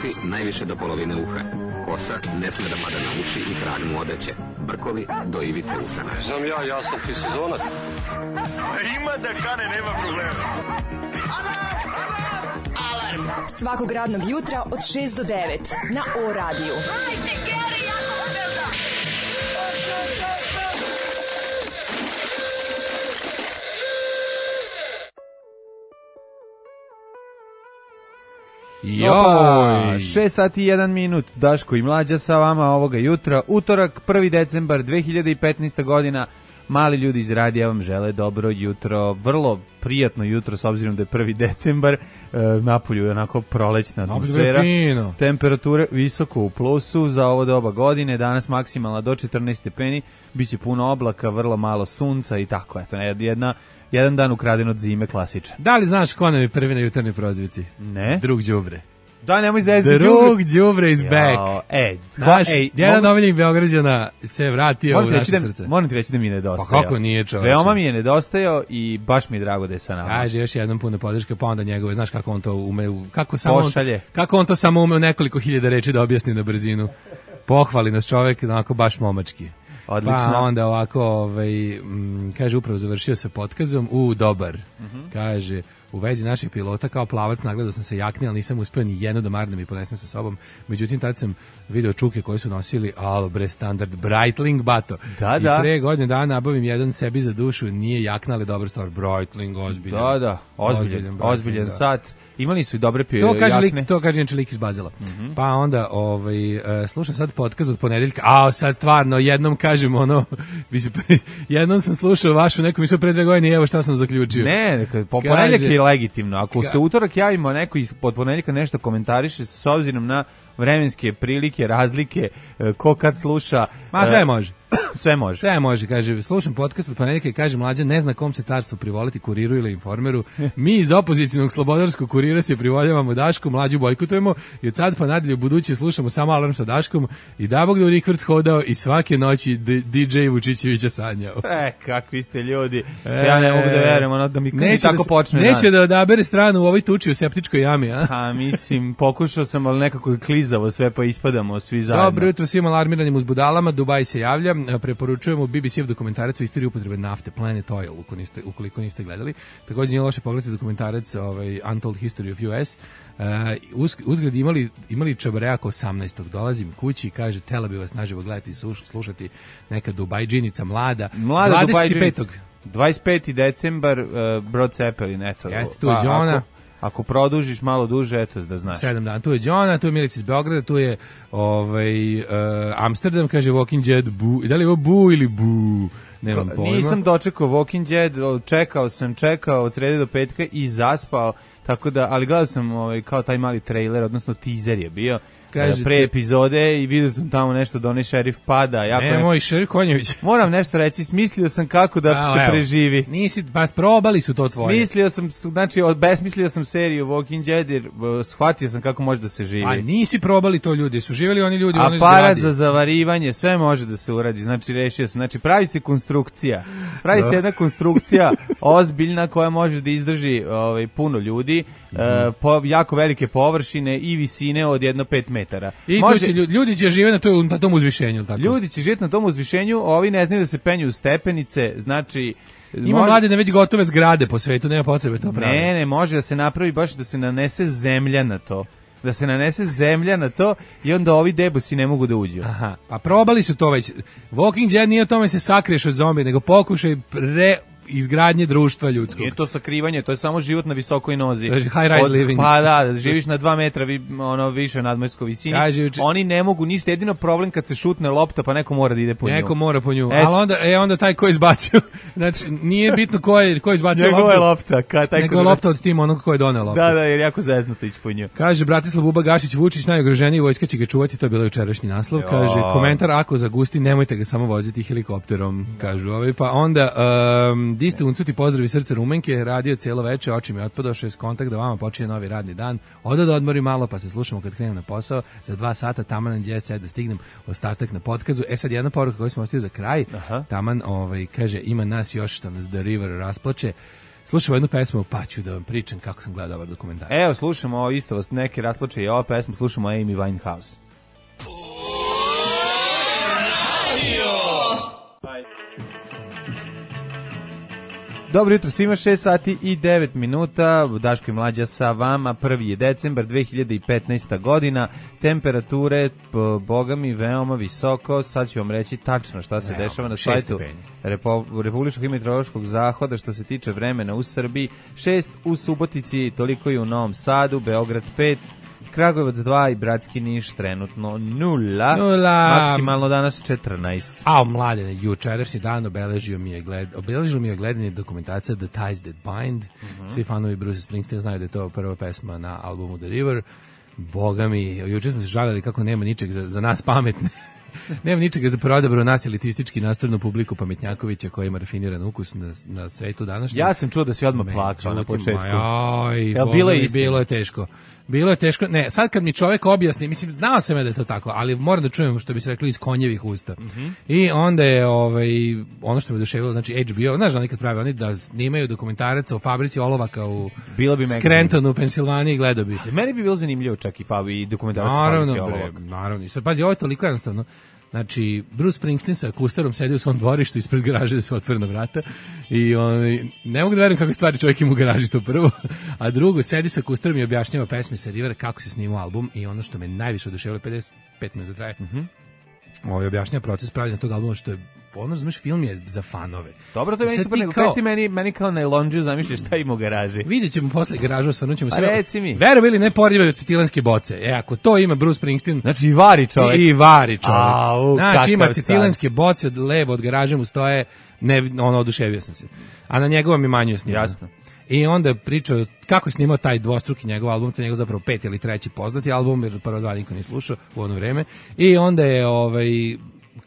Uši najviše do polovine uha. Kosa ne sme da pada na uši i trag mu odeće. Brkovi do ivice usana. Znam ja sam ti sezonac. Ima da kane, nema problema. Alarm svakog radnog jutra od 6 do 9 na O radiju. Joj, 6 sati i 1 minut, Daško i Mlađa sa vama ovoga jutra, utorak, 1. decembar 2015. godina. Mali ljudi iz radija vam žele dobro jutro, vrlo prijatno jutro s obzirom da je 1. decembar, napolju je onako prolećna atmosfera, temperature visoko u plusu za ovo doba godine, danas maksimalna do 14 stepeni, bit će puno oblaka, vrlo malo sunca i tako, eto, jedan dan ukraden od zime, klasičan. Da li znaš ko nam je prvi na jutarnjoj prozivci? Ne. Drug Đubre. Da, nemoj zezati. Drug Đubre is back. Jedan omiljenih Beograđana se vratio u naše srce. Moram ti reći da mi je nedostajao. Pa kako nije, čoveče? Veoma mi je nedostajao i baš mi je drago da je sa nama. Kaže još jednom puno podrške, pa onda njegove, znaš kako on to ume, kako on to samo ume u nekoliko hiljada reči da objasni na brzinu. Pohvali nas čovek, onako baš momački. Odlično. Pa onda ovako, kaže, upravo završio sa potkazom, dobar. Kaže, u vezi naših pilota kao plavac nagledao sam se jakni, ali nisam uspeo ni jedno da marnem i ponesem sa sobom. Međutim, tad sam video čuke koje su nosili, standard, Breitling bato. Da. I pre godine dana nabavim jedan sebi za dušu, nije jakna, ali dobra stvar, Breitling, ozbiljan. Da, ozbiljan sat. Imali su i dobre jakne. To kaže inače lik iz Bazela. Pa onda, slušam sad podcast od ponedeljka, sad stvarno, jednom kažem jednom sam slušao vašu neku misao pre 2 godine i evo šta sam zaključio. Ne, ponedeljak je legitimno. Ako se utorak javimo neko pod ponedeljka nešto komentariše s obzirom na vremenske prilike, razlike, ko kad sluša. Ma sve može. Sve može, kaže, slušam podcast od ponedeljka i kaže, Mlađa ne zna kom se carstvo privoliti, Kuriru ili Informeru. Mi iz opozicijnog slobodarskog Kurira se privoljavamo Dašku, Mlađu bojkotujemo i od sad pa nadalje u buduće slušamo samo Alarm sa Daškom i da Bog da u Rikvrc hodao i svake noći DJ Vučićevića sanjao. Kakvi ste ljudi. Ja ne mogu da verujem, da mi tako počne. Neće da odabere stranu u ovoj tuči u septičkoj jami, a? Mislim, pokušao sam, ali nekako je klizavo sve, pa ispadamo svi zajedno. Dobro jutro svim alarmiranim uzbudalama, Dubaj se javlja. Preporučujemo BBC-ev dokumentarac o istoriji upotrebe nafte, Planet Oil, ukoliko niste gledali. Također nije loše pogledati dokumentarac Untold History of US. Uzgled imali čabareja oko 18. Dolazim kući i kaže, tela bi vas naživo gledati i slušati neka Dubajđinica mlada 25. 25. decembar, Brod Cepelin, eto. Jeste, tu je Đona. Ako produžiš malo duže, eto da znaš. 7 dana. Tu je Đona, tu je Milica iz Beograda, tu je Amsterdam, kaže Walking Dead, bu. Da li je ovo bu ili bu? Nemam pojma. Nisam dočekao Walking Dead, čekao od srede do petka i zaspao, tako da, ali gledao sam kao taj mali trailer, odnosno teaser je bio. Pre epizode i vidio sam tamo nešto da onaj šerif pada. Moj šerif Konjević. Moram nešto reći, smislio sam kako da se preživi. Probali su to tvoje. Obesmislio sam seriju Walking Dead jer shvatio sam kako može da se živi. A nisi probali to ljudi, su živjeli oni ljudi u onoj zgradi. Aparat za zavarivanje, sve može da se uradi, rešio sam. Pravi se konstrukcija. Pravi se jedna konstrukcija ozbiljna koja može da izdrži puno ljudi, jako velike površine i visine od 1,5 metara. I ljudi će živjeti na tom uzvišenju, tako? Ljudi će živjeti na tom uzvišenju, ovi ne znaju da se penju u stepenice, Ima mlade već gotove zgrade po svetu, nema potrebe to praviti. Ne, može da se napravi baš da se nanese zemlja na to. Da se nanese zemlja na to i onda ovi debusi ne mogu da uđu. Aha, pa probali su to već. Walking Dead nije o tome se sakriješ od zombi, nego pokušaj izgradnje društva ljudskog. Nije to sakrivanje, to je samo život na visokoj nozi. To je high rise living. Pa da, živiš na 2 metra više nadmorskoj visini. Oni ne mogu ništa, jedino problem kad se šutne lopta pa neko mora da ide po nju. Neko mora po nju, ali onda taj ko je izbacio, znači nije bitno ko je izbacio loptu. Njegova lopta. Nego lopta od tima onog ko je doneo loptu. Da, jer jako zeznuto ići po nju. Kaže Bratislav Buba Gašić, Vučić najugroženiji, vojska će ga čuvati, to je bilo jučerašnji naslov. Kaže, komentar ako zagusti, nemojte ga samo voziti helikopterom, kažu pa onda di ste uncuti pozdrav i srce Rumenke, radio cijelo veče, oči mi otpadao, 6 kontakt, da vama počinje novi radni dan, odo da odmorim malo, pa se slušamo kad krenem na posao, za 2 sata, taman na Jet da stignem ostatak na podkazu. Sad jedna poruka koju smo ostavili za kraj, taman, kaže, ima nas još što nas The River rasplače, slušamo jednu pesmu, pa ću da vam pričam kako sam gledao ovaj dokumentarac. Evo, slušamo, isto vas neki rasplače i ova pesma, slušamo Amy Winehouse. Dobro jutro svima, 6 sati i 9 minuta, Daško i Mlađa sa vama, 1. je decembar 2015. godina, temperature, boga mi, veoma visoko, sad ću vam reći tačno šta se dešava na sajtu Republičkog hidrometeorološkog zahoda što se tiče vremena u Srbiji, 6 u Subotici, toliko i u Novom Sadu, Beograd 5, Kragujevac 2 i Bratski Niš trenutno 0, maksimalno danas 14. A mladene, jučerašnji dan obeležilo mi je gledanje dokumentacija The Ties That Bind. Svi fanovi Bruce Springsteen znaju da je to prva pesma na albumu The River. Boga mi, juče smo se žalili kako nema ničeg za nas pametne. Nema ničega za prodabro nas elitistički nastrojenu publiku pametnjakovića koji ima rafiniran ukus na svetu današnjem. Ja sam čuo da si odmah plakao na početku. Bilo je teško. Bilo je teško. Ne, sad kad mi čovjek objasni, mislim, znao sam ja da je to tako, ali moram da čujem što bi se rekli iz konjevih usta. I onda je ono što me oduševilo, znači HBO, znaš da nikad pravi oni da snimaju dokumentarac o fabrici olovaka u Scrantonu, u Pensilvaniji, gledao bi. Meni bi bilo zanimljivo čak i dokumentarac o fabrici olovaka. Naravno, i sad pazi, ovo je toliko jednostavno. Znači, Bruce Springsteen sa kustarom sedi u svom dvorištu ispred garaže da su otvorena vrata i ne mogu da verujem kakve stvari čovjek ima u garaži, to prvo, a drugo, sedi sa kustarom i objašnjava pesme sa Rivera, kako se snimao album i ono što me najviše oduševilo, 55 minuta traje, objašnjava proces pravljenja tog albuma, što je, razumeš, film je za fanove. Dobro, to je meni super, nego kaži ti meni kao na Elonđu zamišljaš šta ima u garaži. Vidjet ćemo posle garažu, osvrnut ćemo sve. Reci mi. Verovi ili ne, porljive acetilenske boce. Ako to ima Bruce Springsteen... Znači i vari čovjek. I vari čovjek. Znači ima acetilenske boce, levo od garaže mu stoje, oduševio sam se. A na njegovom je manju snimao. Jasno. I onda pričao kako je snimao taj dvostruki njegov album, to je njegov zapravo 5. ili 3. poznati album, jer prvo 2 niko nije slušao u ono vreme. I onda je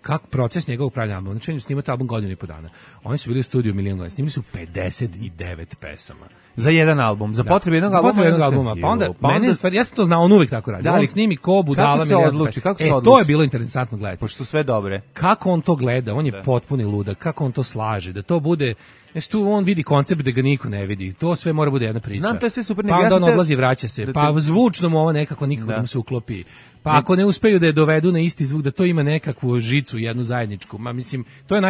kako proces njegovog pravljanja albuma. Znači, snimate album godinu i po dana. Oni su bili u studiju milion godina. Snimili su 59 pesama. Za jedan album, za potrebe jednog albuma. Za potrebe jednog albuma. Pa onda, mene stvari, ja sam to znao, on uvijek tako radi. On snimi ko budala. Kako se odluči? To je bilo interesantno gledati. Pošto su sve dobre. Kako on to gleda? On je potpuni ludak. Kako on to slaže? Da to bude... Znači tu on vidi koncept da ga niko ne vidi. To sve mora bude jedna priča. Znam, to je sve super. Pa onda on odlazi, vraća se. Pa zvučno mu ovo nekako nikako da mu se uklopi. Pa ako ne uspeju da je dovedu na isti zvuk, da to ima nekakvu žicu, jednu zajedničku. Ma mislim, to je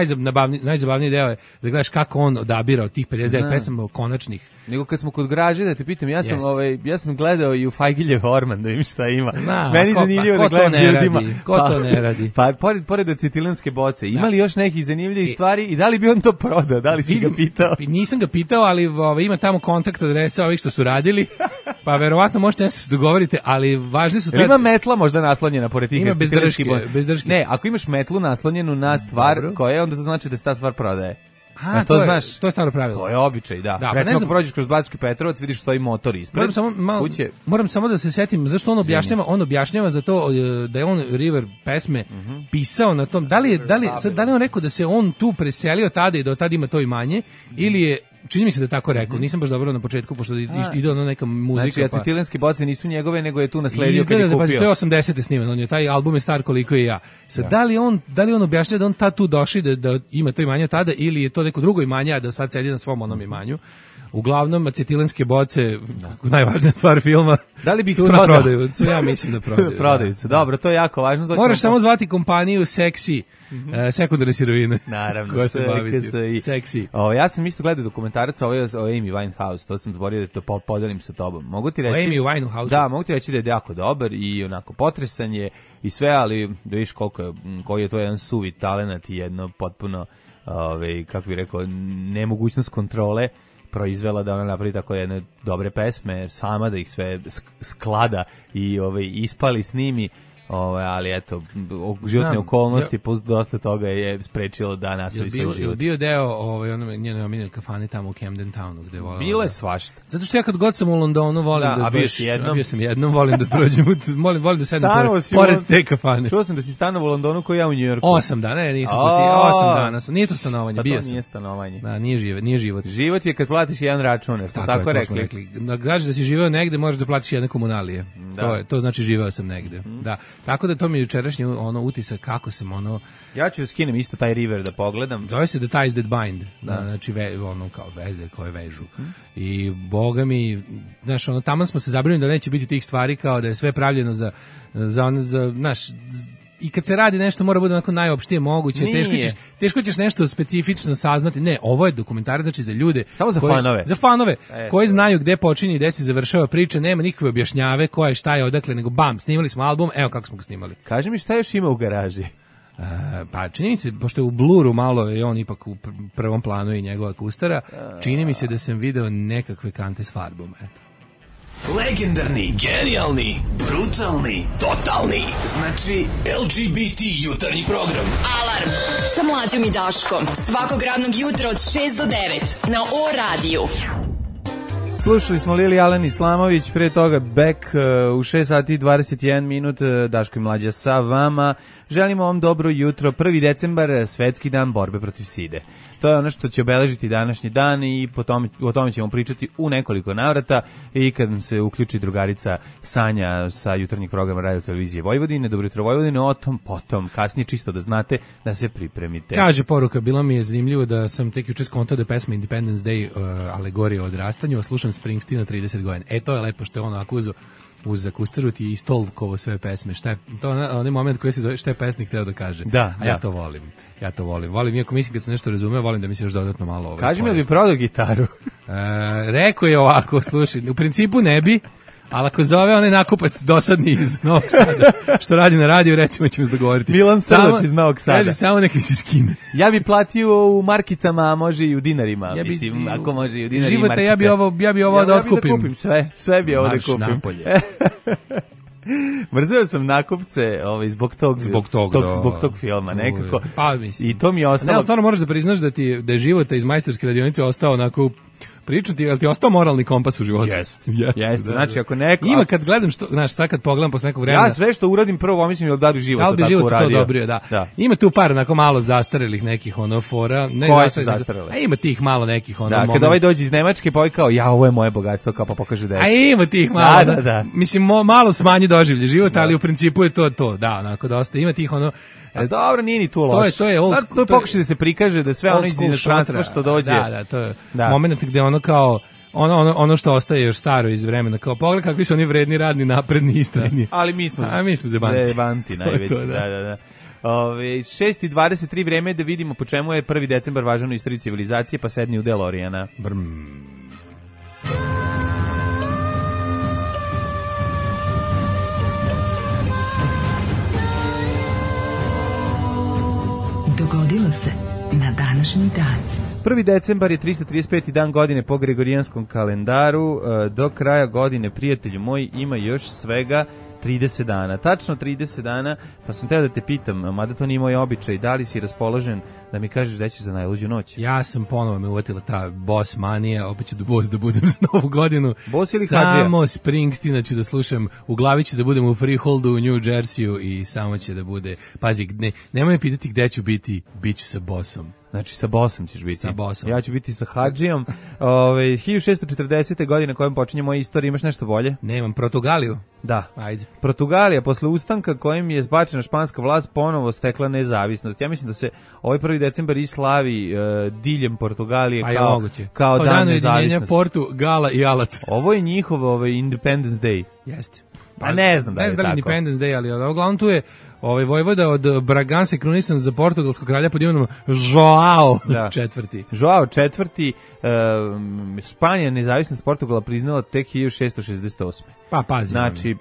najzabavniji deo je da gledaš kako on odabira od tih 59 pesama konačnih. Nego kad smo kod garaže, da te pitam, ja sam gledao i u Fajgiljev Orman da vidim šta ima. Meni zanimljivo da gledam ljudima. Ko to ne radi? Pa pored acetilenske boce, ima li još nekih zanimljivih stvari i da li bi on to prodao? Da li si ga pitao? Nisam ga pitao, ali ima tamo kontakt adresa ovih što su radili, pa verovatno možete nešto se dogovorite, ali važni su... Ima metla možda naslonjena pored tih acetilenskih boca? Bez držke. Ne, ako imaš metlu naslonjenu na stvar koja, onda to znači da se ta stvar prodaje. To znaš, to je staro pravilo. To je običaj, da. Recimo, ako prođeš kroz Bački Petrovac, vidiš stoji motor ispred. Moram samo da se setim zašto on objašnjava za to da je on River pesme pisao na tom. Da li je on rekao da se on tu preselio tada i da od tada ima to imanje, ili je, čini mi se da je tako rekao, nisam baš dobro na početku, pošto ide ono neka muzika. Znači, acetilenske boce nisu njegove, nego je tu nasledio kad je kupio. To je 80. sniman, on je, taj album je star koliko i ja. Sad, da li on objašnjava da on tad tu došli da ima to imanje tada, ili je to neko drugo imanje, a da sad sedi na svom onom imanju. Uglavnom, acetilenske boce, najvažnija stvar filma, da li bi su na prodaju. Ja mislim da prodaju. Prodaju se, dobro, to je jako važno. Moraš samo zvati kompaniju Seksi, sekundarne sirovine. Naravno, Seksi. Ja sam isto gledao dokumentarac o Amy Winehouse, to sam zaboravio da to podelim sa tobom. Mogu ti reći, Amy Winehouse? Da, mogu ti reći da je jako dobar i onako potresan je i sve, ali da vidiš koji je to jedan suvi talenat i jedno potpuno, kako bih rekao, nemogućnost kontrole proizvela da ona napravi tako jedne dobre pesme, sama da ih sve sklada i ispali, snimi, ali eto, životne okolnosti plus dosta toga je sprečilo da nastavi svoj život. Bio deo njene omiljene kafane tamo u Camden Townu gde volao. Bilo je svašta. Zato što ja kad god sam u Londonu volim bio sam jednom, volim da prođem, volim da sednem pored te kafane. Čuo sam da si stanovao u Londonu kao ja u Njujorku. 8 dana, nisam putio, 8 dana sam. Nije to stanovanje, bio sam. To nije stanovanje. Da, nije život. Život je kad platiš jedan račun, tako rekli. Da kažeš da si živeo negde, možeš da platiš jedne komunalije. To znači živeo sam negde. Da. Tako da to mi je jučerašnji utisak kako sam Ja ću skinem isto taj River da pogledam. Zove se The Ties That Bind, znači kao veze koje vežu. I boga mi, znaš, tamo smo se zabrinuli da neće biti tih stvari, kao da je sve pravljeno za znaš, i kad se radi nešto mora bude onako najopštije moguće, teško ćeš nešto specifično saznati. Ne, ovo je dokumentarac, znači za ljude. Samo za fanove. Za fanove, koji znaju gde počinje i gde se završava priča, nema nikakve objašnjave ko je, šta je, odakle, nego bam, snimali smo album, evo kako smo ga snimali. Kaži mi šta još ima u garaži? Pa čini mi se, pošto je u bluru malo, je on ipak u prvom planu i njegova kustara, čini mi se da sam video nekakve kante s farbom, eto. Legendarni, genijalni, brutalni, totalni. Znači LGBT jutarnji program. Alarm sa Mlađom i Daškom. Svakog radnog jutra od 6 do 9 na O-radiju. Slušali smo Lili Alen Islamović, pre toga Beck u 6 sati 21 minut, Daško i Mlađa sa vama. Želimo vam dobro jutro, 1. decembar, svetski dan borbe protiv side. To je ono što će obeležiti današnji dan i o tome ćemo pričati u nekoliko navrata i kad nam se uključi drugarica Sanja sa jutarnjeg programa Radio Televizije Vojvodine. Dobro jutro Vojvodine, o tom potom, kasnije čisto da znate da se pripremite. Kaže poruka, bilo mi je zanimljivo da sam tek juče skontao da je pesma Independence Day alegorija o odrastanju, a slušam Springsteena 30 godina. To je lepo što je ono ako uz akustaru ti istolkovo sve pesme. Šta je to onaj moment koji se zove šta je pesnik hteo da kaže. Ja to volim. Ja to volim. Volim, iako mislim kad se nešto razume, volim da mi se još dodatno malo Kaži mi da bi prodao gitaru. Rekao je ovako, slušaj, u principu ne bi, ali ako zove onaj nakupac dosadni iz Novog Sada, što radi na radiju, recimo ćemo se dogovoriti. Milan Srdač iz Novog Sada. Kaže, samo neki se skine. Ja bi platio u markicama, a može i u dinarima. Mislim, ako može i u dinarima i markice. Ja bi ovo da otkupim. Ja bi da kupim sve bi ovo da kupim. Marš napolje. Mrzeo sam nakupce zbog tog filma nekako. Pa, mislim. I to mi je ostalo. Ne, stvarno moraš da priznaš da je života iz majstorske radionice ostao onako priču ti, jel ti ostao moralni kompas u životu? Jeste. Znači ako neko ima kad gledam što, znaš, sad kad pogledam posle nekog vremena. Ja sve što uradim prvo mislim da bi život to dobro, da. Ima tu par onako malo zastarelih nekih fora, ne zastarelih. A ima tih malo nekih Da, kad ovaj dođe iz Nemačke pa kao ovo je moje bogatstvo, kao pa pokaže deci. A ima tih malo. Da. Mislim malo smanji doživlje života, ali u principu je to, da, onako dosta ima tih dobro, nije ni tu loše. To je pokušaj da se prikaže da sve ono iz inostranstva što dođe. To je moment gde ono kao ono što ostaje još staro iz vremena, kao pogled kakvi su oni vredni, radni, napredni, istrajni. Ali mi smo zebanti najveći. Da. 6:23 vreme da vidimo po čemu je 1. decembar važan u istoriji civilizacije, pa sedni u DeLoreana. Dogodilo se na današnji dan. 1. decembar je 335. dan godine po Gregorijanskom kalendaru. Do kraja godine, prijatelju moj, ima još svega 30 dana. Tačno 30 dana, pa sam teo da te pitam, mada to nije moj običaj, da li si raspoložen da mi kažeš da ćeš za najluđu noć? Ja sam ponovo me uvatila ta boss manija, opet ću boss da budem za novu godinu. Boss ili Hadžija? Samo Springsteena ću da slušam, u glavi ću da budem u Freeholdu u New Jerseyu i samo će da bude, pazi, nemoj me pitati gde ću biti, bit ću sa bossom. Znači sa bossom ćeš biti. Sa bossom. Ja ću biti sa Hadžijom. 1640. godine kojom počinje moja istorija, imaš nešto bolje? Nemam, Portugaliju. Da. Ajde. Portugalija, posle ustanka kojim je zbačena španska vlast, ponovo stekla nezavisnost. Ja mislim da se ovaj 1. decembar i slavi diljem Portugalije kao dan nezavisnosti. Portugala i Alaca. Ovo je njihov Independence Day. Jeste. Pa ne znam da je tako. Independence Day, ali uglavnom tu je vojvoda od Braganse krunisan za portugalskog kralja pod imenom Joao IV. Joao IV. Španija nezavisnost Portugala priznala tek 1668. Pa pazi. Znači,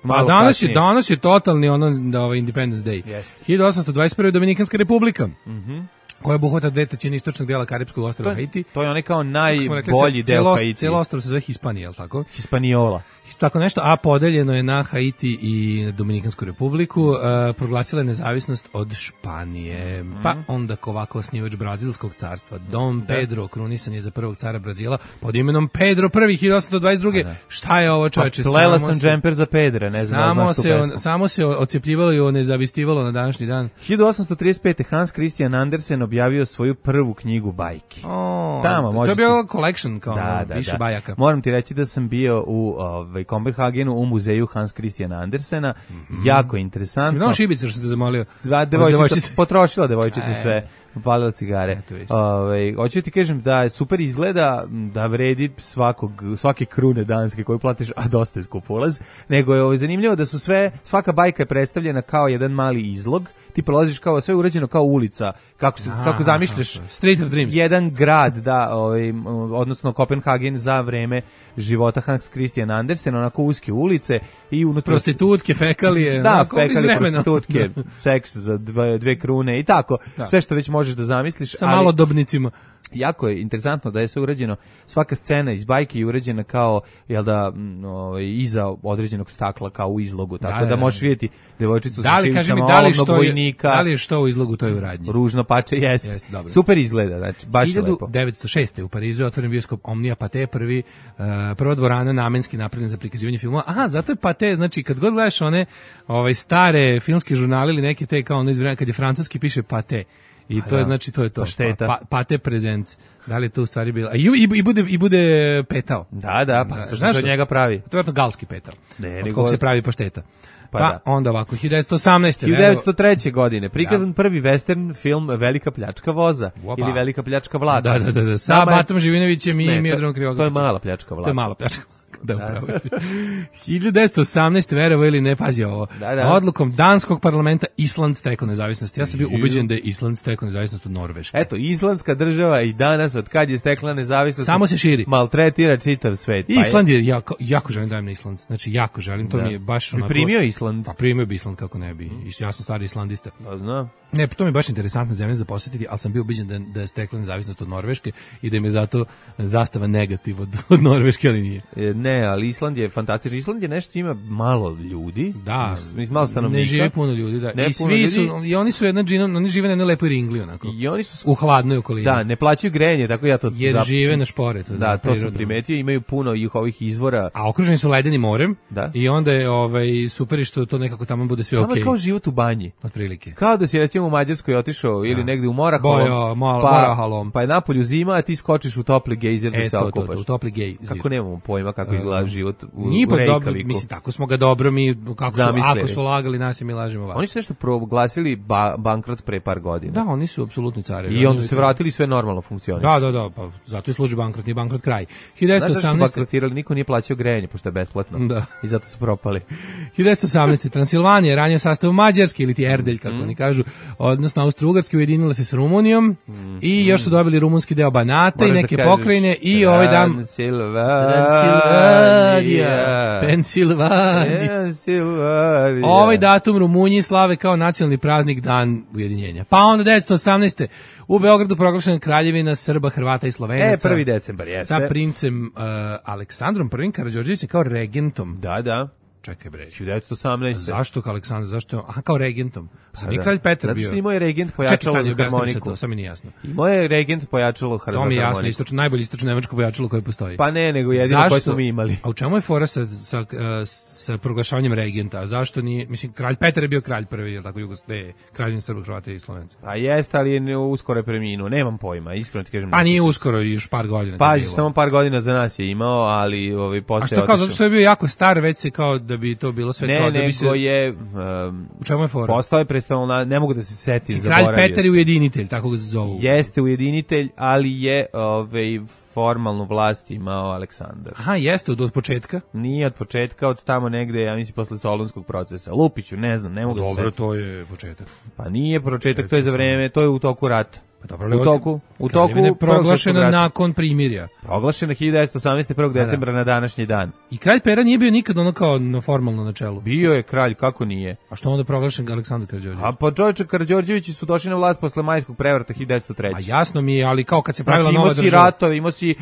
danas je totalni Independence Day. Yes. 1821. Dominikanska republika. Koja obuhvata 2/3 istočnog dela Karipskog ostrva Haiti. To je onaj kao najbolji deo Haiti. Cijelo ostrvo se zove Hispanija, je li tako? Hispaniola. Tako nešto, a podeljeno je na Haiti i Dominikansku republiku, proglasila je nezavisnost od Španije. Pa onda ovako osnivač Brazilskog carstva, Dom Pedro, krunisan je za prvog cara Brazila pod imenom Pedro I, 1822. Šta je ovo, čoveče? Pa plela sam džemper za Pedre, ne znam. Samo se ocepljivalo i onezavistivalo na današnji dan. 1835. Hans Christian Andersen objavio svoju prvu knjigu bajki. Tamo to je bio collection, kao više bajaka. Moram ti reći da sam bio u Kopenhagenu u muzeju Hans Christian Andersena. Jako interesantno. Si mi dao šibice što ste zamolio? Potrošila devojčica sve. Palila cigare. Hoću ti kažem da je super izgleda, da vredi svake krune danske koju platiš, a dosta je skup ulaz, nego je zanimljivo da su svaka bajka je predstavljena kao jedan mali izlog, ti prolaziš kao sve urađeno kao ulica, kako zamišljaš Street of Dreams. Jedan grad, odnosno Kopenhagen za vreme života Hans Christian Andersen, onako uske ulice i unutra prostitutke, fekalije, prostitutke, seks za 2 krune i tako, sve što već možeš da zamisliš. Sa malodobnicima. Jako je interesantno da je sve urađeno, svaka scena iz bajke je urađena kao, iza određenog stakla, kao u izlogu, tako da možeš vidjeti devojčicu sa šivicama olovnog vojnika. Da li je što u izlogu toj u radnji? Ružno pače, jeste. Super izgleda, znači, baš je lepo. 1906. u Parizu je otvoren bioskop Omnia Pathé, prva dvorana namenski napravljena za prikazivanje filmova. Aha, zato je Pathé, znači kad god gledaš one stare filmske žurnale ili neke te kao ono iz vremena kad je francuski piše Pathé. I to je, znači, to je to. Pathé Presents. Da li je to u stvari bilo? I bude petao. Da, pa što se od njega pravi? To je galski petao. Od kog se pravi pašteta. Pa onda ovako, 1918. 1903. godine, prikazan prvi western film Velika pljačka voza. Ili Velika pljačka vlada. Da. Sa Batom Živinovićem i Miodragom Krivokapićem. To je Mala pljačka vlada. To je Mala pljačka. Da, upravo. 1918. verovo ili ne, pazi ovo. Odlukom danskog parlamenta Island stekao nezavisnost. Ja sam bio ubeđen da je Island stekao nezavisnost od Norveške. Eto, islandska država i danas, od kad je stekla nezavisnost, samo se širi. Maltretira čitav svet. Island je, jako želim da dajem na Island. Znači, jako želim, to mi je baš onako... Primio Island? Pa primio bi Island, kako ne bi. Ja sam stari islandista. Da, znam. Ne, to mi je baš interesantna zemlja za posjetiti, ali sam bio ubeđen da je stekla nezavisnost od Norveške i da im je zato zastava negativ od Norveške, ali nije. Ne, ali Island je fantastičan. Island je nešto, ima malo ljudi. Da, malo stanovnika. Ne živi puno ljudi, da. I svi su, i oni su oni žive na jednoj lepoj ringli, onako. I oni su u hladnoj okolini. Da, ne plaćaju grejanje, tako ja to jer žive na šporetu. Da, to sam primetio, imaju puno ovih izvora. A okruženi su ledenim morem. Da. I onda je super što to nekako tamo bude sve okej. Kao život u banji. Otprilike. Kao da si recimo u Mađarskoj otišao ili negde u Morahalom. Pa je napolju zima, a ti skočiš u topli gejzer da se okupaš. U topli gejzer. Kako nemamo pojma kako izgleda život u Reykjaviku. Mislim, tako smo ga dobro mi, ako su lagali nas i mi lažemo vas. Oni su nešto proglasili bankrot pre par godina. Da, oni su apsolutni carevi. I onda se vratili, sve normalno funkcioniše. Da, pa zato i služi bankrot, nije bankrot kraj. 1918. Znaš zašto su bankrotirali, niko nije plaćao grejanje, pošto je besplatno. Da. I zato su propali. 1918. Transilvanija, ranije sastav Mađarske, ili ti Erdelj, kako oni kažu, odnosno Austro-Ugarske, ujedinila se s Rumunijom i još su dobili rumunski deo Banata i neke pokrajine i ovaj dan Pensilvanija. Ovaj datum Rumunji slave kao nacionalni praznik Dan ujedinjenja. Pa onda 1918. u Beogradu proglašena Kraljevina Srba, Hrvata i Slovenaca. 1. decembar, jeste. Sa princem Aleksandrom I Karađorđevićem kao regentom. Da. Čekaj bre. 1918. Zašto kao Aleksandar? Zašto? Aha, kao regentom. Pa nije kralj Petar bio. Zato što imao je regent pojačalo za harmoniku. To sam mi nije jasno. Imao je regent pojačalo za harmoniku. To mi je jasno, najbolje istočno nemačko pojačalo koje postoji. Pa ne, nego jedino koje smo mi imali. A u čemu je fora sa proglašavanjem regenta? Zašto nije, mislim, kralj Petar je bio kralj prvi, je tako kraljevina Srba, Hrvata i Slovenaca. Pa jeste, ali je uskoro preminuo, nemam pojma, iskreno ti kažem. Pa nije uskoro, još par godina. Pa samo par godina za nas je imao, ali posle. A što kao, zato što je bio jako star, već se kao da bi to bilo sve kao da bi se... je... U čemu je fora? Postao je predstavljeno, ne mogu da se setim, zaboravio sam. Kralj Petar je ujedinitelj, tako ga zovu. Jeste ujedinitelj, ali je formalnu vlast imao Aleksandar. Aha, jeste, od početka? Nije od početka, od tamo negde, ja mislim, posle Solunskog procesa. Lupiću, ne znam, ne mogu da se setim. Dobro, to je početak. Pa nije početak, to je za vreme, to je u toku rata. Pa dobro, u toku proglašena nakon primirja. Proglašena 1918. 1. decembra na današnji dan. I kralj Pera nije bio nikad ono kao formalno na čelu. Bio je kralj, kako nije? A što onda proglašen Aleksandar Karađorđević? A pa čovječe, Karađorđevići su došli na vlast posle majskog prevrata 1903. A jasno mi je, ali kao kad se pravila nova država. Imao si ratove, imao si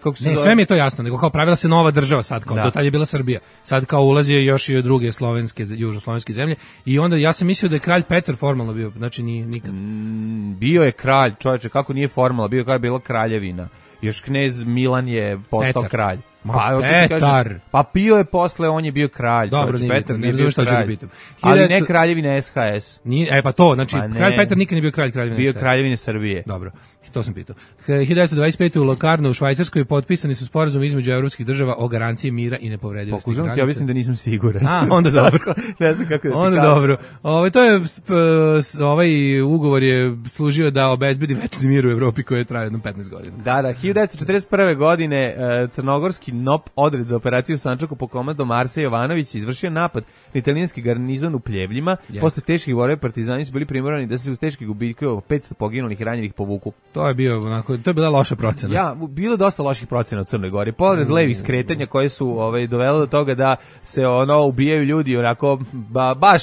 kako se ne, sve mi je to jasno, nego kao pravila se nova država sad, kao do tad je bila Srbija. Sad kao ulazi još i druge južnoslovenske zemlje i onda ja sam mislio da je kralj Petar formalno bio, znači nije nikad. Bio je kralj, čovječe, kako nije formalno, bila kraljevina. Još knez Milan je postao kralj. Petar. Pa pio je posle, on je bio kralj. Dobro, Petar ne znam šta ću da pitam. Ali ne kraljevine SHS. Pa to, znači, kralj Petar nikad nije bio kralj kraljevine SHS. Bio kraljevine Srbije. Dobro, to sam pitao. 1925. u Locarno u Švajcarskoj potpisani su sporazum između evropskih država o garanciji mira i nepovredivosti granica. Pokušam ti objasnim da nisam siguran. Onda dobro. Ne znam kako da ti onda kažem. Dobro. Ovaj ugovor je služio da obezbedi večni mir u Evropi koji je trajao jedno 15 godina. Da, 1941. godine crnogorski NOP odred za operaciju Sančaku po komandom Arse Jovanović izvršio napad na italijanski garnizon u Pljevljima. Posle teških borbe partizani su bili primorani da se uz teške gubitke 500 poginulih i ranjenih povuku. To je bila loša procena. Ja, bilo dosta loših procena u Crnoj Gori. Pored levih skretanja koje su dovele do toga da se ubijaju ljudi onako baš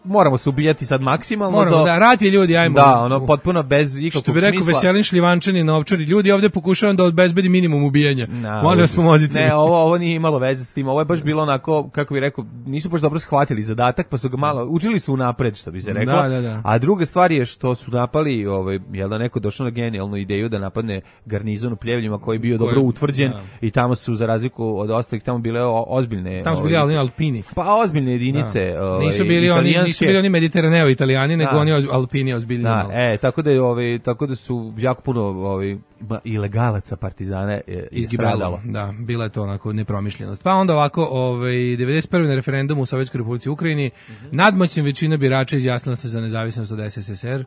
moramo se ubijati sad maksimalno. Moramo, da, rat je ljudi, ajmo. Da, potpuno bez ikakvog smisla. Što bi rekao Veselin Šljivančani, novčari, ljudi ovdje pokušavam da obezbedi minimum ubijanja. Molim vas pomozite. Ne, ovo nije imalo veze s tim, ovo je baš bilo onako, kako bi rekao, nisu baš dobro shvatili zadatak, pa su ga malo, učili su unapred, što bi se reklo. Da. A druga stvar je što su napali, jel da neko došao na genijalnu ideju da napadne garnizon u Pljevljima koji je bio dobro utvrđen i tamo su, za razliku od ostalih, tamo bile ozbiljne... Tamo su bili alpini. Pa ozbiljne jedinice. Nisu bili oni Mediteraneo Italijani, nego oni alpini ozbiljni. Tako da su jako puno ilegalaca partizane izgibalo. Da, bila je to onako nepromišljenost. Pa onda ovako, 91. na referendumu u Sovjetskoj Republici Ukrajini, nadmoćna većina birača izjasnila se za nezavisnost od SSSR.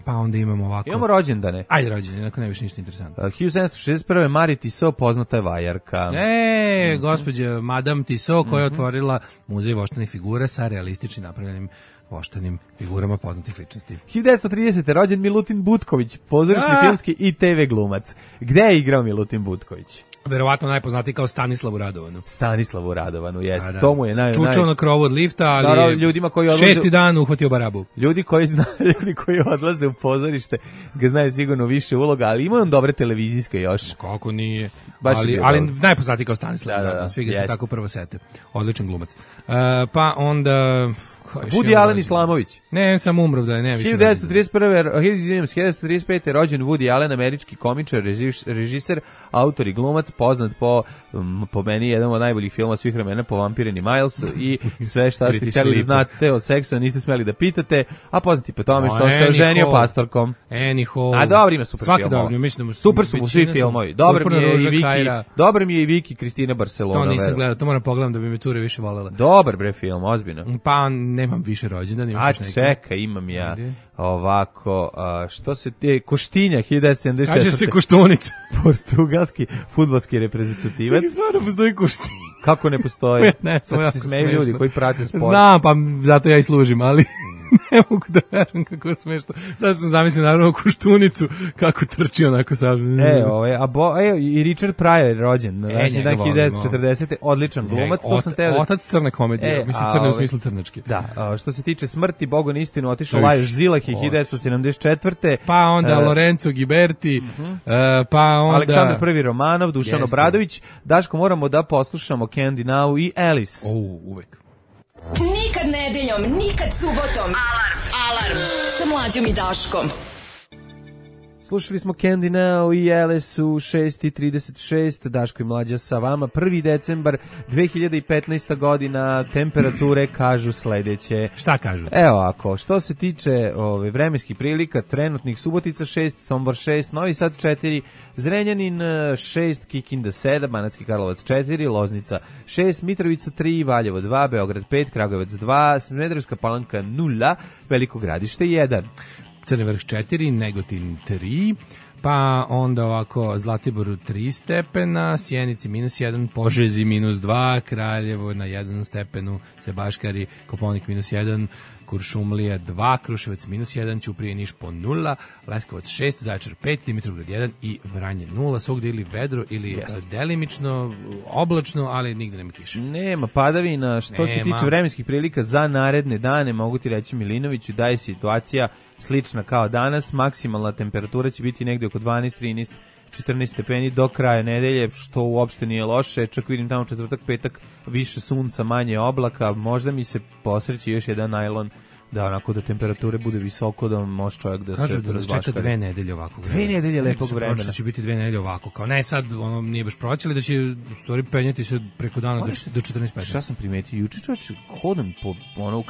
Pa onda imamo ovako... Imamo rođendane. Ajde rođendane, onako ne više ništa interesantno. 1761. Marie Tissot, poznata je vajarka. Gospođa Madame Tissot, koja je otvorila muzej voštanih figura sa realističnim napravljenim voštanim figurama poznatih ličnosti. 1930. rođen Milutin Butković, pozorišni, filmski i TV glumac. Gde je igrao Milutin Butković? Verovatno najpoznatiji kao Stanislavu Radovanu. Stanislavu Radovanu, jeste. Da. To mu je čučao na krovu od lifta, ali ljudima koji odlaze, 6. dan uhvatio barabu. Ljudi koji odlaze u pozorište ga znaju sigurno više uloga, ali ima on dobre televizijske još. Kako nije. Ali najpoznatiji kao Stanislav Radovanu. Svi ga se tako prvo sete. Odličan glumac. Pa onda... Woody Allen Islamović. Ne, sam umrov da je ne više. 1935. rođen Woody Allen, američki komičar, režiser, autor i glumac, poznat po meni jedan od najboljih filmova svih vremena, po Vampirini Milesu i sve šta ste htjeli da znate od seksa, niste smeli da pitate, a poznati po tome što se oženio pastorkom. A dobro, ima super filmova. Super su mu svi filmovi. Dobar mi je i Viki Kristina Barcelona. To nisam gledao, to moram pogledam da bi me cure više volela. Dobar bre film, ozbiljno. Pa nemam više rođendan, imaš još neki. Čekaj, imam ja. Ovako, što se Koštinja, 1974. Kaže se Koštunica. Portugalski fudbalski reprezentativac. Čekaj, stvarno postoji Koštinja. Kako ne postoji? Ne, sad se smeju ljudi koji prate sport. Znam, pa zato ja i služim, ali... ne mogu da verujem kako je smešno. Zašto sam zamislio naravno Koštunicu kako trči onako sad. I Richard Pryor je rođen na današnji dan 1940. Odličan glumac. Otac crne komedije, mislim crne u smislu crnačke. Da, što se tiče smrti, Bogu na istinu otišao Lajos Zilahi 1974. Pa onda Lorenzo Ghiberti, pa onda Aleksandar I Romanov, Dušan Obradović. Daško, moramo da poslušamo Candy Now i Alice. Uvek. Nikad nedeljom, nikad subotom. Alarm sa Mlađom i Daškom. Slušali smo Candy Now i Alice u 6:36, Daško i Mlađa sa vama. 1. decembar 2015. godina, temperature kažu sledeće. Šta kažu? Evo ako, što se tiče vremenskih prilika, trenutnih Subotica 6, Sombor 6, Novi Sad 4, Zrenjanin 6, Kikinda 7, Banatski Karlovac 4, Loznica 6, Mitrovica 3, Valjevo 2, Beograd 5, Kragujevac 2, Smederevska Palanka 0, Veliko Gradište 1. Crni Vrh 4, Negotin 3, pa onda ovako Zlatiboru 3 stepena, Sjenici -1, Požegi -2, Kraljevo na 1 stepenu, Sebaškari, Koponik -1, Kuršumlija 2, Kruševac -1, Ćuprije, Niš po 0, Leskovac 6, Zaječar 5, Dimitrovgrad 1 i Vranje 0, svugde ili vedro ili delimično oblačno, ali nigde nema kiše. Nema padavina. Što se tiče vremenskih prilika za naredne dane, mogu ti reći Milinoviću da je situacija slična kao danas, maksimalna temperatura će biti negde oko 12, 13, 14 stepeni do kraja nedelje, što uopšte nije loše, čak vidim tamo četvrtak, petak, više sunca, manje oblaka, možda mi se posreći još jedan najlon Da, onako da temperature bude visoko, da može čovjek da kažu se da nas čeka 2 nedelje ovako. 2 nedelje lepog vremena. Da će biti 2 nedelje ovako, kao ne sad, ono nije baš proći, ali da će u stvari penjati se preko dana do 14-15. Šta sam primetio? Juče čovječ, hodam po, ono,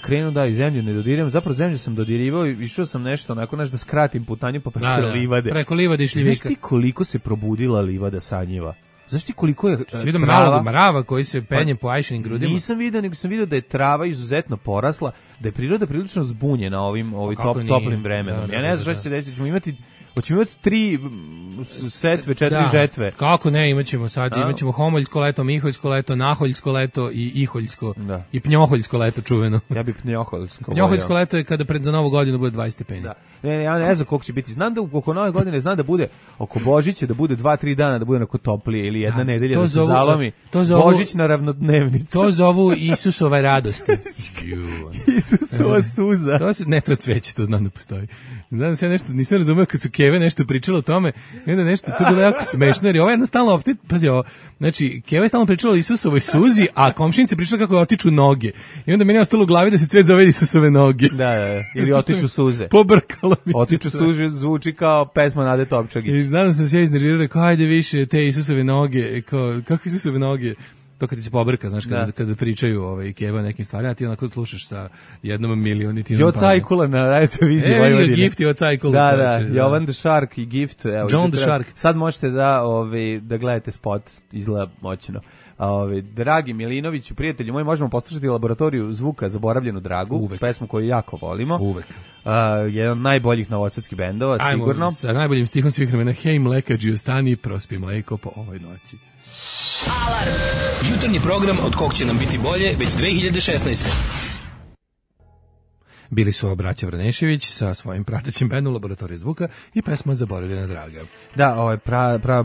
krenuo da i zemlju ne dodiram, zapravo zemlju sam dodirivao i išao sam nešto, onako da skratim putanju pa preko livade. Preko livade i šljivika. Znaš ti koliko se probudila livada sanjiva? Znaš ti koliko je trava? Malog mrava koji se penje po Ajšinim grudima? Nisam vidio, nego sam vidio da je trava izuzetno porasla, da je priroda prilično zbunjena ovim toplim vremenom. Ja ne znam šta će se desiti, ćemo imati 3 setve, 4 žetve. Kako ne, imaćemo homoljsko leto, miholjsko leto, naholjsko leto i iholjsko. I pnjoholjsko leto čuveno. Ja bih pnjoholjsko. Pnjoholjsko leto je kada za Novu godinu bude 20 stepeni. Da. Ja ne znam koliko će biti. Znam da oko Nove godine znam da bude oko Božića, da bude 2-3 dana da bude onako toplije ili jedna nedelja da se zalomi. Božić na ravnodnevnicu. To zovu Isusove radosti. Isusova suza. To je cveće, to znam da postoji. Znam da se ja nešto, nisam razumeo kad su Keve nešto pričalo o tome, i onda nešto, to je bilo jako smešno, jer ovo je jednostavno opet, pazi ovo, znači, Keva je stalno pričala o Isusovoj suzi, a komšinica pričala kako otiču noge. I onda meni je ostalo u glavi da se cvet zove Isusove noge. Da, ili otiču suze. Pobrkalo mi se. Otiču suze zvuči kao pesma Nade Topčagić. I znam da sam se ja iznervirao, rekao, ajde više te Isusove noge, kako Isusove noge? To kad ti se pobrka, znaš, kada pričaju Keva nekim stvarima, a ti onako slušaš sa 1 milioninom. Jo Cajkula na radio televiziji Vojvodine. Gift je od Cajkula. Da, Jovan the Shark i Gift. Evo, John the Shark. Sad možete da gledate spot, izgleda moćno. Dragi Milinoviću, prijatelji moji, možemo poslušati Laboratoriju zvuka Zaboravljenu dragu, uvek. Pesmu koju jako volimo. Uvek. Jedan od najboljih novosadskih bendova, sigurno. Ajmo sa najboljim stihom svih vremena. Hej mlekađi, ostani, prospi mleko po ovoj noći. Alarm! Jutarnji program od kog će nam biti bolje već 2016. Bili su braća Vranešević sa svojim pratećim bendom Laboratorije zvuka i pesma Zaboravljena draga. Da, ovo je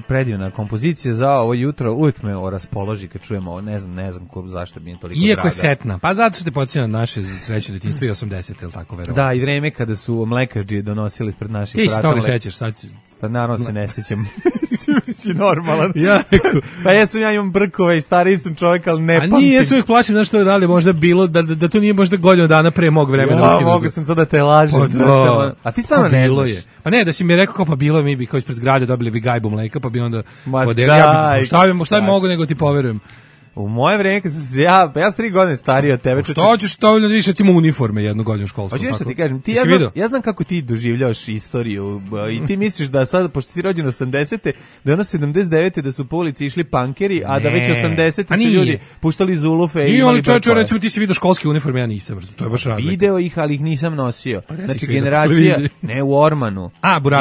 predivna kompozicija za ovo jutro, uvijek me raspoloži kad čujemo ovo, ne znam zašto mi je toliko draga. Iako je setna, pa zato što te podsjeća na naše srećno detinjstvo i 80, ili tako verovatno. Da, i vreme kada su mlekađi donosili ispred naših prata. Ti se toga sećaš, sad ću... Pa naravno se ne sećam. Si normalan. Pa ja imam brkove i stariji sam čovjek, ali ne pamtim. A nije, ja se uvijek plašim da što je dalje možda bilo, da to nije možda godinu dana pre mog vremena. Mogu sam to da te lažem. A ti stvarno ne znaš. Pa ne, da si mi rekao kao pa bilo mi bi kao ispred zgrade dobili bi gajbu mleka, pa bi onda podelio. Šta bi mogu nego ti poverujem. U moje vreme, kad sam se ja sam 3 godine stariji od tebe. Što ćeš stavljati više, recimo uniforme jednu godinu školsku? Hoćeš što ti kažem, ja znam kako ti doživljavaš istoriju i ti misliš da sad, pošto si rođen 80. da je ono 79. da su po ulici išli pankeri, a da već 80. su ljudi puštali zulufe i imali brkove. Recimo ti si vidio školske uniforme, ja nisam, to je baš razlika. Video ih, ali ih nisam nosio. Znači generacija, ne u Ormanu,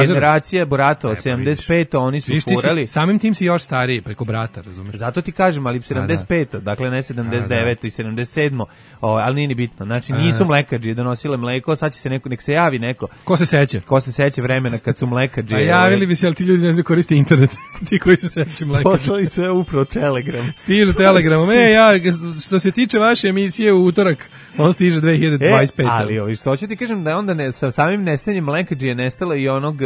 generacija Boratova, 75. oni su furali. Samim tim si još stariji preko brata, razumeš? Zato ti kažem, ali 75. Dakle, ne 79. i 77. Ali nije ni bitno. Znači, nisu mlekađi donosile mleko, sad će se nek se javi neko. Ko se seća? Ko se seća vremena kad su mlekađi. A javili bi se, ali ti ljudi ne znaju koriste internet. Ti koji se seća mlekađi. Poslali sve upravo Telegram. Stiže Telegramom. Što se tiče vaše emisije u utorak, on stiže 2025. Ali što hoću ti kažem da je onda sa samim nestanjem mlekađi je nestalo i onog,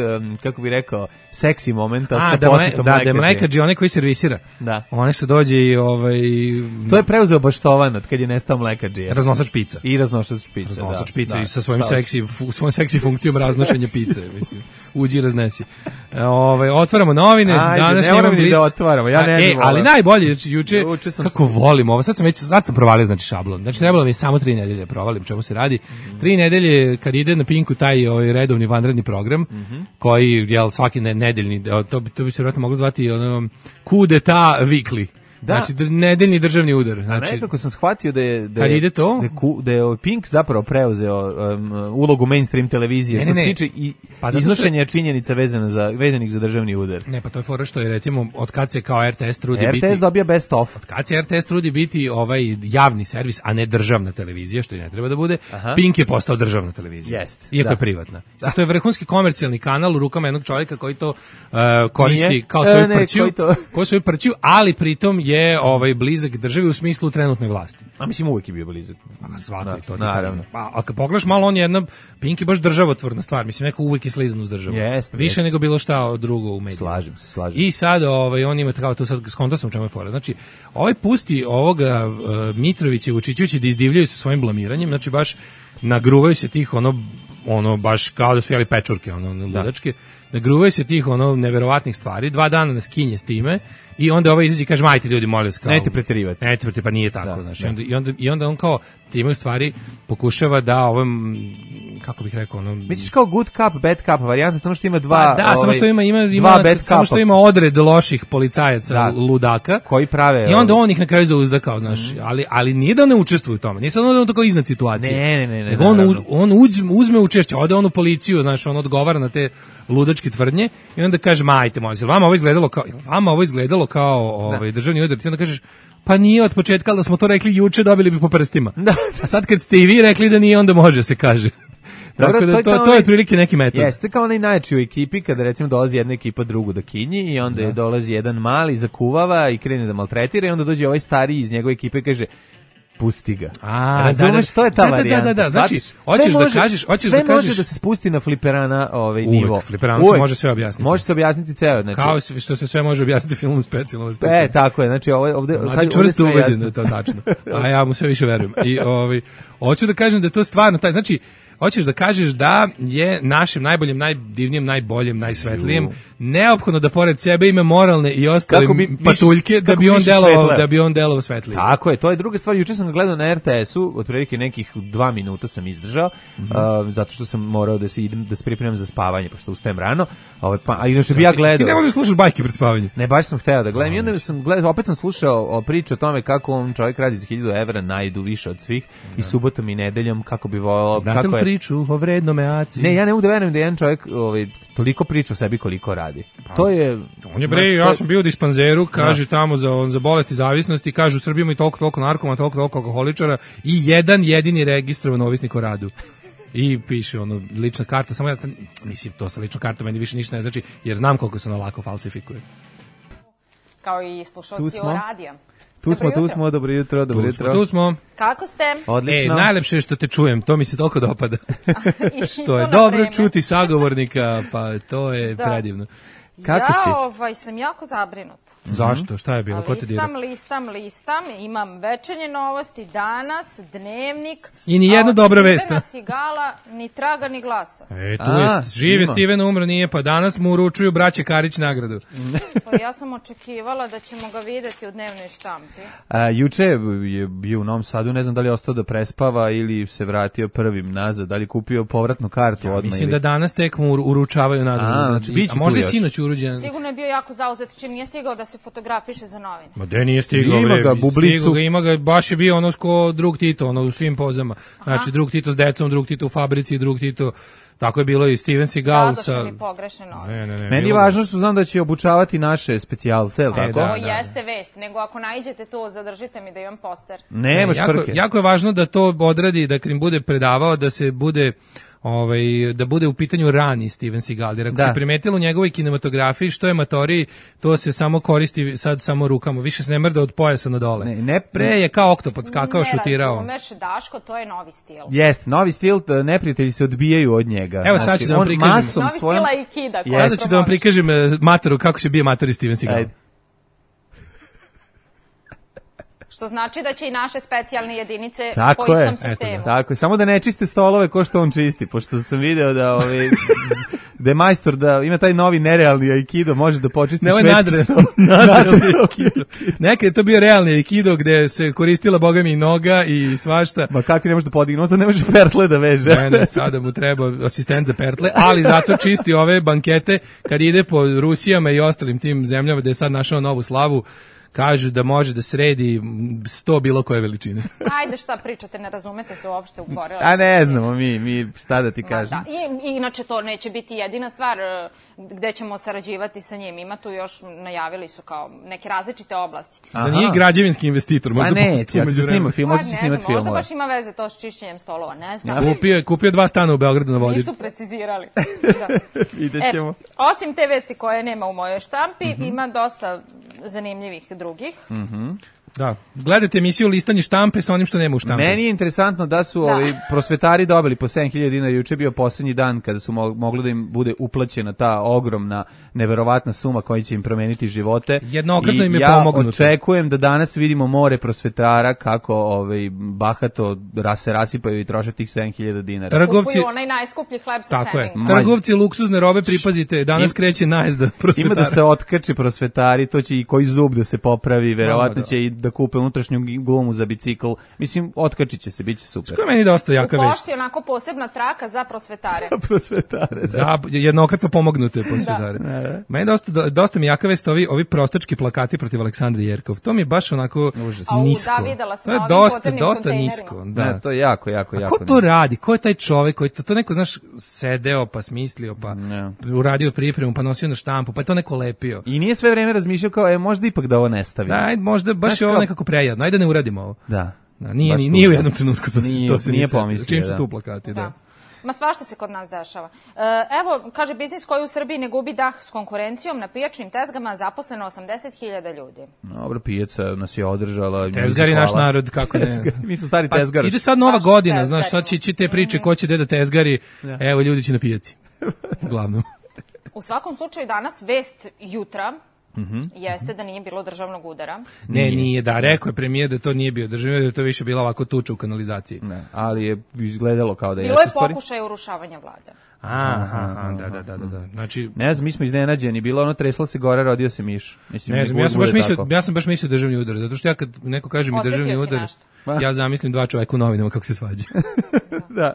kako bi rekao, seksi momenta sa posjetom mlekađi. Da, mlekađi onaj koji servisira. Da. Onaj što dođe i to je preuzeo Baštovan od kad je nestao mlekađija. Raznosač pica. I raznosač pica, raznosač pica i sa svojim seksi funkcijom raznošenja pice, mislim. Uđi i raznesi. Otvaramo novine, danas imam blic. Da otvaramo, ja ne znam. Ali najbolje, znači juče kako volim ovo, sad sam provalio znači šablon. Znači trebalo mi samo 3 nedelje provalim čemu se radi. 3 nedelje kad ide na Pinku taj redovni vanredni program koji je svaki nedeljni, to bi se vjerojatno moglo zvati coup d'etat weekly. Da. Znači nedeljni državni udar. Znači, nekako sam shvatio da je Pink zapravo preuzeo ulogu mainstream televizije što se tiče iznošenja činjenica vezanih za državni udar. Ne, pa to je fora što je recimo od kad se kao RTS trudi biti... RTS dobija best of. Od kad se RTS trudi biti javni servis, a ne državna televizija, što i ne treba da bude, Pink je postao državna televizija. Iako je privatna. Sad to je vrhunski komercijalni kanal u rukama jednog čovjeka koji to koristi kao svoju prćiju, ali pritom je blizak državi u smislu trenutne vlasti. A mislim uvijek je bio blizak. Svako je to. Naravno. A kad pogledaš malo, on je jedna, Pink je baš državotvorna stvar, mislim, neko uvijek je slizan uz državu. Više nego bilo šta drugo u medijima. Slažem se. I sad on ima kao to, sad skonto sam čemu je fora. Znači, pusti ovoga Mitrovića i Vučićevića da izdivljaju sa svojim blamiranjem, znači baš nagruvaju se tih ono baš kao da su jeli pečurke, ludačke, nagruvaju se tih neverovatnih stvari, 2 dana nas kinje s time i onda izađe i kaže, majte ljudi, molim vas, kao... Nemojte preterivati. Pa nije tako, znači. I onda on kao time u stvari pokušava da kako bih rekao, misliš kao good cup, bad cup varijanta, samo što ima dva... samo što ima odred loših policajaca, ludaka. Koji prave... I onda on ih na kraju zauzda kao, znaš, ali nije da ne učestvuje u tome, nije sad da on tako iznad situacije. Ne. Nego on uzme učešće, ode on u policiju, znaš, on odgovara na te ludačke tvrdnje i onda kaže, majte, molim, vama ovo izgledalo kao državni udar, ti onda kažeš, pa nije od početka, ali da smo to rekli juče, dobili bi po prstima. A sad kad ste i vi rekli da nije, onda može se kaže. Tako da to je otprilike neki metod. Jeste kao onaj najjači u ekipi kada recimo dolazi jedna ekipa drugu da kinji i onda dolazi jedan mali, zakuvava i krene da maltretira i onda dođe ovaj stariji iz njegove ekipe i kaže pusti ga. Razumeš, to je ta varijanta. Da. Znači, hoćeš da kažeš... Sve može da se spusti na fliperana nivo. Uvijek, fliperana se može sve objasniti. Može se objasniti ceo. Znači, kao što se sve može objasniti filmom specijalno. Tako je, znači ovde... Sad čvrsto ubeđen da je to tačno. A ja mu sve više verujem. I hoću da kažem da je to stvarno taj, znači, hoćeš da kažeš da je našem najboljem, najdivnijem, najboljem, najsvetlijem neophodno da pored sebe ima moralne i ostale patuljke da bi on delovao svetlije. Tako je, to je druga stvar. Juče sam ga gledao na RTS-u, otprilike nekih 2 minuta sam izdržao, zato što sam morao da se pripremam za spavanje, pošto ustajem rano. A inače bi ja gledao. Ti ne možeš slušati bajke pred spavanje. Ne, baš sam hteo da gledam. I onda sam gledao, opet sam slušao priču o tome kako on čovjek radi za 1000 evra, najdu više od svih i subotom i nedeljom kako bi volao. Znate li priču o vrednome aci? Ne, ja ne mogu da verujem da jedan čovjek toliko priča o sebi koliko radi. To je... On je ja sam bio u dispanzeru, kaže tamo za bolesti zavisnosti, kaže u Srbiji ima i toliko narkomana, toliko alkoholičara i jedan jedini registrovan ovisnik o radu. I piše lična karta, samo mislim, to sa ličnom kartom meni više ništa ne znači, jer znam koliko se ona lako falsifikuje. Kao i slušalci o radija. Tu smo, dobro jutro. Tu smo. Kako ste? Odlično. Najlepše je što te čujem, to mi se toliko dopada. Što je dobro čuti sagovornika, pa to je predivno. Kako si? Ja sam jako zabrinuta. Zašto? Šta je bilo? Ko te dira? Listam, imam večernje novosti, danas, dnevnik. I ni jedna dobra vest. Stevena Sigala, ni traga, ni glasa. Tu je, žive Steven, umro nije, pa danas mu uručuju braće Karić nagradu. Pa ja sam očekivala da ćemo ga videti u dnevnoj štampi. Juče je bio u Novom Sadu, ne znam da li je ostao da prespava ili se vratio prvim nazad, da li kupio povratnu kartu odmah. Mislim da danas tek mu uručavaju nagradu. A možda je sinoć uruđen. Sigurno je bio jako zauzet, čim nije stigao da se fotografiše za novine. Ma de nije stigao, ima ga, bublicu. Ima ga, baš je bio ko drug Tito, u svim pozama. Znači, drug Tito s decom, drug Tito u fabrici, drug Tito, tako je bilo i Steven Seagal sa... Da, mi pogrešne novine. Ne, meni je važno što znam da će obučavati naše specijalce, ili tako? To jeste vest, nego ako naiđete to, zadržite mi da imam poster. Nemaš frke. Jako je važno da to odradi, da im bude predavao, da se bude... da bude u pitanju rani Steven Seagal, jer ako se primetilo u njegovoj kinematografiji što je matoriji, to se samo koristi sad samo rukama, više se ne mrda od pojasa na dole. Pre je kao oktopod skakao, šutirao. Ne razumeš, Daško, to je novi stil. Jeste, novi stil, neprijatelji se odbijaju od njega. Evo sad ću da vam prikažem. Novi stil Aikida. Sada ću da vam prikažem matoru, kako se bije matori Steven Seagal. Ajde. Što znači da će i naše specijalne jedinice po istom sistemu. Tako je, samo da ne čiste stolove ko što on čisti, pošto sam video da da je majstor, da ima taj novi nerealni aikido, može da počisti švedski stol. Nadrealni aikido. Nekad je to bio realni aikido gde se koristila bogami i noga i svašta. Ma kako ne može da podigne, on sad ne može pertle da veže. Ne, sada mu treba asistent za pertle, ali zato čisti ove bankete kad ide po Rusijama i ostalim tim zemljama gde je sad našao novu slavu. Kažu da može da sredi 100 bilo koje veličine. Ajde, šta pričate, ne razumete se uopšte u borilačkim. A ne znamo mi šta da ti kažem. I inače to neće biti jedina stvar gde ćemo sarađivati sa njim. Ima tu još, najavili su kao neke različite oblasti. Da nije građevinski investitor, možda neće, ja ću snimati film, možda će snimati film. Možda baš ima veze to s čišćenjem stolova, ne znam. Kupio 2 stana u Beogradu na vodi. Nisu precizirali. Videćemo. Osim te vesti koje nema u mojoj štampi, ima dosta zanimljivih drugih. Da, gledajte emisiju Listanje štampe sa onim što nema u štampi. Meni je interesantno da su ovi prosvetari dobili po 7.000 dinara, juče bio poslednji dan kada su mogli da im bude uplaćena ta ogromna, neverovatna suma koja će im promeniti živote. Jednokratno im je pomognuto. Ja očekujem da danas vidimo more prosvetara kako bahato se rasipaju i troše tih 7.000 dinara. Kupuju onaj najskuplji hleb sa semenjem. Trgovci luksuzne robe, pripazite, danas kreće najezda prosvetara. Ima da se otkači prosvetari, to će i koji zub da se popravi, verovatno će i da kupe unutrašnju gumu za bicikl. Mislim, otkačit će se, bit će super. Što je meni dosta jaka vest. U pošti onako posebna traka za prosvetare. Za prosvetare. Za jednokratno pomognute prosvetare. Meni dosta mi jaka vest ovi prostački plakati protiv Aleksandre Jerkov. To mi je baš onako nisko. Da, videla sam to je dosta nisko. Da. To je jako. A ko to radi? Ko je taj čovek koji to neko, znaš, sedeo pa smislio, pa uradio pripremu, pa nosio na štampu, pa je to neko lepio. I nije sve vreme razmišljao kao, možda ipak da ovo ne stavim. Da, možda baš je ovo nekako prejadno. Ajde ne uradimo ovo. Da. Nije u jednom trenutku to se nije pomislio. Čim su tu plakati, da. Ma svašta se kod nas dešava. Evo, kaže, biznis koji u Srbiji ne gubi dah s konkurencijom, na pijačnim tezgama zaposleno 80.000 ljudi. Dobro, pijaca nas je održala. Tezgari naš narod, kako ne. Mi smo stari tezgari. Ide sad nova godina, znaš, sad će te priče ko će da tezgari, evo ljudi će na pijaci. Uglavnom. U svakom slučaju danas vest jutra jeste da nije bilo državnog udara. Ne, nije, da, rekao je premijer da to nije bio državni udar, da to više bila ovako tuča u kanalizaciji. Ne, ali je izgledalo kao da je. Bilo je pokušaj urušavanja vlade. Aha, da. Znači, ne znam, mi smo iznenađeni, bilo ono tresla se gore, rodio se miš. Mislim, ne znam, ja sam baš mislio državni udar, zato što ja kad neko kaže mi državni udar, ja zamislim dva čoveka u novinama kako se svađa. Da.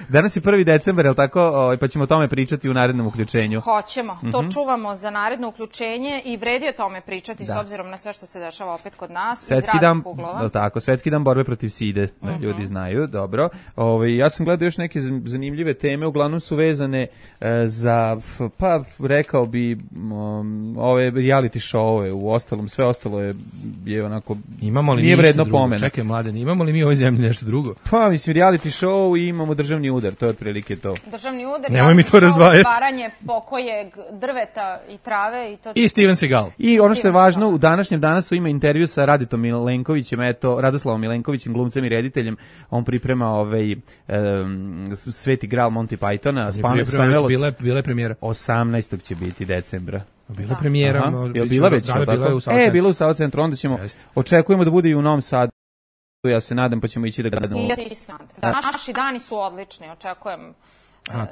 Danas je 1. decembar, je li tako? Pa ćemo o tome pričati u narednom uključenju. Hoćemo. To čuvamo za naredno uključenje i vredi o tome pričati s obzirom na sve što se dešava opet kod nas. Svetski dan, tako, Svetski dan borbe protiv side, da ljudi znaju, dobro. Ja sam gledao još neke zanimljive teme, uglavnom su vezane za, pa rekao bi, ove reality show-ove, u ostalom, sve ostalo je onako, nije vredno pomena. Čekaj, Mladen, imamo li mi u ovoj zemlji nešto drugo? Pa, mislim, reality show i imamo državni udar, to je otprilike to. Državni udar, nemoj mi to razdvajati. Paranje pokojeg drveta i trave. I Steven Seagal. I ono što je važno, u današnjem danasu ima intervju sa Raditom Milenkovićem, Radoslavom Milenkovićem, glumcem i rediteljem. On priprema Sveti Gral Monty Pythona. Bila je premijera. 18. će biti decembra. Bila je premijera. Bila već? Bila u Sava centru. Onda ćemo, očekujemo da bude i u Novom Sadu. Ja se nadam, pa ćemo ići da gledamo. Naši dani su odlični, očekujem.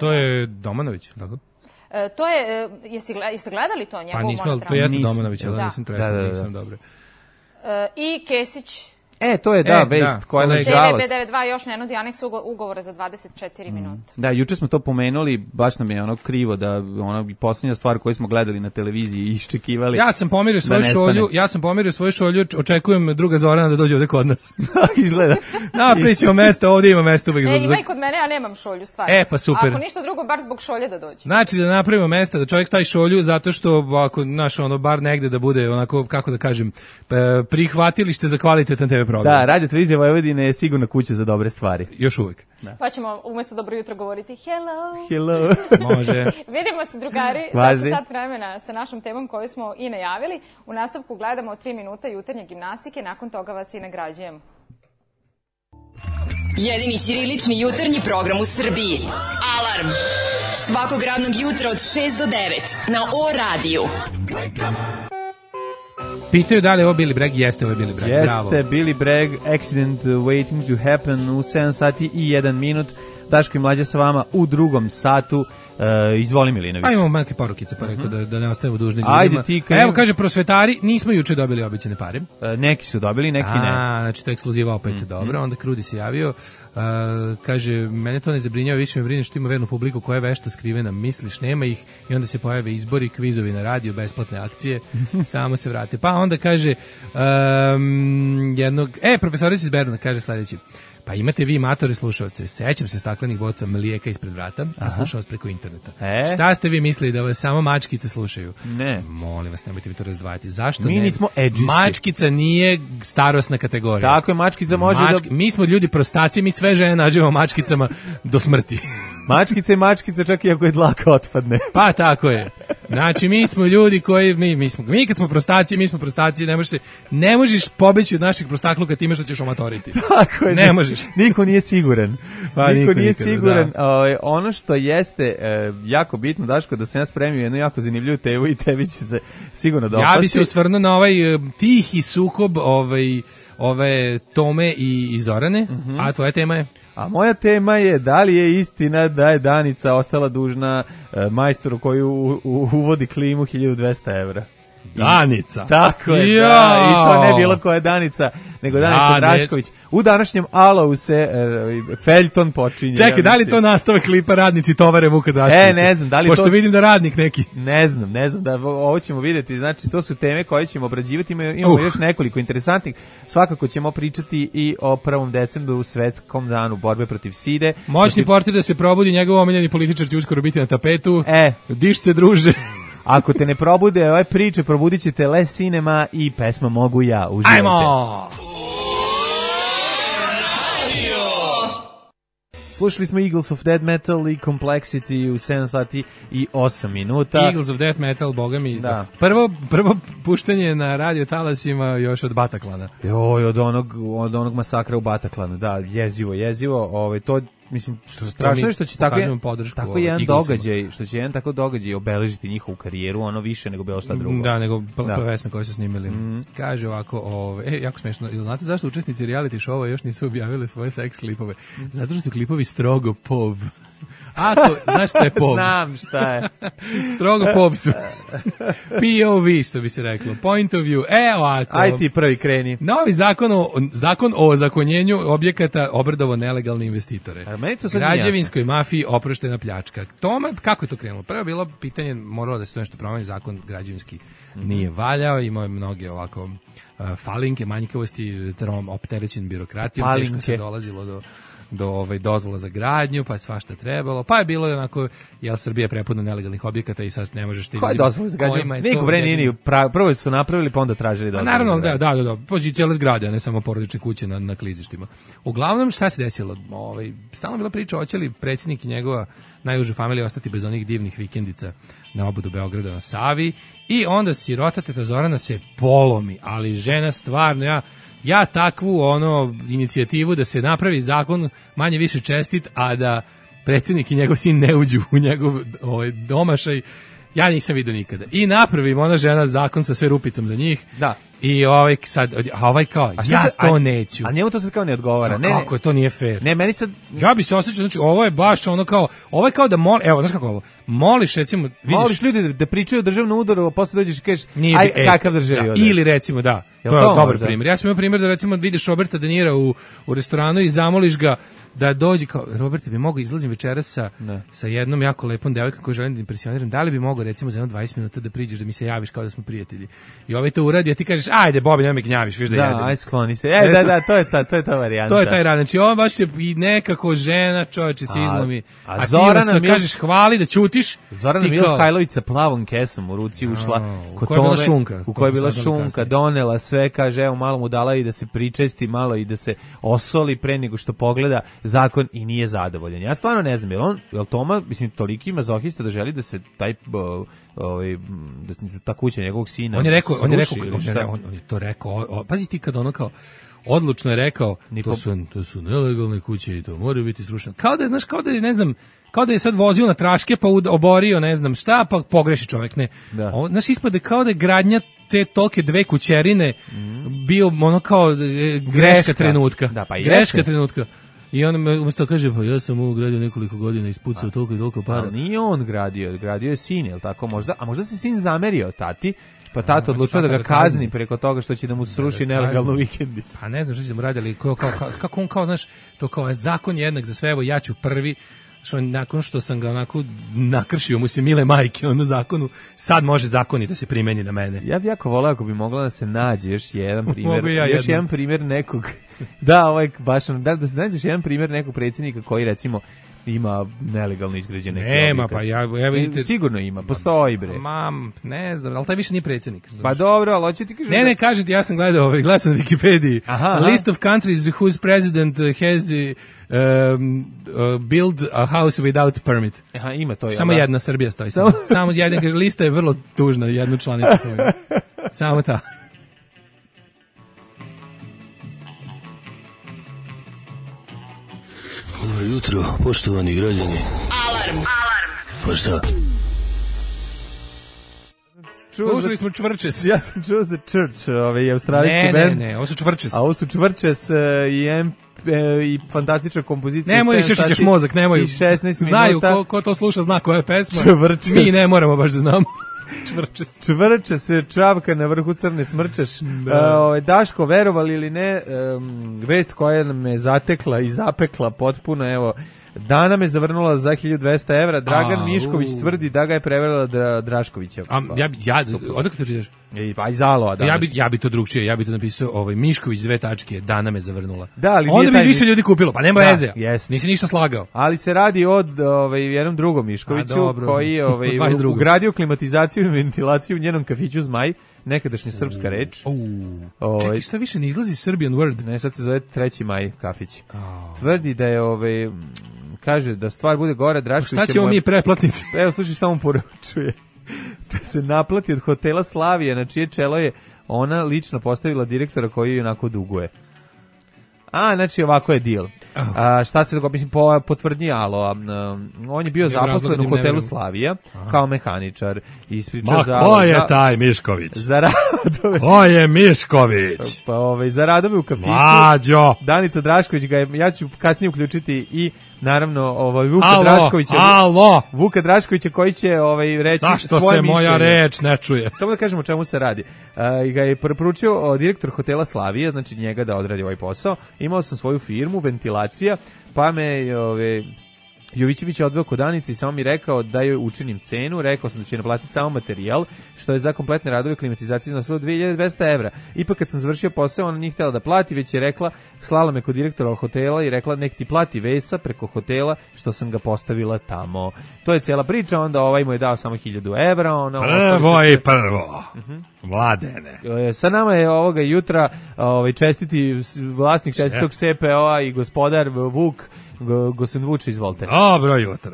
To je Domanović, tako? To je, jeste gledali to, njegovu monodramu? To jeste Domanović, ali nisam tresno, nisam dobro. I Kesić. To je, vest koja je žalost. TV92 još ne nudi aneks ugovora za 24 minuta. Da, juče smo to pomenuli, baš nam je ono krivo da posljednja stvar koju smo gledali na televiziji i iščekivali. Ja sam pomerio svoju šolju, očekujem druga Zorana da dođe ovde kod nas. Izgleda. Napričamo mesta, ovdje ima mesta uvek. Ima i kod mene, ja nemam šolju, stvarno. Pa super. Ako ništa drugo, bar zbog šolje da dođe. Znači da napravimo mesta, da čovjek stavi šolju, zato što ako bar negde da bude onako, kako da kažem, prihvatilište za kvalitetan TV program. Da, Radio Televizija Vojvodine je sigurno kuća za dobre stvari. Još uvek. Da. Pa ćemo umjesto dobro jutro govoriti hello. Može. Vidimo se, drugari, za sat vremena sa našom temom koju smo i najavili. U nastavku gledamo 3 minuta jutarnje gimnastike, nakon toga vas i nagrađujemo. Jedini ćirilični jutarnji program u Srbiji. Alarm! Svakog radnog jutra od 6 do 9 na O-radiju. Pitaju da li je ovo Billy Bragg, jeste ovo Billy Bragg, bravo. Jeste Billy Bragg, Accident Waiting to Happen u 7 sati i 1 minut. Daško i Mlađa sa vama u drugom satu. Izvoli Milinović. Pa imamo neke porukice, pa rekao da ne ostavimo dužni ljudima. Evo, kaže, prosvetari, nismo juče dobili obećane pare. Neki su dobili, neki ne. Znači to je ekskluziva opet, dobro. Onda Krudi se javio, kaže, mene to ne zabrinjava, više me brine što ima vernu publiku koja je vešto skrivena, misliš, nema ih, i onda se pojave izbori, kvizovi na radio, besplatne akcije, samo se vrate. Pa onda kaže, profesorica iz Beruna, kaže sledeći, pa imate vi matore slušalce, sećam se staklenih boca mlijeka ispred vrata, a slušam vas preko interneta. Šta ste vi mislili, da vas samo mačkice slušaju? Ne. Molim vas, nemojte mi to razdvajati. Zašto mi ne? Nismo edžisti. Mačkica nije starosna kategorija. Tako je, mačkica može Mi smo ljudi prostaci, mi sve žene nađemo mačkicama do smrti. Mačkica je mačkica čak i ako je dlaka otpadne. Pa tako je. Znači mi smo ljudi koji mi kad smo prostaci, mi smo prostaci, ne možeš pobeći od naših prostakluka time što ćeš omatoriti. Tako je. Ne možeš. Niko nije siguran. Pa, niko nije nikada, siguran. Da. Ono što jeste jako bitno, Daško, da sam ja spremio jednu jako zanimljivu temu i tebi će se sigurno dopasti. Ja bi se osvrnuo na ovaj tihi sukob ove Tome i Zorane, a tvoja tema je? A moja tema je da li je istina da je Danica ostala dužna majstoru koji uvodi klimu 1200 evra. Danica. Tako je, da. I to ne bilo koja Danica, nego Danica Drašković. U današnjem Alovu se feljton počinje. Čekaj, da li to nastavak klipa radnici tovare Vuka Draškovića? Ne znam, da li pošto to... vidim da radnik neki. Ne znam, da ovo ćemo vidjeti. Znači, to su teme koje ćemo obrađivati. Imamo još nekoliko interesantnih. Svakako ćemo pričati i o 1. decembru, svetskom danu borbe protiv side. Moćni portir da se probudi, njegov omiljeni političar će uskoro biti na tapetu. Diš se, druže. Ako te ne probude ove priče, probudit ćete Les Cinema i pesma Mogu ja. Uživajte. Ajmo! Slušali smo Eagles of Death Metal i Complexity u 7 sati i 8 minuta. Eagles of Death Metal, boga mi. Da. Prvo puštanje na radio talasima još od Bataklana. Joj, od onog masakra u Bataklanu. Da, jezivo. To mislim što strašno je što će tako jedan događaj, što će jedan tako događaj obeležiti njihovu karijeru, ono više nego bilo šta drugo. Da, nego pesme koje su snimili. Kaže ovako, jako smešno. Ili znate zašto učesnici reality showa još nisu objavili svoje seks klipove? Zato što su klipovi strogo POV. Znaš šta je POV? Znam šta je. Strogo POV su. POV, što bi se reklo. Point of view. Ovako. Aj ti prvi kreni. Novi zakon o ozakonjenju objekata obradovo nelegalne investitore. Građevinskoj mafiji oproštena pljačka. Tome, kako je to krenulo? Prvo je bilo pitanje, moralo da se to nešto promeni, zakon građevinski nije valjao, imao je mnoge ovako falinke, manjkavosti, opterećen birokratijom, teško se dolazilo do dozvola za gradnju, pa je svašta trebalo, pa je bilo onako, Srbija je prepuna nelegalnih objekata i sad ne možeš ti... Koja je dozvola za gradnju? Niko nije, prvo su napravili, pa onda tražili dozvolu. Naravno, da, pođi cijele zgrade, a ne samo porodične kuće na klizištima. Uglavnom, šta se desilo? Stalno bila priča, hoće li predsjednik i njegova najuža familija ostati bez onih divnih vikendica na obodu Beograda na Savi, i onda sirota teta Zorana se polomi, ali žena stvarno, ja takvu inicijativu da se napravi zakon manje više čestit, a da predsjednik i njegov sin ne uđu u njegov domašaj, ja nisam vidio nikada. I napravim ona žena zakon sa sve rupicom za njih. Da. I to neću. A njemu to sad kao ne odgovara. Kako to nije fair. Ne, meni sad... Ja bi se osjećao, znači ovo je baš ono kao da znaš kako ovo, moliš recimo, vidiš... Moliš ljudi da pričaju o državnom udaru, a posle dođeš i kažeš, kakav državni udar. Ili recimo, to je dobar primjer. Ja sam imao primjer da recimo vidiš Roberta De Nira u restoranu i zamoliš ga da dođe kao, Robert, bi mogao izlazim večeras sa jednom jako lepom devojkom koju želim da impresioniram, da li bi mogao recimo za 20 minuta da priđeš da mi se javiš kao da smo prijatelji. I to uradi, a ti kažeš, ajde Bobi, nemoj me gnjaviš, viš da jedem. Da, aj skloni se. To je ta varijanta. To je taj rad. Znači, on baš je i nekako žena, čovječe se izlomi. A Zorana ti kažeš hvali da ćutiš. Zorana Mihajlović sa plavom kesom u ruci ušla. U kojoj je bila šunka. U kojoj je bila šunka, donela sve, kaže, evo malo mu dala i da se pričesti malo i da se osoli pre nego što pogleda zakon i nije zadovoljan. Ja stvarno ne znam, jel Toma, mislim, toliki mazohista da želi da se taj ta kuća njegovog sina on je to rekao, pazi ti kad ono kao odlučno je rekao, to su nelegalne kuće i to moraju biti srušene. Kao da je sad vozio na traške pa oborio ne znam šta, pa pogreši čovjek, ne. Znaš, ispade kao da je gradnja te tolke dve kućerine bio ono kao greška trenutka. Da, pa greška trenutka. I on umjesto kaže, pa ja sam ovo gradio nekoliko godina, ispucao toliko i toliko para. Ali nije on gradio je sin, jel tako možda? A možda se sin zamerio tati, pa tata odlučio da ga kazni preko toga što će da mu sruši nelegalnu vikendicu. A ne znam što će da mu radi, ali kako on kao, znaš, to kao je zakon jednak za sve, evo ja ću prvi, nakon što sam ga onako nakršio mu se mile majke na zakonu, sad može zakoni da se primeni na mene. Ja bih jako voleo ako bi mogla da se nađe još jedan primjer, jedan primjer nekog, da se nađeš jedan primjer nekog predsjednika koji recimo ima nelegalno izgrađene Nema, pa ja vidite... Sigurno ima, postoji bre. Ne znam, ali taj više nije predsjednik. Pa dobro, ali hoće ti kažem... Ne, kažem ti, ja sam gledao glasao na Wikipediji. A list of countries whose president has build a house without permit. Aha, ima to. Samo jedna, Srbija stoji. Samo jedna, kaže, lista je vrlo tužna, jednu članicu svoju. Samo ta. Dobro jutro, poštovani građani. Alarm. Pa šta? Slušali smo Čvrčes. Ja sam čuo za Church, australijski band. Ne, ovo su Čvrčes. A ovo su Čvrčes i fantastična kompozicija. Nemoj, šešićeš mozak, nemoj. I 16 minuta. Znaju, ko to sluša zna koja je pesma. Čvrčes. Mi ne moramo baš da znamo. Čvrčes, čavka na vrhu crne smrčeš. Daško, verovali ili ne, vest koja me zatekla i zapekla potpuno, evo, Dana me zavrnula za 1200 evra. Dragan Mišković tvrdi da ga je prevarila Draškovića. Odakle to čitaš? Pa iz Aloa danas. Ja bi to drugčije, ja bi to napisao Mišković 2 tačke, Dana me zavrnula. Da, ali onda bi više ljudi kupilo, pa nema veze. Nisi ništa slagao. Ali se radi od jednom drugom Miškoviću koji je ugradio klimatizaciju i ventilaciju u njenom kafiću Zmaj, nekadašnja srpska reč. Čekaj, šta više ne izlazi Serbian Word? Ne, sad se zove 3. maj kafić. Tvrdi da je kaže da stvar bude gore, Drašković... Šta ćemo mi pretplatnici? Evo, slušaj šta mu poručuje. Da se naplati od hotela Slavije, na čije čelo je ona lično postavila direktora koji joj onako duguje. Znači ovako je deal. Šta se dogodilo? Mislim, potvrdnji Alo. On je bio zaposlen u hotelu Slavija kao mehaničar. Ko je taj Mišković? Za radove. Ko je Mišković? Pa za radove u kafiću. Mlađo. Danica Drašković ga je, ja ću kasnije uključiti i naravno Vuka Draškovića. Vuka Draškovića koji će reći zašto svoje se moja reč ne čuje? Samo da kažemo o čemu se radi. I ga je preporučio direktor hotela Slavije, znači njega da odradi ovaj posao. Imao sam svoju firmu, ventilacija, pa me Jovićević je odveo kod Danice i samo mi rekao da joj učinim cenu, rekao sam da će naplatiti samo materijal, što je za kompletne radove klimatizacije iznosilo 2200 evra. Ipak kad sam završio posao, ona nije htjela da plati, već je rekla, slala me kod direktora hotela i rekla nek ti plati Vesa preko hotela, što sam ga postavila tamo. To je cijela priča, onda ovaj mu je dao samo 1000 evra. Prvo. Mladene. Sa nama je ovoga jutra čestiti vlasnik čestitog CPO-a i gospodar Vuk Gosen Vuč, izvolite.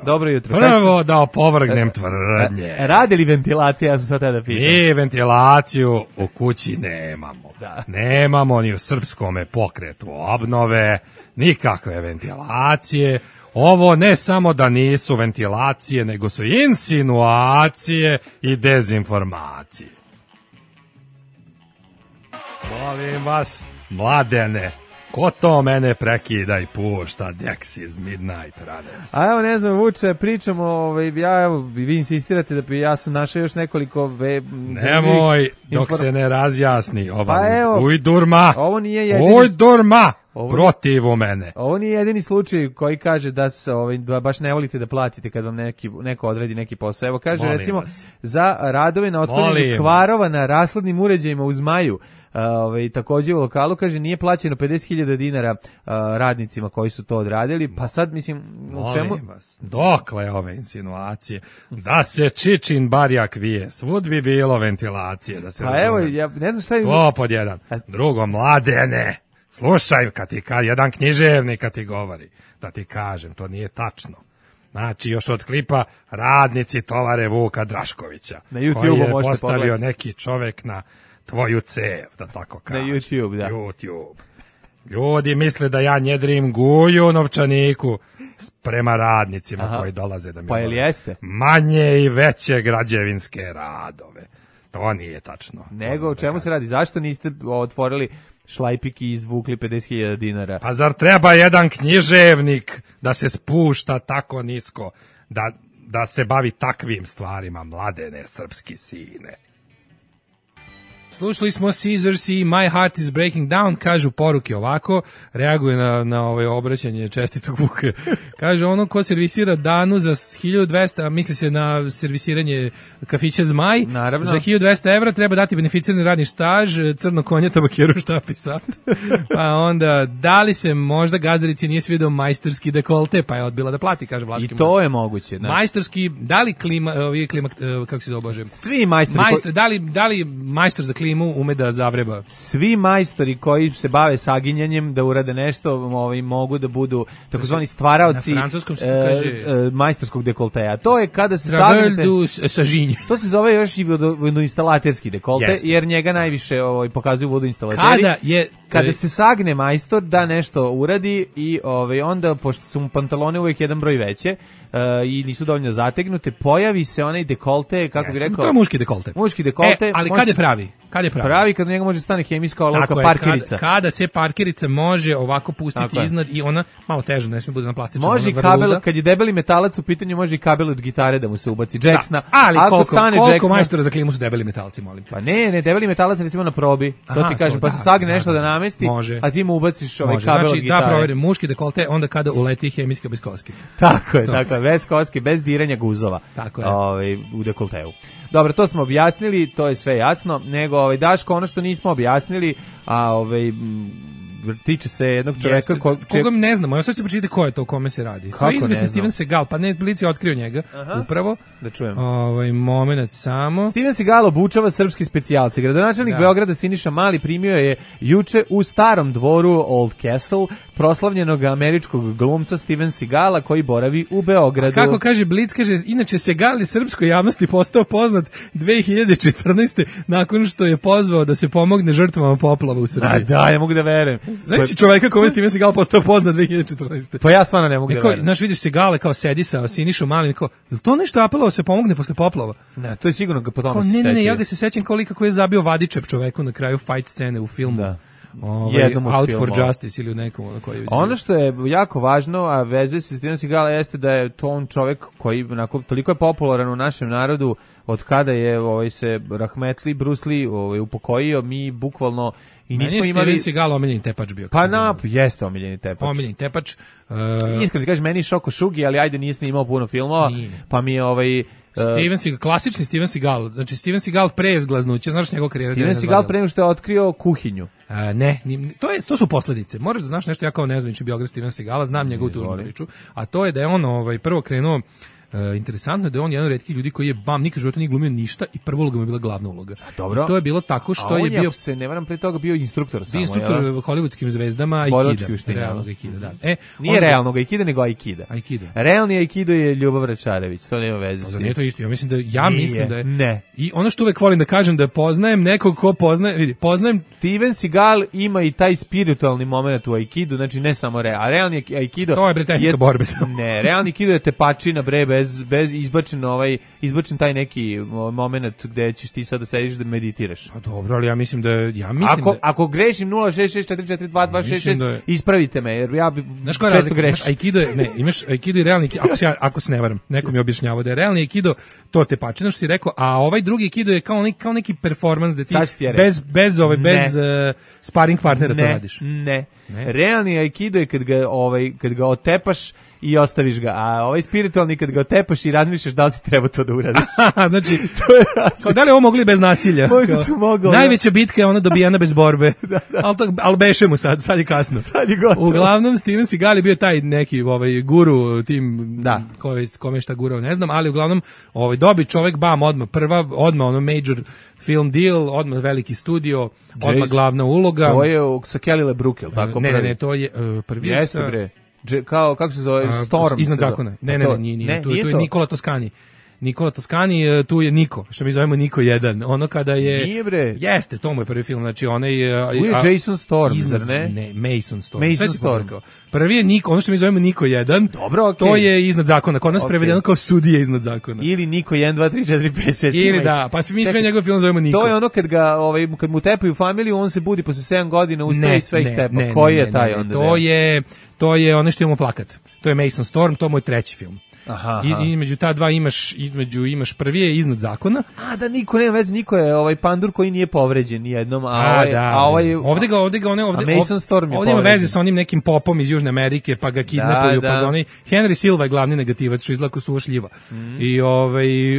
Dobro jutro. Prvo da opovrgnem tvrdnje. Radi li ventilacija, ja sam sad da pitam. Mi ventilaciju u kući nemamo. Nemamo ni u srpskome pokretu obnove, nikakve ventilacije. Ovo ne samo da nisu ventilacije, nego su insinuacije i dezinformacije. Molim vas, Mladene, ko to mene prekida i pušta Dexys Midnight Runners? A evo, ne znam, Vuče, pričamo, vi insistirate da ja sam našao još nekoliko... Nemoj, dok se ne razjasni ujdurma, ovo nije jedini... Ujdurma, protiv mene. Ovo nije jedini slučaj koji kaže da se baš ne volite da platite kad vam neko odredi neki posao. Evo, kaže, recimo, za radove na otklanjanju kvarova na rashladnim uređajima u Zmaju, također u lokalu, kaže, nije plaćeno 50.000 dinara radnicima koji su to odradili, pa sad, mislim, u čemu... Molim vas, dokle ove insinuacije? Da se Čičin barjak vije, svud bi bilo ventilacije, da se razumije. Pa evo, ja ne znam šta je... To pod jedan. Drugo, Mladene, slušaj, jedan književnik kad ti govori, da ti kažem, to nije tačno. Znači, još od klipa radnici tovare Vuka Draškovića, na YouTube koji je postavio neki čovek na tvoju cev, da tako kažem. Na YouTube, da. YouTube. Ljudi misle da ja njedrim guju novčaniku prema radnicima koji dolaze da mi jeste? Manje i veće građevinske radove. To nije tačno. Nego, o čemu se radi? Zašto niste otvorili šlajpik i izvukli 50.000 dinara? Pa zar treba jedan književnik da se spušta tako nisko, da se bavi takvim stvarima, Mladene, srpski sine? Slušali smo Scissors i My Heart is Breaking Down, kažu poruke ovako, reaguje na ovaj obraćanje čestitog Vuka. Kaže, ono ko servisira Danu za 1200, misli se na servisiranje kafića Zmaj, naravno. Za 1200 evra treba dati beneficirani radni staž, crno konje, tabakeru, štap i sat. Pa onda, da li se možda gazdarici nije svidao majstorski dekolte, pa je odbila da plati, kaže Vlaški. I to je moguće. Da. Majstorski, da li klima, kako se zove, svi majstori da li majstor za klimu ume da zavreba? Svi majstori koji se bave saginjanjem da urade nešto, mogu da budu takozvani stvaraoci majstorskog dekolteja. To je kada se sagnete... To se zove još i vodoinstalaterski dekolte, jer njega najviše pokazuju vodoinstalateri. Kada se sagne majstor da nešto uradi i onda, pošto su mu pantalone uvijek jedan broj veće i nisu dovoljno zategnute, pojavi se onaj dekolte, kako bi rekao... To je muški dekolte. Muški dekolte. Ali kad je pravi? Pravi kad njega može stane hemijska olovka parkerica. Kada se parkerica može ovako pustiti iznad i ona malo teže, ne smije bude na plastičnom. Može i kabel, kad je debeli metalac u pitanju, može i kabel od gitare da mu se ubaci. Jacksona. Ali koliko majstora za klimu su debeli metalci, molim te? Pa ne, debeli metalac recimo na probi. To ti kažem, pa se sagne nešto da namesti, a ti mu ubaciš kabel od gitare. Znači da proverim muški dekolte onda kada uleti hemijski bez koske. Tako je, bez koske, bez diranja guzova. Tako je. U dekolteu. Dobro, to smo objasnili, to je sve jasno, nego Daško, ono što nismo objasnili, tiče se jednog čoveka koga ne znamo. Ja sad ću pročitati ko je to, o kome se radi. To je izvesni Steven Seagal, pa Netflix je otkrio njega. Upravo. Da čujem. Moment samo. Steven Seagal obučava srpski specijalci. Gradonačelnik Beograda Siniša Mali primio je juče u starom dvoru Old Castle proslavljenog američkog glumca Steven Seagala koji boravi u Beogradu. Kako kaže Blic, kaže, inače Seagal je srpskoj javnosti postao poznat 2014. nakon što je pozvao da se pomogne žrtvama poplava u Srbiji. Da, ja mogu da verujem. Znaš si čoveka kome Steven Seagal postao poznat 2014. Pa ja stvarno ne mogu da verujem. Znaš, vidiš Seagale kao sedi sa Sinišom Malim, kao, je li to nešto apelovao se pomogne posle poplava? Ne, to je sigurno ga po tome se sećaju. Ne, ja ga se sećam kao lika koji je zabio vadičep čoveku na kraju fight scene u filmu. Da. Out for Justice ili u nekom koji. Ono što je jako važno, a vezuje se s Steven Seagala, jeste da je to on čovjek koji toliko je popularan u našem narodu od kada je se rahmetli Bruce Lee upokojio, mi bukvalno i nismo imali... Steven Seagal omiljeni tepač bio. Pa jeste omiljeni tepač. Omiljeni tepač. Iskreno ti kažeš, meni Šoko Šugi, ali ajde nije snimao puno filmova, pa mi je Steven Seagal, klasični Steven Seagal, znači Steven Seagal pre izglaznuće, znaš njegov karijera. Steven Seagal pre nego što je otkrio kuhinju. To su posljedice. Moraš da znaš nešto, ja kao ne znam biograf Steven Seagala, znam njegovu tužnu priču, a to je da je on prvo krenuo. Interesantno je da je on jedan od retkih ljudi koji je nikad u životu nije glumio ništa i prva uloga mu je bila glavna uloga. Dobro. I to je bilo tako što je bio... A on se ne varam pre toga bio instruktor samo. Instruktor hollywoodskim zvezdama Aikida. Realnog Aikida, da. Nije realnog Aikida, nego Aikida. Realni Aikido je Ljubav Račarević, to nema veze s tim. Nije to isto, ja mislim da je... Ne. I ono što uvek volim da kažem da poznajem nekog ko poznajem... Steven Seagal ima i taj spiritualni moment u Aikidu, znači ne samo realni Aikido... To je bre tehnika borbe samo. Ne, realni Aikido je tepačina bre bez izbačen taj neki moment gde ćeš ti sad da sediš da meditiraš. Pa dobro, ali ja mislim da ako grešim 066442266 ispravite me, jer ja često grešim. Aikido je, imaš Aikido i realni Aikido, ako se ne varam, neko mi je objašnjavao da je realni Aikido to tepačina što si rekao, a ovaj drugi Aikido je kao neki performans da ti bez sparring partnera to radiš. Ne. Realni Aikido je kad ga otepaš i ostaviš ga, a ovaj spiritualni kad ga otepaš i razmišljaš da li si treba to da uradiš. Znači, kao da li ovo mogli bez nasilja? Možda su mogli. Najveća bitka je ona dobijena bez borbe. Ali beše mu sad je kasno. Sad je gotovo. Uglavnom, Steven Seagal je bio taj neki guru, tim kome šta gurao, ne znam, ali uglavnom dobi čovek, odmah ono major film deal, odmah veliki studio, odmah glavna uloga. To je sa Kelly LeBrook, ili tako? Ne, to je prvi je sa... kako se zove, Storm. Iznad zakona. Ne, nije. Tu je Nikola Toscani. Nikola Toscani, tu je Niko, što mi zovemo Niko 1. Ono kada je... Nije bre. Jeste, to mu je prvi film, znači onaj... Tu je Jason Storm, zar ne? Ne, Mason Storm. Mason Storm. Prvi je Niko, ono što mi zovemo Niko 1. Dobro, okej. To je iznad zakona, kod nas prevedeno kao sudije iznad zakona. Ili Niko 1, 2, 3, 4, 5, 6. Ili da, pa mi sve njegov film zovemo Niko. To je ono kad mu tepaju familiju, on se budi posle 7 godina, ustaje i sve ih tepa. Koji je taj onda? To je ono što imamo plakat. To je Mason Storm, to je moj treći film. I između ta dva imaš prvi je iznad zakona. A da niko nema veze, niko je pandur koji nije povređen nijednom, ovde Mason Storm je ovde ima veze sa onim nekim popom iz Južne Amerike, pa ga kidnapuju, pa ga oni Henry Silva je glavni negativac, što izlako suva šljiva. I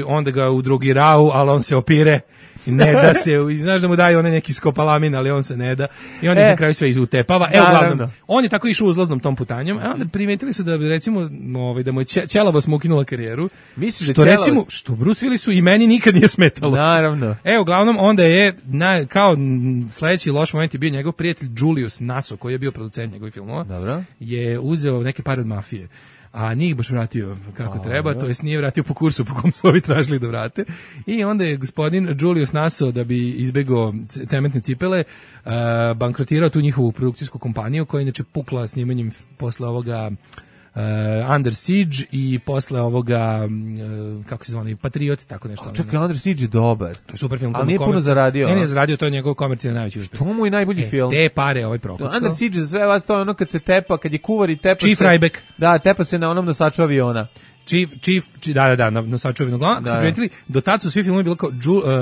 onda ga udrogiraju, ali on se opire. Ne da se, znaš da mu daju onaj neki skopalamin, ali on se ne da. I on ih na kraju sve izutepava. Uglavnom, on je tako išao uzlaznom tom putanjom, a onda primetili su da recimo da mu je ćelavost mu ukinula karijeru. Misliš što recimo, što Bruce Willisu i meni nikad nije smetalo. Naravno. Uglavnom, onda je kao sledeći loš moment je bio njegov prijatelj Julius Naso, koji je bio producent njegovih filmova. Dobro. Je uzeo neke pare od mafije. A nije ih baš vratio kako treba, to jest nije vratio po kursu po kom su ovi tražili da vrate. I onda je gospodin Julius Naso, da bi izbegao cementne cipele, bankrotirao tu njihovu produkcijsku kompaniju, koja je inače pukla snimanjem posle ovoga Under Siege i posle ovoga kako se zove, Patriot, tako nešto. Čekaj, Under Siege je dobar. To je super film. Ali nije puno zaradio. Ne, zaradio, to je njegov komercijalni najveći uspeh. To mu je najbolji film. Te pare ovaj prokuckao. Under Siege za sve vas, to je ono kad se tepa, kad je kuvar i tepa Chief Ryback. Da, tepa se na onom nosaču aviona. Na nosaču aviona. Kad primetili, do tad su svi filmovi bilo kao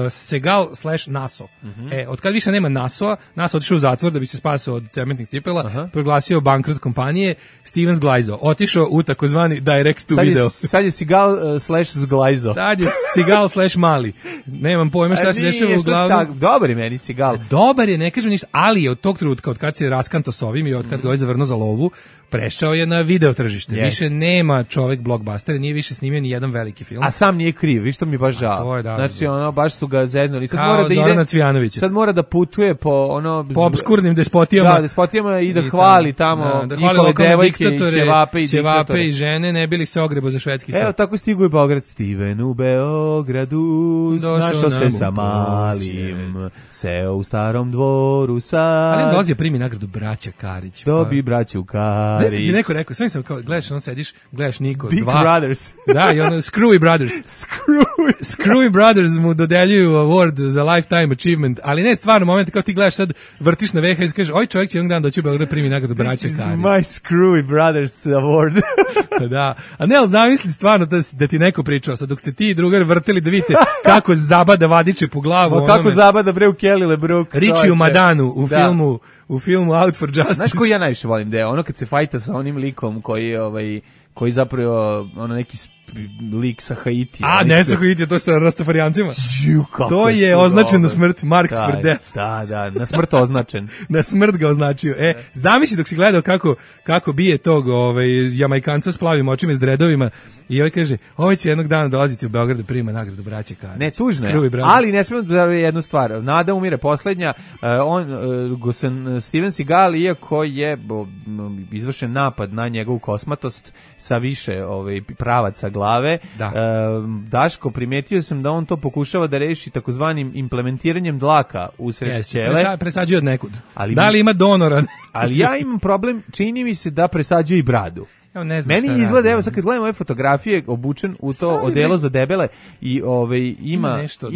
Segal/Naso. Od kad više nema Naso otišao u zatvor da bi se spasao od cementnih cipela, proglasio bankrot kompanije, Steven Zglajzo otišao u takozvani direct to video. Sad je Segal/Zglajzo. Sad je Segal/Mali. Nemam pojma šta se dešava u glavu. Dobar je meni Segal. Dobar je, ne kažem ništa, ali je od tog trenutka, od kad se raskanto s ovim i od kad ga je zavrnuo za lovu, prešao je na video tržište. Više nema čovek blockbuster, nije više snimio ni jedan veliki film. A sam nije kriv, vi što mi baš žao. Znači baš su ga zeznuli. Sad mora da Zorana Cvijanovića. Sad mora da putuje po po obskurnim despotijama. Da, despotijama i da hvali tamo njihove devojke i ćevape i žene, ne bili se ogrebo za švedski stav. Evo tako stigu je Beograd. Steven u Beogradu našao se sa malim, seo u starom dvoru sad. Ali on dolazi primi nagradu braća Karić. Dobi braću Karić. Znaš ti neko rekao, sam kao, gledaš, sediš, gledaš Niko, Big Brothers. Da, i ono, Screwy Brothers. Screwy Brothers mu dodeljuju award za lifetime achievement, ali ne stvarno moment, kao ti gledaš sad, vrtiš na VHS i kažeš, ovaj čovjek će jednog dana doći u Beograd primi nagradu braća Karić. This is my Screwy Brothers award. Da, a ne, ali zamisli stvarno da ti neko pričao, sad dok ste ti i drugar vrteli da vidite kako zabada vadiče po glavu. Kako zabada bre u Kelly LeBrook. Richie u Madanu u filmu Out for Justice. Znaš koji ja najviše volim deo? Ono kad se fajta sa onim likom koji zapravo neki lik sa Haitija. A ne sa Haitija, to je sa Rastafarijancima. To je označeno smrt, marked for death. Da, na smrt označen. Na smrt ga označio. Zamisli dok si gledao kako bije tog Jamajkanca s plavim očima i s dredovima i ovaj kaže, ovaj će jednog dana dolaziti u Beograd da prima nagradu braće Karić. Ne, tužno je, ali ne smemo da jednu stvar. Nada umire poslednja. Steven Seagal, iako je izvršen napad na njegovu kosmatost sa više pravaca glave. Daško, primetio sam da on to pokušava da reši takozvanim implementiranjem dlaka usred ćele. Presađuje od nekud. Da li ima donora? Ali ja imam problem, čini mi se da presađuje i bradu. Meni izgleda, evo sad kad gledam ove fotografije, obučen u to odelo za debele i ima nešto,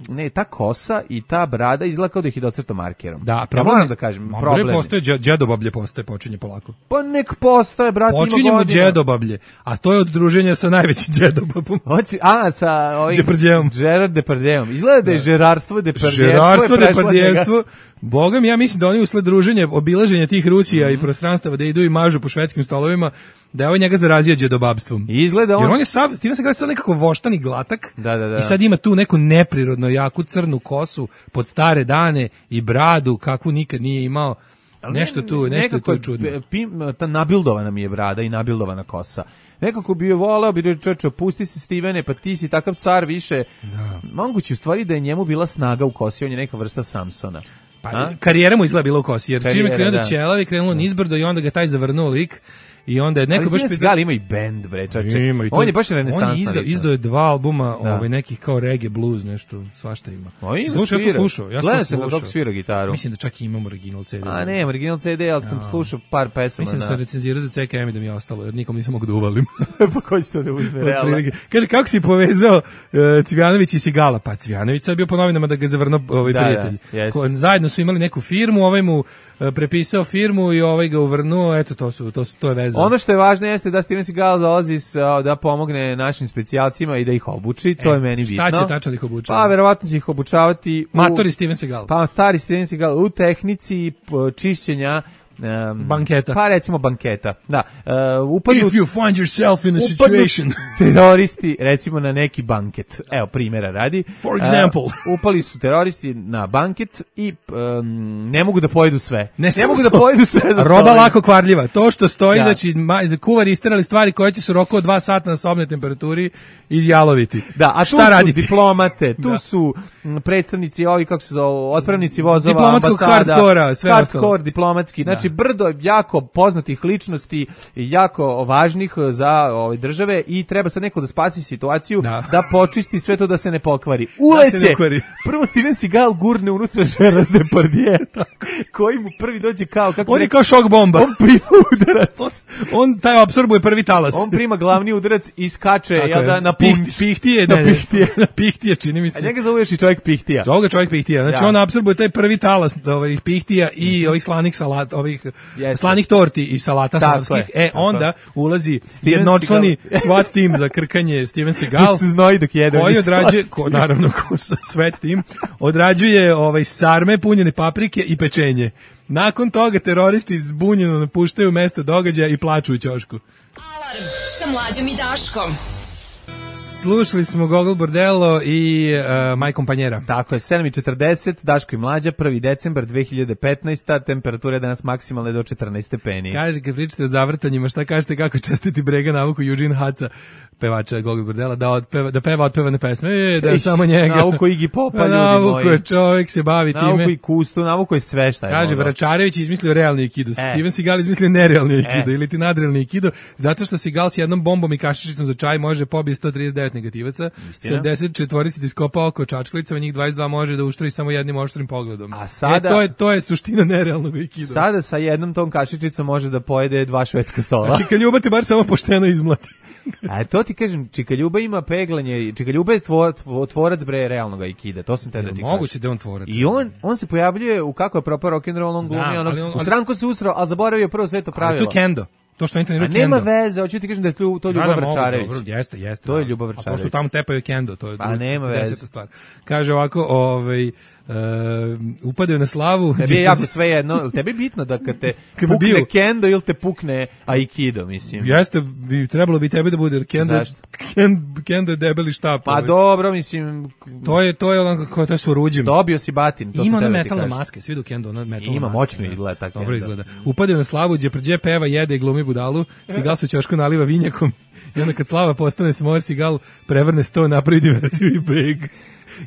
ne, ta kosa i ta brada izgleda kao da ih je docrtao markerom. Da, problem, moram da kažem, problem. Postoje džedobablje, počinje polako. Pa nek postoje, brate, ima godina. Počinjemo džedobablje, a to je od druženja sa najvećim džedobabom. Sa ovim Depardieuom. Gerard Depardieuom. Izgleda da je žerarstvo, Depardijevstvo. Boga mi, ja mislim da oni usled druženja, obilaženja tih Rusija i prostranstava da idu i mažu po švedskim stolovima, da je ovaj njega zarazio džedobabstvom. Izgleda on. Jer on je Steven Seagal sad nekako voštan i glatak. Da. I sad ima tu neku neprirodno jaku crnu kosu pod stare dane i bradu kakvu nikad nije imao. Nešto je tu čudno. Ta nabildovana mi je brada i nabildovana kosa. Nekako bi je voleo, bi čoče, pusti se Stevene, pa ti si takav car više. Moguće u stvari da je njemu bila snaga u kosi, on je neka vrsta Samsona. Pa karijera mu izgleda bila u kosi, jer čim je krenuo da ćelavi, krenulo nizbrdo i onda ga taj zavrnuo lik. I onda je neko baš Seagal ima i bend, bre, čače. On je baš renesansna. On je izdao 2 albuma, nekih kao reggae blues, nešto, svašta ima. Slušao. Gledam se kako svira gitaru. Mislim da čak i imam original CD. A ne, original CD, ali sam slušao par pesama. Mislim da sam recenzirao za CKM i da mi je ostalo, jer nikom nisam mogu da uvalim. Pa ko će to da uzme, realno? Kaže, kako si povezao Cvijanović i Seagala? Pa Cvijanović sad bio po novinama da ga zavrnuo prijatelj. Zajedno su imali neku firmu, ovaj mu prepisao firmu i ovaj ga uvrnuo, eto to je veza zezao. Ono što je važno jeste da Steven Seagal dolazi da pomogne našim specijalcima i da ih obuči, to je meni bitno. Šta će tačno da ih obučava? Pa verovatno će ih obučavati matori Steven Seagal. Pa stari Steven Seagal u tehnici čišćenja banketa. Pa recimo banketa. Da. If you find yourself in a situation. Teroristi recimo na neki banket. Evo primjera radi. For example. Upali su teroristi na banket i ne mogu da pojedu sve. Ne mogu da pojedu sve za roba lako kvarljiva. To što stoji znači kuvari isterali stvari koje će se u roku od 2 sata na sobnoj temperaturi izjaloviti. Da, a tu šta su raditi? Diplomate, tu su predstavnici ovi kako se zove, otpravnici vozova, diplomatskog ambasada, hardkora, sve ostalo. Hardcore diplomatski. Znači brdo jako poznatih ličnosti i jako važnih za ove države i treba sad neko da spasi situaciju, da počisti sve to da se ne pokvari. Uleće! Prvo Steven Seagal gurne unutra Gerard Depardieu, koji mu prvi dođe kao... On je kao šok bomba. On prima udarac. On taj apsorbuje prvi talas. On prima glavni udarac i skače na Pihtije. Na Pihtije, čini mi se. A njega zoveš i čovjek Pihtija. Čovjek Pihtija. Znači on apsorbuje taj prvi talas ovih Pihtija i ovih slanih salata, ovih slanih torti i salata slavskih. Onda ulazi jednočlani SWAT tim za krkanje Steven Seagal. Koji odrađuje, naravno SWAT tim, odrađuje sarme, punjene paprike i pečenje. Nakon toga teroristi zbunjeno napuštaju mesto događaja i plaču u ćošku. Alarm sa Mlađom i Daškom. Slušali smo Gogol Bordello i Maj kompanjera. Tako je, 7:40, Daško i Mlađa, 1. decembar 2015. Temperatura je danas maksimalna do 14 stepeni. Kaže, kad pričate o zavrtanjima, šta kažete kako čestiti Brega navuku Eugene Haca, pevača Gogol Bordello, da peva otpevane pesme, da je samo njega. Navuku Iggy Popa, ljudi moji. Navuku je, čovjek se bavi time. Navuku i Kustu, navuku je sve šta je. Kaže, Vračarević je izmislio realni aikido, Steven Seagal izmislio nerealni aikido ili ti nadrealni aikido, zato što Seagal s jednom bombom i kašičicom za čaj može pobiti 139 negativaca, 74 da iskopa oko čačkalicama, njih 22 može da uštri samo jednim oštrim pogledom. A sada, to je suština nerealnog aikida. Sada sa jednom tom kašičicom može da pojede 2 švedska stola. A Čika te bar samo pošteno izmlati. A to ti kažem, Čika Ljuba ima peglanje, Čika Ljuba je tvorac realnog aikida, to sam te da ti kažem. Moguće da on tvorac. I on se pojavljuje u kako je propao rock'n'roll, on glumi, u sranku se usrao, ali zaboravio prvo sveto pravilo. Ali to je kendo. To što treniraju kendo. Nema veze, hoću ti kažem da je to Ljubav Vračarević. Jeste. To je Ljubav Vračarević. To što tamo tepaju kendo, to je nema veze. Stvar. Kaže ovako, upadaju na slavu. Tebi je jako sve jedno, tebi je bitno da kad te pukne kendo ili te pukne aikido, mislim. Jeste, trebalo bi tebe da bude, jer kendo je debeli štap. Pa dobro, mislim. To je ono kako to je s oruđem. Dobio si batin, to ima se ona metalna maske, svi do kendo, ona metalna maska. Ima, moćno izgleda tako. Dobro izgleda. Upadaju na slavu, Đeprđe peva, jede i glumi budalu, Seagal se u ćošku naliva vinjakom i onda kad slava postane smor, Seagal prevrne sto, napravi diverziju i beg.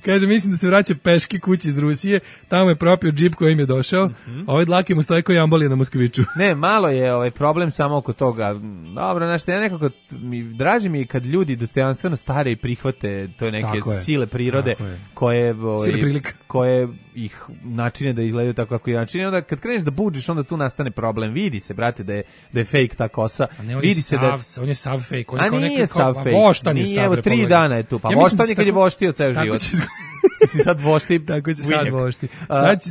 Kaže, mislim da se vraća peški kući iz Rusije, tamo je propio džip kojim je došao, a ovaj dlake mu stoje koji ambolije na Moskviću. Ne, malo je problem samo oko toga. Dobro, znaš, ja nekako, draži mi je kad ljudi dostojanstveno stare i prihvate to neke sile prirode koje ih načine da izgledaju tako kako i načine. Onda kad kreneš da buđiš, onda tu nastane problem. Vidi se, brate, da je fake ta kosa. Vidi se da on je sav fake. A nije sav fake. Nije, evo 3 dana je tu. Pa voštan je kad je voštio ceo život. Si sad vošti. Tako će sad vošti.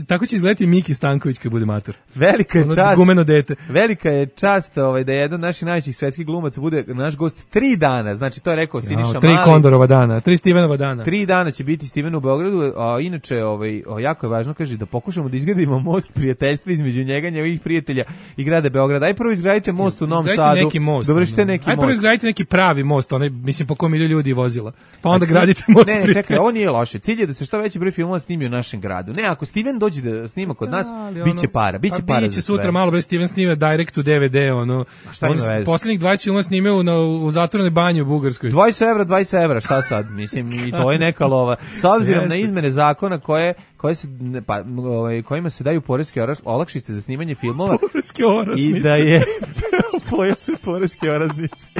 Tako će izgledati Miki Stanković kad bude mator. Velika je čast. Gumeno dete. Velika je čast da jedan od naših najvećih svetskih glumaca bude naš gost 3 dana. Znači to je rekao Siniša Mali. 3 Kondorova dana, 3 Stevenova dana. 3 dana će biti Steven u Beogradu, a inače jako je važno, kaže, da pokušamo da izgradimo most prijateljstva između njega, njegovih prijatelja i grada Beograda. Aj prvo izgradite most u Novom Sadu. Dovršite neki most. Aj prvo izgradite neki pravi most, onaj mislim po kom idu ljudi vozila. Pa onda gradite most. Ne, čekaj, ovo nije loše. Cilj je da se što veći broj filmova snimi u našem gradu. Ne, ako Steven dođe da snima kod nas, biće para za sve. Biće sutra malo bre Steven snima direct to DVD, ono. Poslednjih 20 filmova snimao u zatvorenoj banji u Bugarskoj. 20 evra, šta sad? Mislim, i to je neka lova. S obzirom na izmene zakona kojima se daju poreske olakšice za snimanje filmova. Poreske olakšice. I da je poreske olakšice.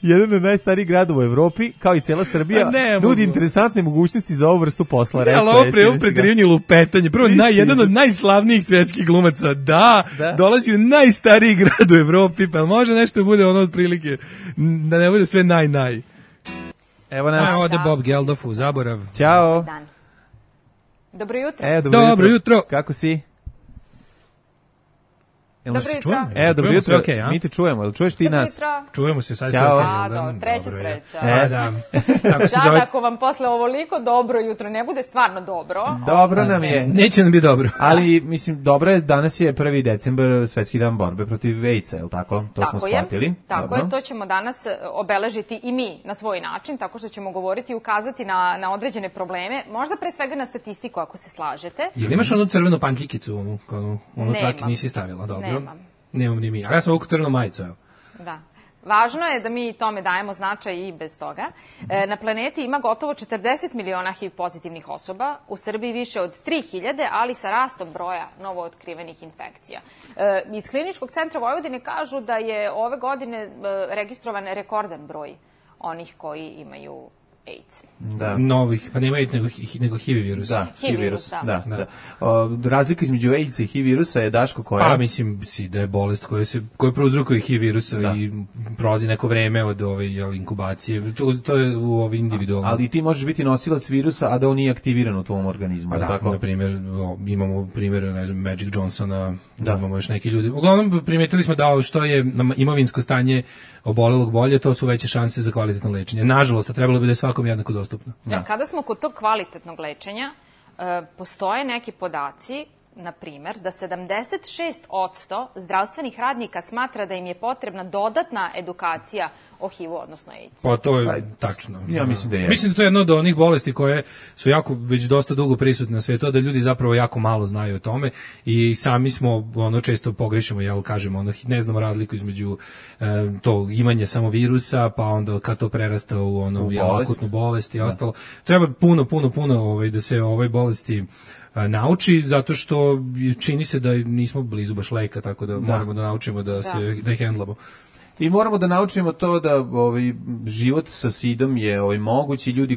Jedan od najstarijih gradova u Evropi, kao i cela Srbija, nudi interesantne mogućnosti za ovu vrstu posla. Ali ovo predirivanje lupetanje. Prvo, jedan od najslavnijih svetskih glumaca, dolazi u najstariji grad u Evropi, pa može nešto bude ono otprilike, da ne bude sve naj. Evo nas. Ode Bob Geldof u zaborav. Ćao. Dobro jutro. Dobro jutro. Kako si? Dobro jutro. Dobro jutro, mi te čujemo, jel čuješ ti nas? Čujemo se, sad Ćao. Treća sreća. Da. Ako vam posle ovoliko dobro jutro ne bude stvarno dobro. Dobro nam je. Neće nam biti dobro. Ali, mislim, dobro je, danas je 1. decembar, Svetski dan borbe protiv AIDS-a, je li tako? To smo shvatili. Tako je, to ćemo danas obeležiti i mi na svoj način, tako što ćemo govoriti i ukazati na određene probleme, možda pre svega na statistiku, ako se slažete. Jel imaš onu crvenu pantljikicu, onu traki nisi stavila, dobro? Nemam ni mi, ali ja sam ovu crvenu majicu, evo. Da. Važno je da mi tome dajemo značaj i bez toga. Na planeti ima gotovo 40 miliona HIV pozitivnih osoba, u Srbiji više od 3000, ali sa rastom broja novootkrivenih infekcija. Iz Kliničkog centra Vojvodine kažu da je ove godine registrovan rekordan broj onih koji imaju AIDS. Novih, pa nema AIDS nego HIV virus. Da, HIV virus, da. Razlika između AIDS i HIV virusa je, Daško, koja? Pa mislim da je bolest koja prouzrokuje HIV virusa i prolazi neko vreme od inkubacije. To je u ovi individualno. Ali ti možeš biti nosilac virusa, a da on nije aktiviran u tvom organizmu. Pa da, na primjer, imamo primjer, ne znam, Magic Johnsona, imamo još neki ljudi. Uglavnom, primetili smo da što je imovinsko stanje obolelog bolje, to su veće šanse za kvalitetno lečenje. Nažalost, trebalo bi da je svakom jednako dostupno. Kada smo kod tog kvalitetnog lečenja, postoje neki podaci, na primjer, da 76% zdravstvenih radnika smatra da im je potrebna dodatna edukacija o HIV-u, odnosno AIDS. Pa to je tačno. Ja mislim da je. Mislim da to je jedno od onih bolesti koje su već dosta dugo prisutne na svijetu, da ljudi zapravo jako malo znaju o tome i sami smo često pogrešimo, kažemo, ne znamo razliku između to imanje samo virusa, pa onda kad to prerasta u akutnu bolest i ostalo. Treba puno da se ovoj bolesti nauči, zato što čini se da nismo blizu baš leka, tako da moramo da naučimo da ih hendlamo. I moramo da naučimo to da život sa SIDom je moguć i ljudi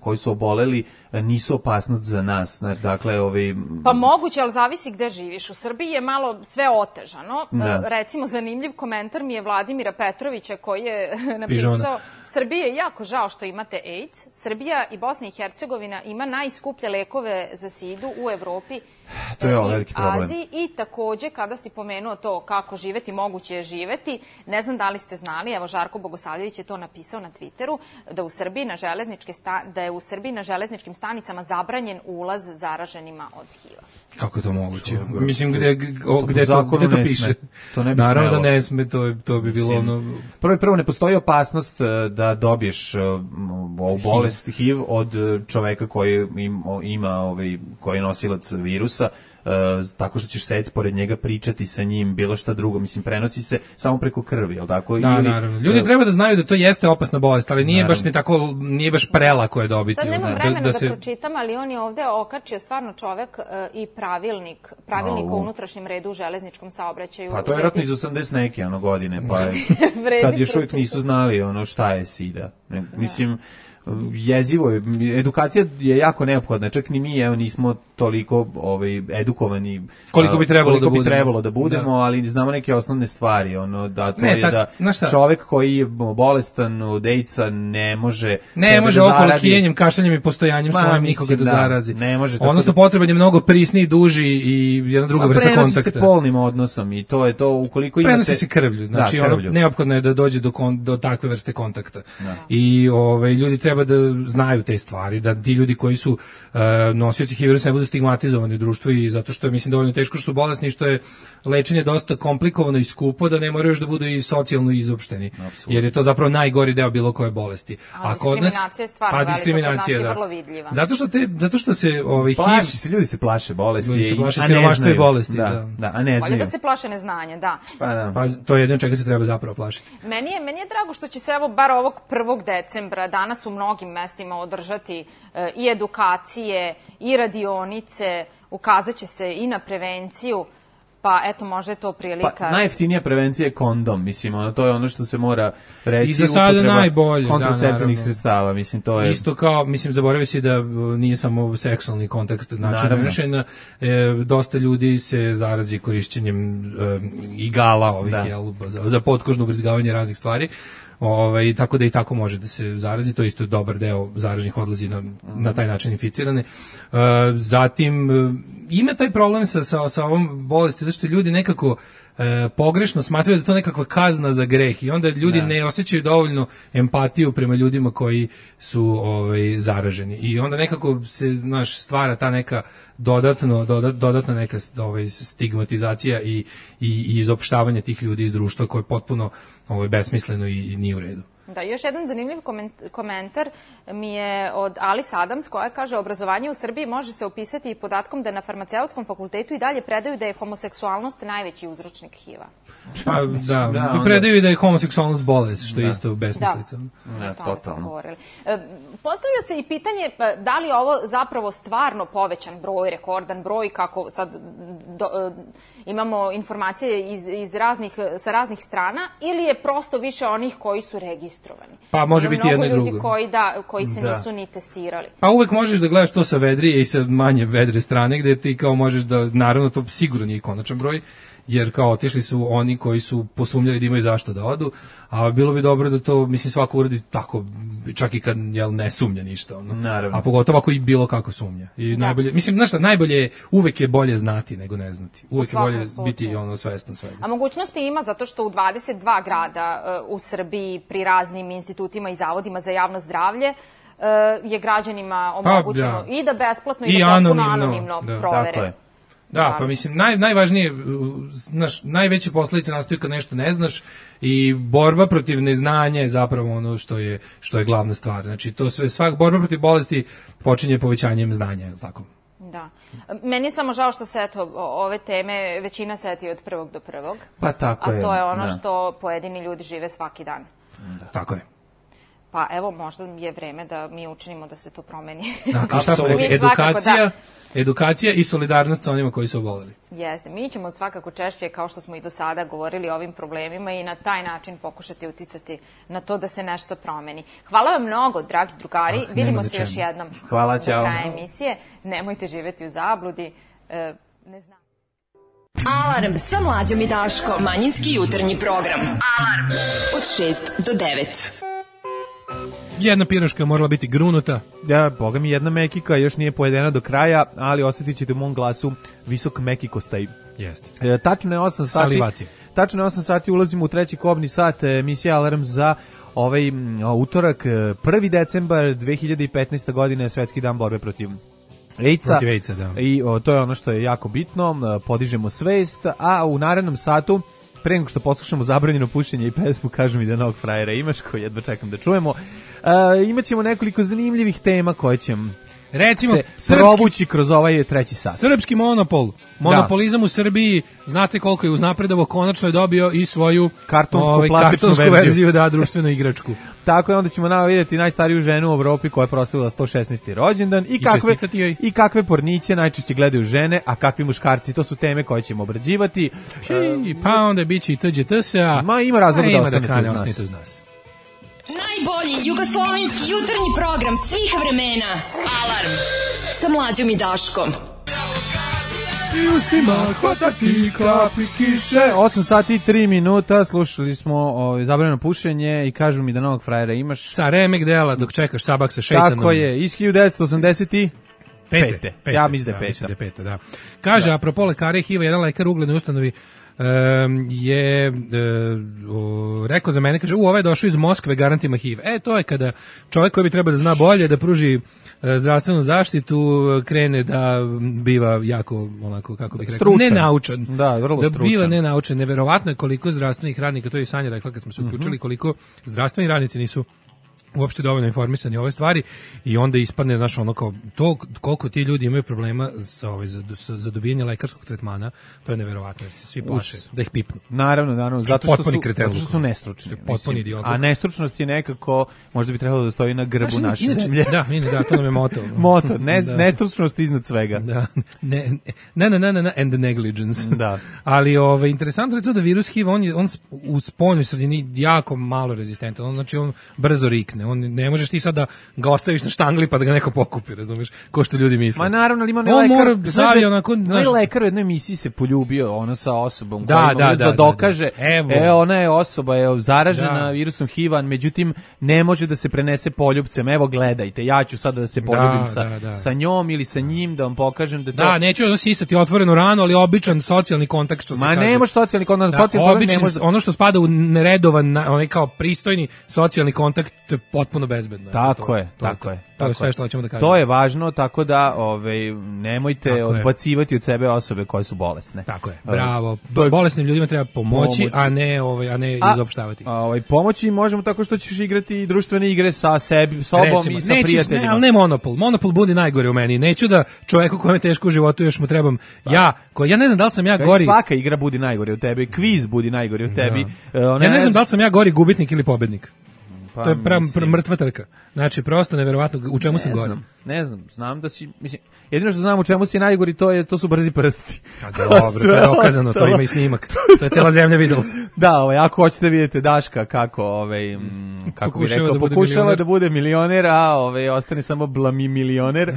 koji su oboleli nisu opasnost za nas. Dakle, Pa moguće, ali zavisi gde živiš. U Srbiji je malo sve otežano. Recimo, zanimljiv komentar mi je Vladimira Petrovića koji je napisao: Srbiji je jako žao što imate AIDS. Srbija i Bosna i Hercegovina ima najskuplje lekove za SIDu u Evropi i Aziji. I takođe, kada si pomenuo to kako živeti, moguće je živeti, ne znam da li ste znali, evo Žarko Bogosavljević je to napisao na Twitteru, da je u Srbiji na železničkim stanicama zabranjen ulaz zaraženima od HIV-a. Kako je to moguće? Mislim, gde to piše? Naravno da ne sme, to bi bilo Prvo, ne postoji opasnost da dobiješ ovu bolest HIV od čoveka koji koji je nosilac virusa, tako što ćeš sedeti pored njega, pričati sa njim, bilo šta drugo, mislim, prenosi se samo preko krvi, jel tako? Da, naravno. Ljudi treba da znaju da to jeste opasna bolest, ali nije baš nije baš prelako je dobiti. Sad nemam vremena da pročitam, ali on je ovde okačio stvarno čovek i pravilnik o unutrašnjem redu u železničkom saobraćaju. Pa to je vjerojatno iz 80 neke godine, pa kad još uvijek nisu znali šta je SIDA. Mislim, jezivo je, edukacija je jako neophodna, čak ni mi nismo toliko edukovani koliko bi trebalo da budemo, ali znamo neke osnovne stvari, da to je da čovek koji je bolestan od AIDS-a ne može okolo kijenjem, kašljanjem i postojanjem svojim nikoga da zarazi. Odnosno potreban je mnogo prisniji, duži i jedna druga vrsta kontakta. Prenosi se polnim odnosom i to je to, ukoliko imate... Prenosi se krvlju, znači neophodno je da dođe do takve vrste kontakta. I ljudi treba da znaju te stvari, da ti ljudi koji su nosioci HIV virusa ne budu stigmatizovani u društvu, i zato što je, mislim, dovoljno teško što su bolesni, što je lečenje dosta komplikovano i skupo, da ne moraju još da budu i socijalno izopšteni. Jer je to zapravo najgori deo bilo koje bolesti. A diskriminacija je stvarno velika, kod nas je vrlo vidljiva. Zato što se ljudi se plaše bolesti, ljudi se plaše siromaštva i bolesti, a ne znaju. Bolje da se plaše neznanja, da. Pa to je jedno čega se treba zapravo plašiti. Meni je drago što će se bar ovog 1. decembra danas u mnogim mestima održati i edukacije i radionice, ukazat će se i na prevenciju, pa eto, možda je to prilika. Pa najjeftinija prevencija je kondom, mislim, to je ono što se mora reći. I za sada najbolje, kontraceptivnih sredstava, mislim, to je... Isto kao, mislim, zaboravio si da nije samo seksualni kontakt način prenošenja, dosta ljudi se zarazi korišćenjem igala ovih, za potkožno ubrizgavanje raznih stvari. tako da i tako može da se zarazi, to je isto dobar deo zaraženih odlazi na taj način inficirane. Zatim ima taj problem sa ovom bolesti, zato što ljudi nekako pogrešno smatraju da je to nekakva kazna za greh i onda ljudi ne osjećaju dovoljno empatiju prema ljudima koji su zaraženi i onda nekako se stvara ta neka dodatna neka stigmatizacija i izopštavanje tih ljudi iz društva koje je potpuno besmisleno i nije u redu. Da, još jedan zanimljiv komentar mi je od Alice Adams koja kaže obrazovanje u Srbiji može se opisati i podatkom da na farmaceutskom fakultetu i dalje predaju da je homoseksualnost najveći uzročnik HIV-a. Pa da, i predaju i da je homoseksualnost bolest, što je isto besmislica. Da, o tome smo govorili. Postavlja se i pitanje da li je ovo zapravo stvarno povećan broj, rekordan broj, kako sad imamo informacije sa raznih strana, ili je prosto više onih koji su registrovani. Pa može biti jedno i drugo. Mnogo ljudi koji se nisu ni testirali. Pa uvek možeš da gledaš to sa vedrije i sa manje vedre strane, gde ti kao možeš da, naravno to sigurno nije konačan broj, jer kao otišli su oni koji su posumnjali da imaju zašto da odu, a bilo bi dobro da to, mislim, svako uradi tako, čak i kad ne sumnja ništa. Naravno. A pogotovo ako i bilo kako sumnja. I najbolje, mislim, znaš šta, uvek je bolje znati nego ne znati. Uvek je bolje biti svestan svega. A mogućnosti ima zato što u 22 grada u Srbiji pri raznim institutima i zavodima za javno zdravlje je građanima omogućeno i da besplatno i da potpuno anonimno provere. Tako je. Da, pa mislim, najvažnije, najveće posledice nastaju kad nešto ne znaš i borba protiv neznanja je zapravo ono što je glavna stvar. Znači, to sve, borba protiv bolesti počinje povećanjem znanja, je li tako? Da. Meni je samo žao što se, eto, ove teme većina seti od prvog do prvog. Pa tako je. A to je ono što pojedini ljudi žive svaki dan. Da. Tako je. Pa evo, možda je vreme da mi učinimo da se to promeni. Dakle, šta smo rekli? Edukacija i solidarnost sa onima koji su oboleli. Jeste. Mi ćemo svakako češće, kao što smo i do sada govorili o ovim problemima i na taj način pokušati uticati na to da se nešto promeni. Hvala vam mnogo, dragi drugari. Vidimo se još jednom. Hvala, ćao. Do kraja emisije. Nemojte živeti u zabludi. Ne znam. Alarm sa Mlađom i Daškom. Manjinski jutarnji program. Alarm od 6 do 9. Jedna piroška morala biti grunuta. Ja, boga mi, jedna mekika još nije pojedena do kraja, ali osjetit ćete u mom glasu visok mekikostaj. Jeste. Tačno je 8 sati. Salivacije. Tačno je 8 sati, ulazimo u treći kobni sat emisije Alarm za utorak, 1. decembar 2015. godine, Svetski dan borbe protiv AIDS-a. Protiv AIDS-a, da. I to je ono što je jako bitno, podižemo svest, a u narednom satu, pre nego što poslušamo Zabranjeno pušenje i pesmu Kažu mi da novog frajera imaš, koji jedva čekam da čujemo, imaćemo nekoliko zanimljivih tema koje će recimo se provući kroz ovaj treći sat. Srpski monopolizam u Srbiji, znate koliko je uznapredovo, konačno je dobio i svoju kartonsku verziju, da, društvenu igračku. Tako je, onda ćemo vidjeti najstariju ženu u Evropi koja je proslavila 116. rođendan i kakve porniće najčešće gledaju žene, a kakvi muškarci. To su teme koje ćemo obrađivati. Pa onda biće i TGT-a. Ima razloga da ostanete uz nas. Najbolji jugoslovenski jutarnji program svih vremena. Alarm sa Mlađom i Daškom. I ustima hvatati kapi kiše. 8 sati i 3 minuta. Slušali smo Zabranjeno pušenje i Kažu mi da novog frajera imaš. Sa remek dela dok čekaš Sabak sa šeitanom. Tako je, iz 1985. Ja mislim da je peta. Da. Kaže, apropo lekare HIV-a, jedan lekar u uglednoj ustanovi je rekao za mene, kaže, ovaj je došao iz Moskve, garant ima HIV. To je kada čovjek koji bi trebao da zna bolje, da pruži zdravstvenu zaštitu, krene da biva jako, onako, kako bih rekao, nenaučan. Da, vrlo stručan. Da biva nenaučan. Neverovatno je koliko zdravstvenih radnika, to je i Sanja rekla kad smo se uključili, koliko zdravstveni radnici nisu uopšte dovoljno informisani o ove stvari i onda ispadne, znaš, ono kao to koliko ti ljudi imaju problema za dobijanje lekarskog tretmana, to je neverovatno, jer se svi plaše da ih pipnu. Naravno, zato što su nestručni. A nestručnost je nekako, možda bi trebalo da stoji na grbu naše zemlje. Da, to nam je moto. Nestručnost iznad svega. Da. And the negligence. Da. Ali interesantno recimo da virus HIV, on u spoljnoj sredini jako malo rezistentan, znači on brzo rikne. besbedne. On ne možeš ti sad da ga ostaviš na štangli pa da ga neko pokupi, razumeš? Ko što ljudi misle. Ma naravno, ali ima on mora zavi onako, znaš, lekar u jednoj emisiji se poljubio ono sa osobom koja da dokaže. Ona je osoba je zaražena virusom HIV-a, međutim ne može da se prenese poljupcem. Evo gledajte, ja ću sada da se poljubim sa njom ili sa njim da vam pokažem da to. Da, neću da sisati otvorenu ranu, ali običan socijalni kontakt što se kaže. Ma ne može socijalni kontakt, ne može. Ono što spada u neredovan, onaj kao pristojni socijalni kontakt, to je potpuno bezbedno. Tako je. To je sve što hoćemo da kažemo. To je važno, tako da nemojte odbacivati od sebe osobe koje su bolesne. Tako je. Bravo. Bolesnim ljudima treba pomoći, a ne izopštavati. Pomoći možemo tako što ćeš igrati društvene igre sa sobom i sa prijateljima. Ali ne Monopol. Monopol budi najgore u meni. Neću da čoveku kojem je teško u životu još mu trebam ja ne znam da li sam ja gori. Svaka igra budi najgore u tebi, kviz budi najgore u tebi. Ja ne znam da li sam ja gori gubitnik ili pobednik. To je mrtva trka. Znači, prosto neverovatno, u čemu sam gori? Ne znam da si, mislim, jedino što znam u čemu si najgori, to su brzi prsti. Dobro, to je dokazano, to ima i snimak. To je cijela zemlja videla. Da, ako hoćete vidjeti Daška kako bi rekao, pokušava da bude milioner, a ostane samo blamioner,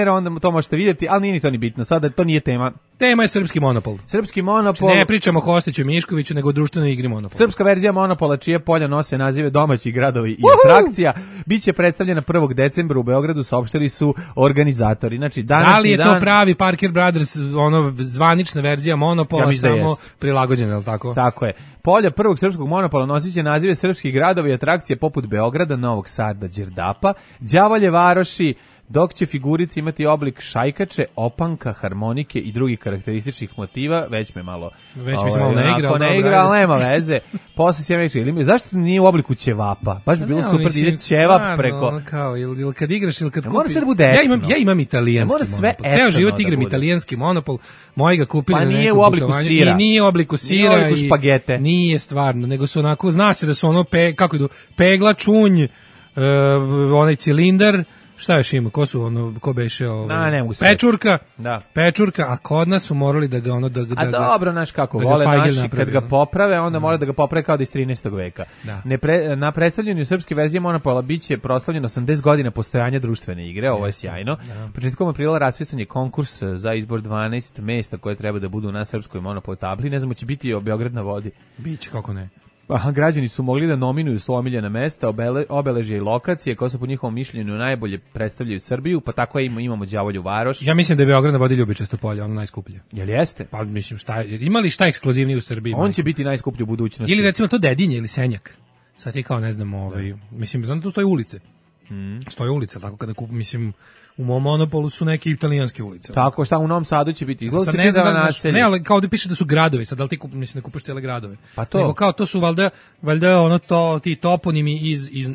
onda to možete vidjeti, ali nije ni to ni bitno. Sada to nije tema. Tema je srpski monopol. Srpski monopol. Ne pričamo o Kostiću Miškoviću, nego o društvenoj igri Monopol. Srpska verzija Monopola, čije polja nose nazive domaćih gradovi i atrakcija, biće predstavljena 1. decembra u Beogradu, saopštili su organizatori. Znači, da li je to pravi Parker Brothers, zvanična verzija Monopola, samo prilagođena, je li tako? Tako je. Polja prvog srpskog Monopola nosit će nazive srpskih gradovi i atrakcije poput Beograda, Novog Sada, Đerdapa, Đavolje Varoši, dok će figurice imati oblik šajkače, opanka, harmonike i drugih karakterističnih motiva. Već mi se malo ne igra, ali nema veze. Posle se ja zašto nije u obliku ćevapa? Baš bi bilo super da ide ćevap preko. Ili kad igraš ili kad kupiš. Mora sve da bude ja imam italijanski Monopol. Ceo život igram italijanski Monopol. Moji ga kupili na nekom putovanju. I nije u obliku sira. Nije u obliku špagete. Nije stvarno, nego su onako, zna se da su ono, kako idu, pegla, čunj, onaj cilindar. Šta još ima? Ko beše Pečurka. Da. Pečurka, a kod nas su morali da ga dobro, znaš kako vole naši kad ga poprave, onda mora da ga poprave kao da iz 13. veka. Na predstavljanju srpske verzije Monopola biće proslavljeno 80 godina postojanja društvene igre, ovo je sjajno. Početkom aprila raspisan je konkurs za izbor 12 mesta koje treba da budu na srpskoj Monopol tabli. Ne znamo, će biti Beograd na vodi. Biće, kako ne. Građani su mogli da nominuju svoja omiljena mesta, obeležje i lokacije koje su po njihovom mišljenju najbolje predstavljaju Srbiju, pa tako imamo Đavolju Varoš. Ja mislim da je Beograd na vodi Ljubičasto polje, ono najskuplje. Jel jeste? Pa mislim, ima li šta ekskluzivnije u Srbiji? On će biti najskuplji u budućnosti. Ili recimo to Dedinje ili Senjak. Sad je kao, ne znam, mislim, znam da tu stoje ulice. Stoje ulice, tako kada mislim, u mom Monopolu su neke italijanske ulice. Tako, šta u Novom Sadu će biti? Izgleda se čitava naselje. Ne, ali kao da piše da su gradovi, sad da li ti mislim, ne kupaš cijele gradove. Pa to. Nego kao to su valjda ti toponimi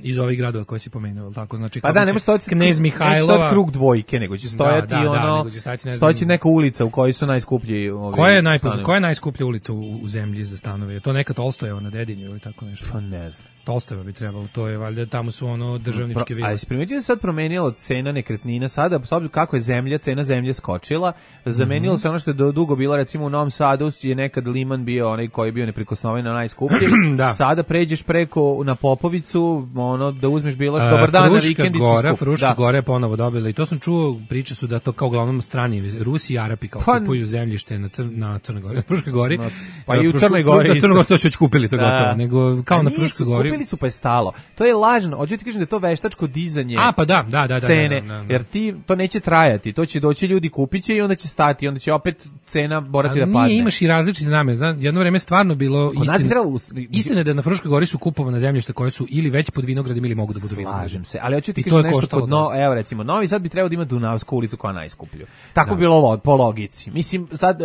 iz ovih gradova koje si pomenuo, tako, znači pa da, nema stojati Knez Mihajlova. Neće krug dvojke, nego će stojati stojeći neka ulica u kojoj su najskuplji Koja je najskuplja ulica u zemlji za stanove? Je to neka Tolstojeva na Dedinju ili tako nešto? Pa ne znam. Tolstojeva bi trebalo, to je valjda, tamo su državničke vile. A jesi primetio da sad promenilo cena nekretnina sada, kako je cena zemlje skočila, zamenilo se ono što je dugo bilo, recimo u Novom Sadu je nekad Liman bio onaj koji je bio neprikosnoven na najskuplji, sada pređeš preko na Popovicu, da uzmeš bilo što dobar dan na vikendicu. Fruška Gora je ponovo dobila i to sam čuo, priče su da to kao uglavnom strani Rusi i Arapi kao kupuju zemljište na Crnoj Gori, na Fruškoj Gori. Pa i u Crnoj Gori. Na Crnoj Gori to su već kupili, to gotovo, nego kao na Fruškoj Gori. Kupili su pa je stalo. To je lažno. Hoću ti kažem da je to veštačko dizanje. Pa da. Cene, jer to neće trajati. To će doći ljudi, kupiće i onda će stati, onda će opet cena morati da padne. Nije, imaš i različite namene. Jedno vreme stvarno bilo istina da je na Fruškoj Gori su kupovana zemljišta koje su ili već pod vinogradima ili mogu da budu vinogradi. Slažem se, ali hoću ti kažem nešto evo recimo, Novi Sad bi trebao da ima Dunavsku ulicu koja je najskuplju. Tako bi bilo po logici. Mislim, sad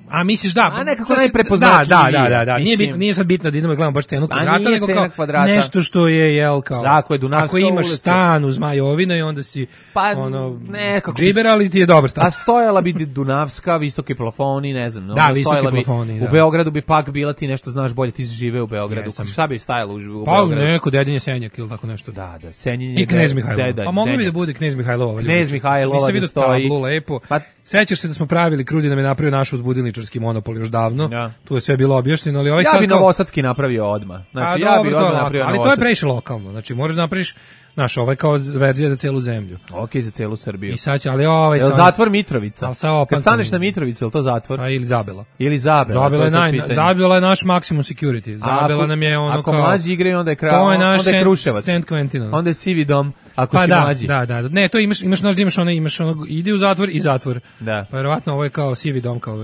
a misliš da? A nekako najprepoznatljivije. Da. Nije sad bitno da idemo gledamo baš cenu kvadrata, nego kao nešto što je kao. Tako, Dunavska ako imaš ulica. stan uz Zmajovina i onda si Pa, ono, nekako džiber, ali ti je dobar stan. A stojala bi Dunavska, visoki plafoni, ne znam. Da, visoki stojala plafoni, bi, da. U Beogradu bi pak bila, ti nešto znaš bolje, ti si žive u Beogradu. Jesam. Šta bi stajalo u Pa Beogradu? neko Dedinje Senjak ili tako nešto. Da, Senjinje. I Knez Mihajlova. Deda, Pa moglo bi Denja. da bude Knez Mihajlova. Knez Mihajlova Nisam da vidio stoji. tablu lepo. Pa- Sećaš se da smo pravili, Krudi nam je napravio naš uzbudilničarski monopol još davno. Ja. Tu je sve bilo objašnjeno, ali ovaj Ja sad bi kao... Novosadski napravio odmah. Znači, A, ja dobro, bi to je odmah lako, napravio ali to je Novosadski. previše lokalno. Znači, moraš da napraviš, znaš, ovaj kao verzija za celu zemlju. Ok, za celu Srbiju. I sad će, ali ovaj... Jel sad- zatvor Mitrovica? Ali sa Kad staneš na Mitrovicu, je to zatvor? Pa ili Zabela. Ili Zabela? Zabela je, to sad pitanje. Zabela je naš maksimum security. Zabela nam je ono ako kao... mlađi igraju, onda je To je naš onda je Kruševac. St. Quentin. Onda je sivi dom, ako Pa si da, mlađi. da. Ne, to imaš znaš da imaš ono, ide u zatvor i zatvor. Da. Pa verovatno ovo je kao sivi dom, kao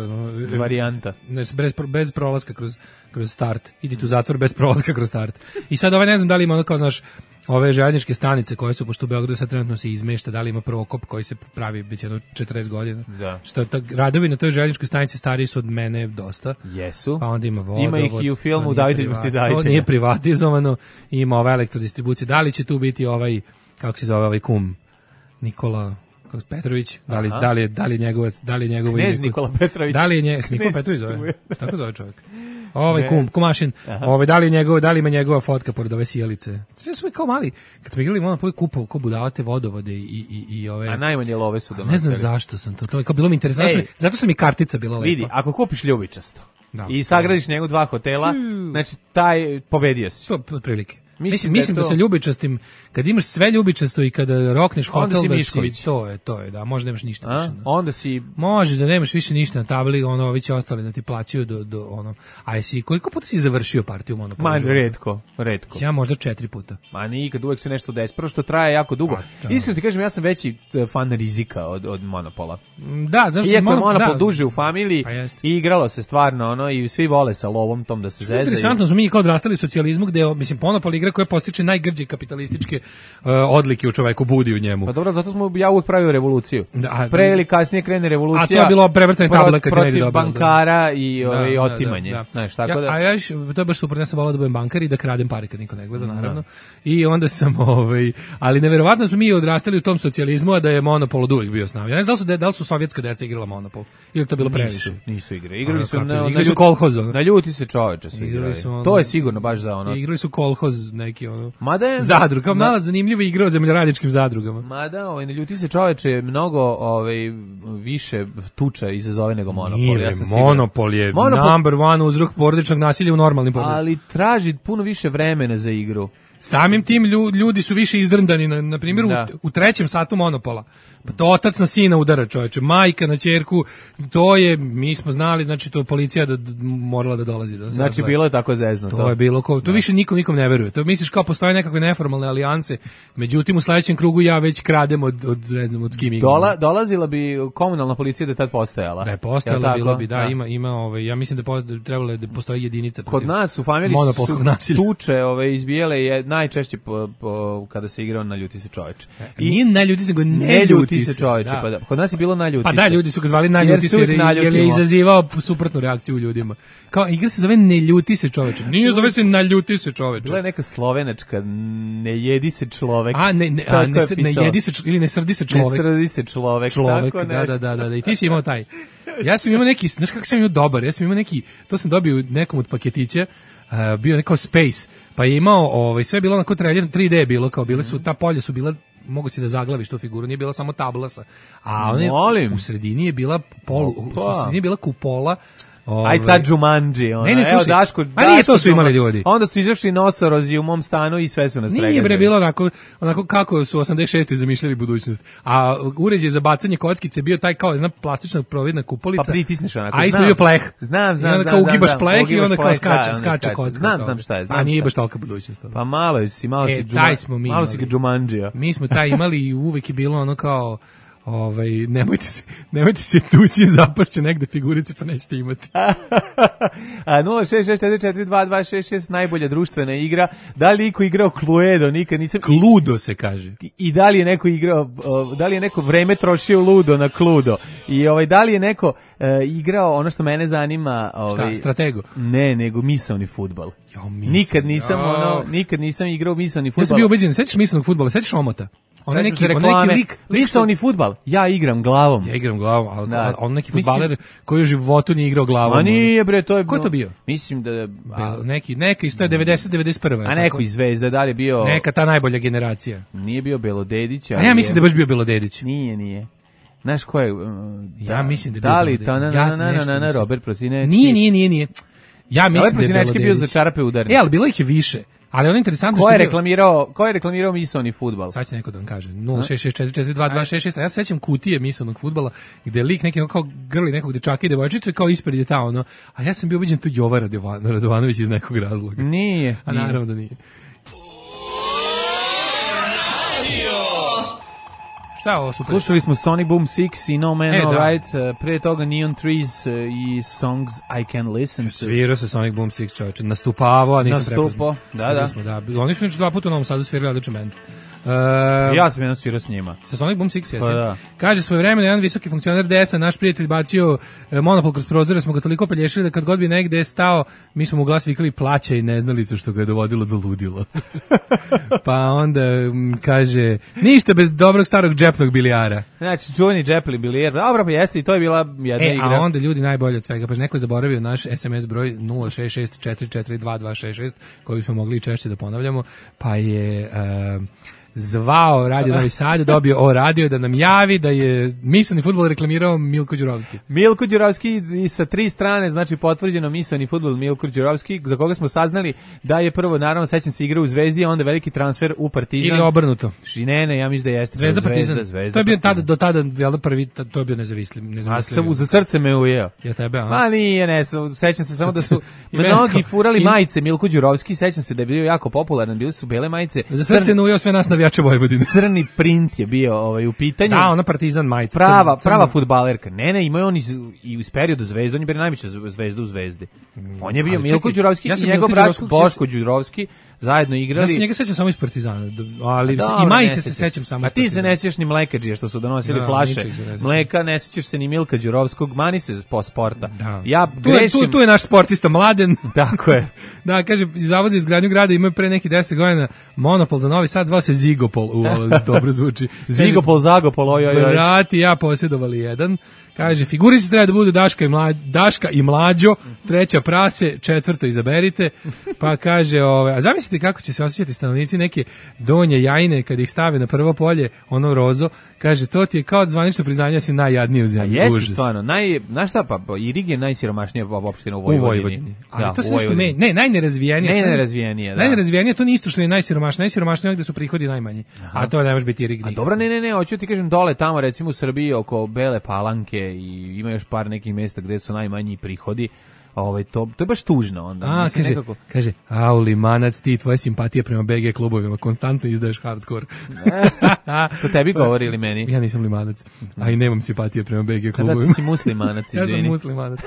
Varijanta. bez prolaska kroz start. Idi tu u zatvor bez prolaska kroz start. I sad ovaj ne znam da li ima ono kao, znaš, ove željezničke stanice koje su, pošto u Beogradu sad trenutno se izmešta, da li ima prokop koji se pravi već jedno 40 godina. Da. Što je radovi na toj željezničkoj stanici stariji su od mene dosta. Jesu. Pa onda ima vodovod. Ima ih i u filmu to nije Davitelj protiv davitelja. To nije privatizovano. Ima ova elektrodistribucija. Da li će tu biti ovaj, kako se zove ovaj kum? Nikola Petrović, da li njegovo Knez Nikola Petrović. Da li je Nikola Petrović zove? Tako zove čovjek. Ovaj kumašin. Da li ima njegova fotka pored ove sijalice? Sve su kao mali. Kad smo igrali Monopol, kupao ko budalate vodovode i ove. A najmanje love su donosili. Ne znam zašto sam to. To je kao bilo mi interesantno. Zato što mi kartica bila lepa. Vidi, ako kupiš ljubičasto Da. i sagradiš njegu 2 hotela, znači taj pobedio si. To otprilike. Mislim Mislim da da je to- sa ljubičastim, kad imaš sve ljubičasto i kada rokneš Onda hotel, si da Mišković. to je, da, možda nemaš ništa više. da. Onda si Može da nemaš više ništa na tabli, ono, ovi će ostali da ti plaćaju do ono, a jesi, koliko puta si završio partiju Monopola? Ma, u životu? retko. Ja možda 4 puta. Ma nikad, uvek se nešto desi. Prvo što traje jako dugo. Pa, da. Iskreno ti kažem, ja sam veći fan rizika od Monopola. Da, znaš, Iako je Monopol duže u familiji, Pa jeste. i igralo se stvarno, ono, i svi vole sa lovom tom da se zezaju. Interesantno smo mi kao odrastali u socijalizmu gde mislim Monopol igra koja postiče najgrđe kapitalističke odlike u čoveku, budi u njemu. Pa dobro, zato smo ja uvek pravio revoluciju. Da, Pre ili kasnije krene revolucija. A to je bilo prevrtanje tabla kad ti ne ide protiv dobro, da. bankara i Da, otimanje. da. Znaš, tako da. A ja to je baš super, ja sam volao da budem bankar i da kradem pare kad niko ne gleda, naravno. I onda sam, ali neverovatno smo mi odrastali u tom socijalizmu, a da je Monopol od uvek bio s nama. Ja ne znam da li su sovjetska deca igrala Monopol, ili to bilo previše. Nisu igre. Igrali su Igrali su kolhoz. Na ljuti se čoveče su Igrali igrali. su ono- To je sigurno baš za ono. Igrali su kolhoz neki ono. Mada je Zadruga, kao mala zanimljiva igra o zemljoradničkim zadrugama. Mada, na ljuti se čoveče mnogo više tuča izazove nego Monopol. Nije, Ja sam siguran. Monopol je number one uzrok porodičnog nasilja u normalnim porodicama. Ali traži puno više vremena za igru. Samim tim ljudi su više izdrndani, na primjer Da. u 3. satu Monopola. Pa to otac na sina udara, čoveče, majka na ćerku, to je, mi smo znali, znači to je policija morala da dolazi. Da Znači bilo je tako zezno. To je bilo, to više nikom ne veruje. To misliš kao postoje nekakve neformalne alijanse, međutim u sledećem krugu ja već kradem od ne znam, od kim igram. Dolazila bi komunalna policija da je tad postojala. Da je postojala, Jel bilo tako? bi, da, ima ja mislim da trebalo da postoji jedinica. Kod nas u familiji monopolskog su nasilja. tuče izbijele je najčešće kada se igrao na ljuti se čoveče. I nije na ljudi se go ne ljuti se čoveče, da. pa da. Kod nas je bilo na ljuti Pa se. da, ljudi su ga zvali na ljuti se jer je izazivao suprotnu reakciju u ljudima. Kao igra se zove ne ljuti se čoveče. Nije zove se na ljuti se čoveče. Bila je neka slovenačka ne jedi se čovek. Ne jedi se ili ne srdi se čovek. Ne srdi se čovek. Čovek, da. I ti si imao taj. Ja sam imao neki, znaš kako sam imao dobar, ja sam imao neki, to sam dobio nekom od paketića, bio neko Space, pa je imao, sve je bilo onako 3D je bilo, kao bile su, ta polja su bila, mogu si da zaglaviš tu figuru, nije bila samo tablasa, a u sredini je bila u sredini je bila kupola. Aj sad Jumanji, Ne, slušaj, Daško, nije to su imali ljudi. Onda su izašli nosorozi u mom stanu i sve su nas pregazili. Nije bre bilo onako kako su 86. zamišljali budućnost. A uređaj za bacanje kockice bio taj kao jedna plastična providna kupolica. Pa pritisneš onako. A isto bio pleh. Znam. I onda kao ugibaš pleh i onda kao skače kocka. Znam šta je. A nije baš tolika budućnost. Pa malo si taj smo mi malo si ga Jumanjija. Mi smo taj imali i uvek je bilo ono kao nemojte se tući, zapašće negde figurice, pa nećete imati. 066442266 najbolja društvena igra. Da li iko igrao Cluedo? Nikad nisam. Cluedo se kaže. I da li je neko igrao, da li je neko vreme trošio ludo na Cluedo? I da li je neko igrao ono što mene zanima, šta, strategu? Ne, nego misaoni fudbal. Nikad nisam igrao misaoni fudbal. Ja sam bio ubeđen, sećaš misaonog fudbala, sećaš omota? On neki lik misaoni fudbal. Ja igram glavom. Ja igram glavom, a on neki fudbaler koji u životu nije igrao glavom. A nije bre, to je. Ko je to bio? Mislim da neki isto je 90-91. A neko iz Zvezde, da li je bio? Neka ta najbolja generacija. Nije bio Belodedić, a ja mislim da je baš bio Belodedić. Nije. Znaš ko je? Ja mislim da je bio Belodedić. Robert Prosinečki. Nije. Ja mislim da je Prosinečki bio za čarape udarni. Ali bilo ih je više. Ali on je interesantno što ko je reklamirao misaoni fudbal? Sad će neko da vam kaže. 066442266. Ja se sećam kutije misaonog fudbala gde lik neki kao grli nekog dečaka i devojčice kao ispred je ta ono. A ja sam bio ubeđen to Jova Radovanović iz nekog razloga. Nije. A naravno da nije. Šta je ovo super? Slušali smo Sonic Boom 6 i No Man All Right, pre toga Neon Trees i Songs I Can Listen To. Svirao se Sonic Boom 6, čovječe, nastupavao, a nisam prepoznao. Da. Oni su još 2 puta u Novom Sadu svirali odličan band. Ja sam jedno svirao s njima. Sa Sonic Boom 6, jesi? Pa da. Kaže, svojevremeno jedan visoki funkcioner DS-a, naš prijatelj bacio monopol kroz prozore, smo ga toliko pelješili da kad god bi negde stao, mi smo mu glas vikali plaća i neznalicu što ga je dovodilo do ludila. Pa onda kaže, ništa bez dobrog starog džepnog bilijara. Znači, čuveni džepli bilijar, dobro pa jeste i to je bila jedna igra. A onda ljudi najbolje od svega, pa neko je zaboravio naš SMS broj 066442266 koji smo mogli češće da ponavljamo, pa je zvao Radio Novi Sad, dobio radio da nam javi da je misaoni fudbal reklamirao Milko Đurovski. Milko Đurovski i sa 3 strane, znači potvrđeno misaoni fudbal Milko Đurovski, za koga smo saznali da je prvo, naravno, sećam se igrao u Zvezdi, a onda veliki transfer u Partizan. Ili obrnuto. Ne, ja mislim da jeste. Zvezda Partizan. To je bio do tada, velda prvi, to je bio nezavisli. A za srce me ujeo. Ja tebe, a? Ma nije, sećam se samo da su mnogi furali majice Milko Đurovski, sećam se da je bio jako popularan, bile su bele majice. Za srce me ujeo sve nas navijače Vojvodine. Crni print je bio u pitanju. Da, ona Partizan majica. Prava fudbalerka. Ne, imaju on i uz periodu Zvezde, on je bio najveća zvezda u Zvezdi. On je bio Milko Đurovski i njegov brat Boško Đurovski zajedno igrali. Ja se njega sećam samo iz Partizana, ali i majice se sećam samo iz Partizana. A ti se ne sjećaš ni Mlekadžije što su donosili flaše mleka, ne sjećaš se ni Milka Đurovskog, mani se po sporta. Ja grešim. Tu je naš sportista Mladen. Tako je. Da, kaže, Zavod za izgradnju grada imaju pre neki 10 godina monopol za Novi Sad, zvao se Zigopol. Dobro zvuči. Zigopol, Zagopol, ojoj. Brati, ja posjedovali jedan. Kaže, figurice treba da budu Daška i Mlađo, 3. prase, 4. izaberite. Pa kaže, a zamislite kako će se osjećati stanovnici neke Donje Jajine kad ih stave na prvo polje, ono rozo. Kaže, to ti je kao zvanično priznanje, si najjadniji u zemlji. Jeste stvarno, znaš šta, pa Irig je najsiromašnija opština u Vojvodini. Ali to se nešto najnerazvijenije. Najnerazvijenije, to nije isto što je najsiromašnije. Najsiromašnije je gde su prihodi najmanji. A to ne može biti Irig. A dobro, ne, hoću ti kažem dole tamo, recimo u Srbiji oko Bele Palanke i ima još par nekih mjesta gdje su najmanji prihodi. To je baš tužno onda. Kaže, Limanac, ti tvoje simpatije prema BG klubovima, konstantno izdaješ hardcore. To tebi govori ili meni? Ja nisam Limanac, a i nemam simpatije prema BG klubovima. Kada ti si muslimanac, izvini. Ja sam muslimanac.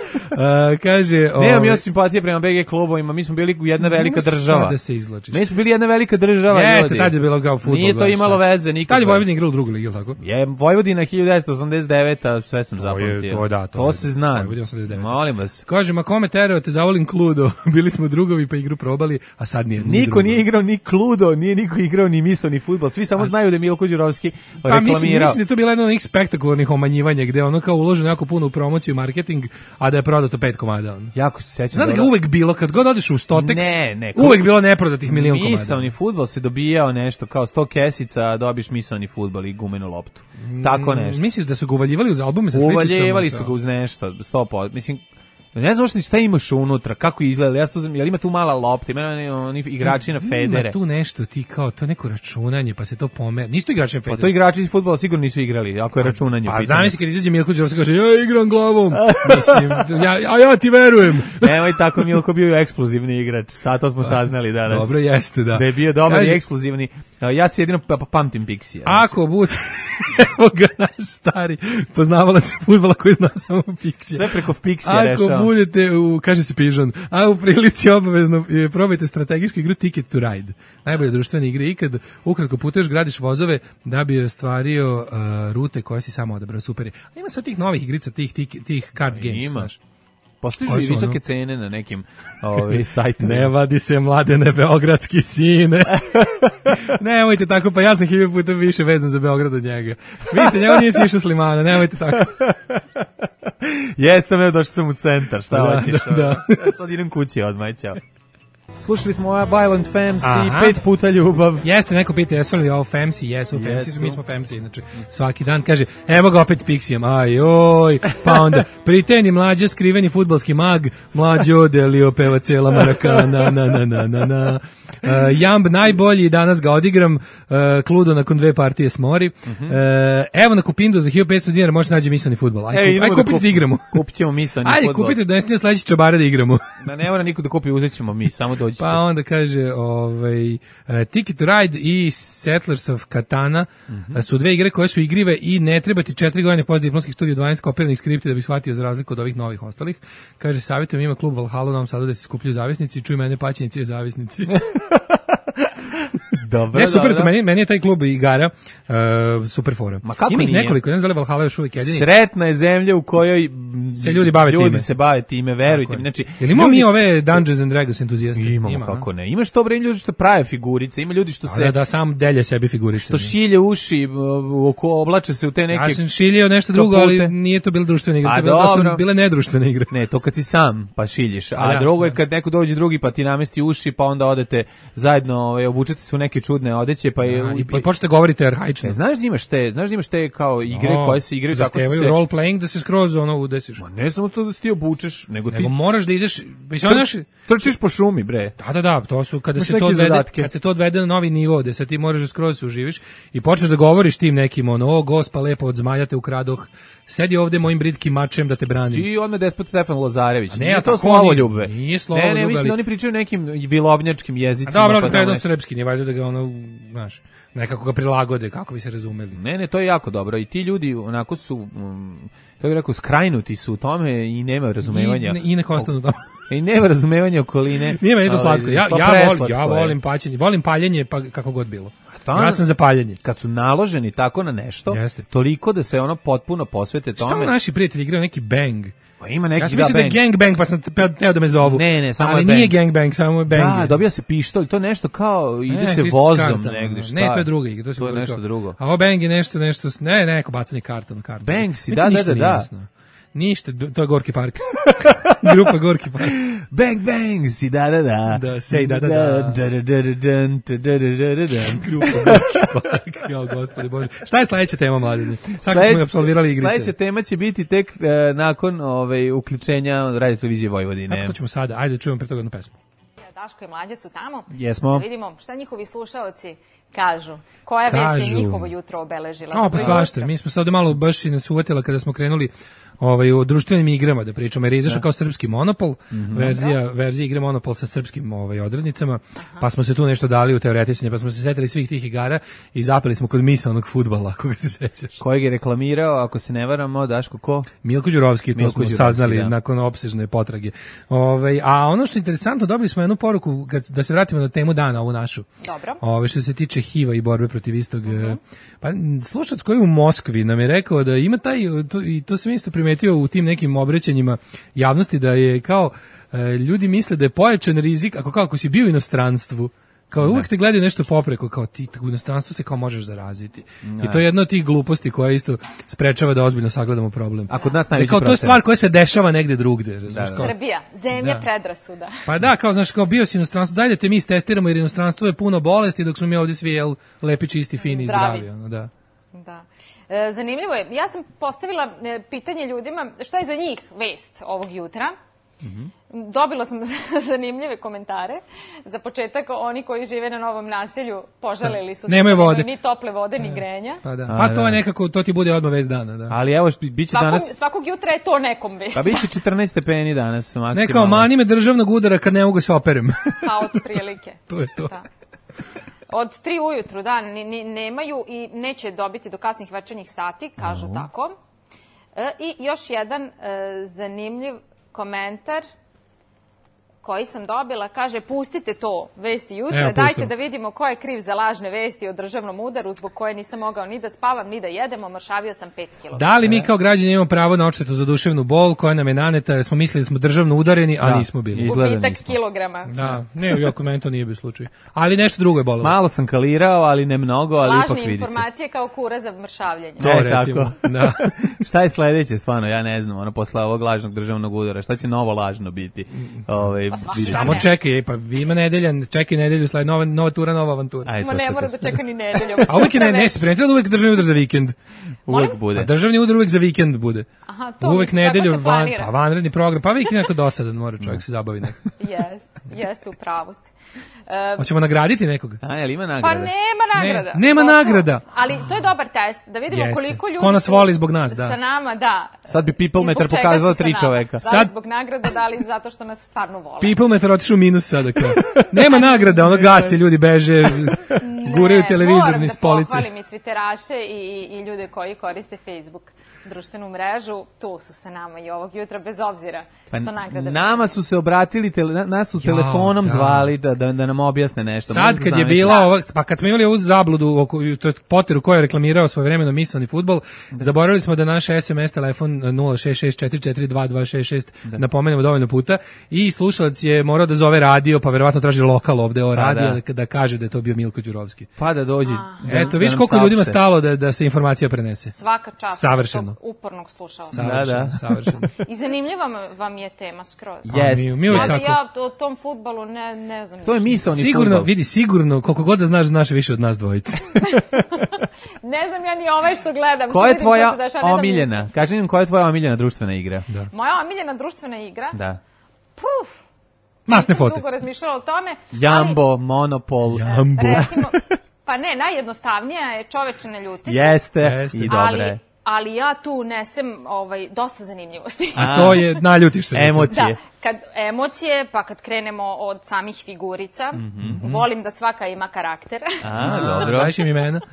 Kaže, nemam ja simpatije prema BG klubovima, mi smo bili jedna velika država. Sada se izlačiš. Mi smo bili jedna velika država. Jeste, tad je bilo kao fudbal. Nije to imalo veze nikako. Tad je Vojvodina igrala u drugu ligi, ili tako? Je, Vojvodina 1989, sve sam zapamtio. To se zna. Molim vas. Kaže, kome terao te zavolim Cluedo, bili smo drugovi pa igru probali, a sad nije. Niko nije igrao ni Cluedo, nije niko igrao ni misaoni fudbal, svi samo znaju da je Milko Đurovski reklamirao. Mislim da je to bilo jedno od onih spektakularnih omanjivanja gde ono kao uloženo jako puno u promociju i marketing, a da je prodato 5 komada. Jako se sećam. Znate ga uvek bilo, kad god odeš u Stotex, uvek bilo neprodatih milion komada. Misaoni fudbal se dobijao nešto, kao 100 kesica, dobiš misaoni fudbal i gumenu loptu. Tako nešto. Misliš da su ga uvaljivali uz albume sa sličicama? Uvaljivali su ga uz nešto, 100%. Mislim, Ne znam što šta imaš unutra, kako izgleda. Ja to znam, jel ima tu mala lopta, ima oni igrači na federe. Ima tu nešto ti kao to neko računanje, pa se to pomeri. Nisu to igrači na federe. Pa to igrači iz fudbala sigurno nisu igrali, ako je računanje. Pa zamisli kad izađe Milko Đorđević kaže ja igram glavom. Mislim, ja ti verujem. Nemoj tako, Milko bio eksplozivni igrač. Sad to smo saznali danas. Dobro jeste, da. Da je bio dobar i eksplozivni. Ja se jedino pamtim Pixija. Ako bude evo ga naš stari poznavalac fudbala koji zna samo Pixija. Sve preko Pixija rešao. Ako budete kaže se Pižon, a u prilici obavezno probajte strategijsku igru Ticket to Ride. Najbolja društvena igra ikad. Ukratko putuješ, gradiš vozove da bi ostvario rute koje si samo odabrao. Super je. A ima sad tih novih igrica, tih card games. Ima. Postoji i visoke cene na nekim sajtima. Ne vadi se mladene beogradski sine. Nemojte tako, pa ja sam 1000 puta više vezan za Beograd od njega. Vidite, njega nije si išao s Limana, nemojte tako. Jesam, evo došao sam u centar, šta hoćeš? Da. Sad idem kući odmah, ćao. Slušali smo Violent Femmes i 5 puta ljubav. Jeste, neko pita jesu li ovo Femsi, jesu Femsi, mi smo Femsi, inače svaki dan kaže, evo ga opet s Pixijem, ajoj, pa onda priteni mlađe, skriveni fudbalski mag, mlađo delio peva cela Marakana, na. Jamb najbolji, danas ga odigram, Kludo nakon 2 partije smori. Evo na Kupindu za 1500 dinara možete naći misleni fudbal. Aj kupite da igramo. Kupit ćemo misleni fudbal. Ajde, kupite da ne sledeći čabare da igramo. Ne mora niko da kupi, uzet ćemo mi, samo dođite. Pa onda kaže, Ticket to Ride i Settlers of Catan su 2 igre koje su igrive i ne treba ti 4 godine posle diplomskih studija 12 kopiranih skripti da bi shvatio za razliku od ovih novih ostalih. Kaže, savjetujem, ima klub Valhalla u Novom Sadu da se skupljaju zavisnici, čuj mene paćenici i zavisnici. Dobro, ne, super, to meni je taj klub igara super fora. Ima ih nekoliko, ne znam da li Valhalla još uvijek jedini. Sretna je zemlja u kojoj se ljudi bave time, verujte mi. Znači, jel imamo mi ove Dungeons and Dragons entuzijaste? Imamo, kako ne. Imaš to bre ljudi što prave figurice, ima ljudi što se... Da, sam delje sebi figurice. Što šilje uši, oblače se u te neke... Ja sam šiljio nešto drugo, ali nije to bila društvena igra, to je bila nedruštvena igra. Ne, to kad si sam pa šiljiš, a drugo je kad neko dođe drugi pa ti namesti uši, pa onda odete zajedno, obučete se u neke čudne odeće, pa i počnete govoriti arhaično. Znaš da imaš te kao igre koje se igraju tako što se role playing da se skroz udesiš. Ma ne samo to da se ti obučeš, nego moraš da ideš, trčiš po šumi, bre. Da, to su kad se to odvede na novi nivo, da se ti moraš da skroz se uživiš i počneš da govoriš tim nekim Gospa lepo od zmaja te ukradoh. Sedi ovde mojim britkim mačem da te branim. Ti odmah despot Stefan Lazarević. Nije to slavoljube. Nije slavoljube. Ne, mislim da oni pričaju nekim vilovnjačkim jezicima. Dobro, kad predo srpski, nije valjda da ga znaš, nekako ga prilagode, kako bi se razumeli. Ne, to je jako dobro. I ti ljudi onako su, kako bih rekao, skrajnuti su u tome i nema razumevanja. I neko ostanu tamo. I nema razumevanja okoline. Nije meni to slatko. Ja volim paćenje, volim paljenje, pa kako god bilo. Ja sam za paljenje. Kad su naloženi tako na nešto, toliko da se ono potpuno posvete tome. Šta naši prijatelji igraju neki bang? Pa ima neki ja sam mislio da je gangbang, pa sam teo da me zovu. Ne, samo ali nije gangbang, samo je bang. Da, dobija se pištolj, to nešto kao ide se vozom negdje. Ne, to je druga igra, to je nešto drugo. A ovo bang je nešto, neko bacanje karta na kartu. Bang si, da. Ništa, to je Gorki park. Grupa Gorki park. Bang, bang, si, da. Da, sej, da. Grupa Gorki park, jao, gospode Bože. Šta je sledeća tema, mladine? Sad smo apsolvirali igrice. Sledeća tema će biti tek nakon uključenja Radio Televizije Vojvodine. A to ćemo sada, ajde čujemo pre toga jednu pesmu. Daško i Mlađe su tamo. Jesmo. Da vidimo šta njihovi slušaoci kažu. Koja vest je njihovo jutro obeležila? Pa svašta. Mi smo se ovde malo baš i nas uvatila kada smo krenuli o društvenim igrama da pričamo, jer je izašao kao srpski Monopol, verzija igre Monopol sa srpskim odrednicama, pa smo se tu nešto dali u teoretisanje, pa smo se setili svih tih igara i zapeli smo kod misaonog fudbala, ako ga se sećaš. Kojeg je reklamirao, ako se ne varamo, Daško, ko? Milko Đurovski, to smo saznali nakon opsežne potrage. A ono što je interesantno, dobili smo jednu poruku, da se vratimo na temu dana, ovu našu. Dobro. Što se tiče HIV-a i borbe protiv istog. Pa slušac koji je u Moskvi nam je rekao da ima taj, i to sam isto primetio u tim nekim obraćanjima javnosti, da je kao ljudi misle da je pojačan rizik ako si bio u inostranstvu, kao uvijek te gledaju nešto popreko, kao ti u inostranstvu se kao možeš zaraziti. I to je jedna od tih gluposti koja isto sprečava da ozbiljno sagledamo problem. A kod nas najveći problem. To je stvar koja se dešava negde drugde. Srbija, zemlja predrasuda. Pa da, kao znaš, kao bio si u inostranstvu, dajde te mi istestiramo jer inostranstvo je puno bolesti dok smo mi ovdje svi lepi, čisti, fini i zdravi. Da. Zanimljivo je. Ja sam postavila pitanje ljudima šta je za njih vest ovog jutra. Dobila sam zanimljive komentare. Za početak, oni koji žive na novom naselju požalili su se. Nemaju vode. Ni tople vode, ni grenja. Pa to je nekako, to ti bude odmah vez dana. Da. Ali evo, biće danas... Svakog jutra je to nekom vez. Pa biće 14 stepeni danas maksimalno. Nekao, mani me državnog udara kad ne mogu se operem. Pa od prilike. To je to. Da. Od 3 ujutru, da, nemaju i neće dobiti do kasnih večernjih sati, kažu tako. I još jedan zanimljiv komentar koji sam dobila, kaže, pustite to vesti jutra, dajte da vidimo ko je kriv za lažne vesti o državnom udaru, zbog koje nisam mogao ni da spavam, ni da jedem, omršavio sam 5 kg. Da li mi kao građani imamo pravo na odštetu za duševnu bol koja nam je naneta, jer smo mislili da smo državno udareni, a nismo bili. Gubitak kilograma. Da, ne, jako meni to nije bio slučaj. Ali nešto drugo je bolelo. Malo sam kalirao, ali ne mnogo, ali ipak vidi se. Lažne informacije kao kura za mršavljenje. To recimo, tako. Da. Šta je sledeće, stvarno, ja ne znam, posle ovog lažnog državnog udara, šta će novo lažno biti? Samo čekaj, pa ima nedelja, čekaj nedelju, sled nova tura, nova avantura. Ma ne mora da čeka ni nedelju. A uvijek ne se pretreda uvijek državni udar za vikend. Uvijek bude. A državni udar uvijek za vikend bude. Aha, to uvijek nedelju, pa vanredni program, pa uvijek neko dosadan, mora čovjek se zabavi neko. Jeste, u pravosti. Hoćemo nagraditi nekoga? Jel ima nagrada? Pa nema nagrada. Nema nagrada. Ali to je dobar test, da vidimo koliko ljudi ko nas voli zbog nas, da. Sa nama, da. Sad bi People Meter pokazala 3 čoveka. Da li zbog nagrada, da li zato što nas stvarno vole. People Meter otišu u minus sada. Nema nagrada, ono gasi, ljudi beže, guraju televizor niz police. Moram da pohvalim i Twitteraše i ljude koji koriste Facebook, društvenu mrežu, tu su sa nama i ovog jutra, bez obzira što nagrada... Nama su se obratili, nas su telefonom zvali da nam objasne nešto. Sad kad je bila pa kad smo imali ovu zabludu, to je Poteru koji je reklamirao svojevremeno misaoni fudbal, zaboravili smo da naš SMS telefon 066442266 napomenemo dovoljno puta i slušalac je morao da zove radio, pa verovatno traži lokal ovde o radio da kaže da je to bio Milko Đurovski. Pa da dođi. Eto, viš koliko ljudima stalo da se informacija prenese. Svaka čast. Savršeno. Upornog slušalca. Savršeno. I zanimljiva vam je tema skroz. Ja o tom fudbalu ne znam. To je misaoni fudbal. Sigurno, koliko god da znaš više od nas dvojice. Ne znam ja ni ovaj što gledam. Koja je tvoja omiljena? Kaži nam koja je tvoja omiljena društvena igra? Moja omiljena društvena igra? Da. Puf. Masne fote. Dugo razmišljala o tome. Jambo, Monopol. Recimo, pa ne, najjednostavnija je Čoveče ne ljuti se. Jeste. I dobre. Ali ja tu unesem dosta zanimljivosti. A to je, naljutiš se. Emocije. Da, emocije, pa kad krenemo od samih figurica, volim da svaka ima karakter. Dobro. Dajš im imena. Da,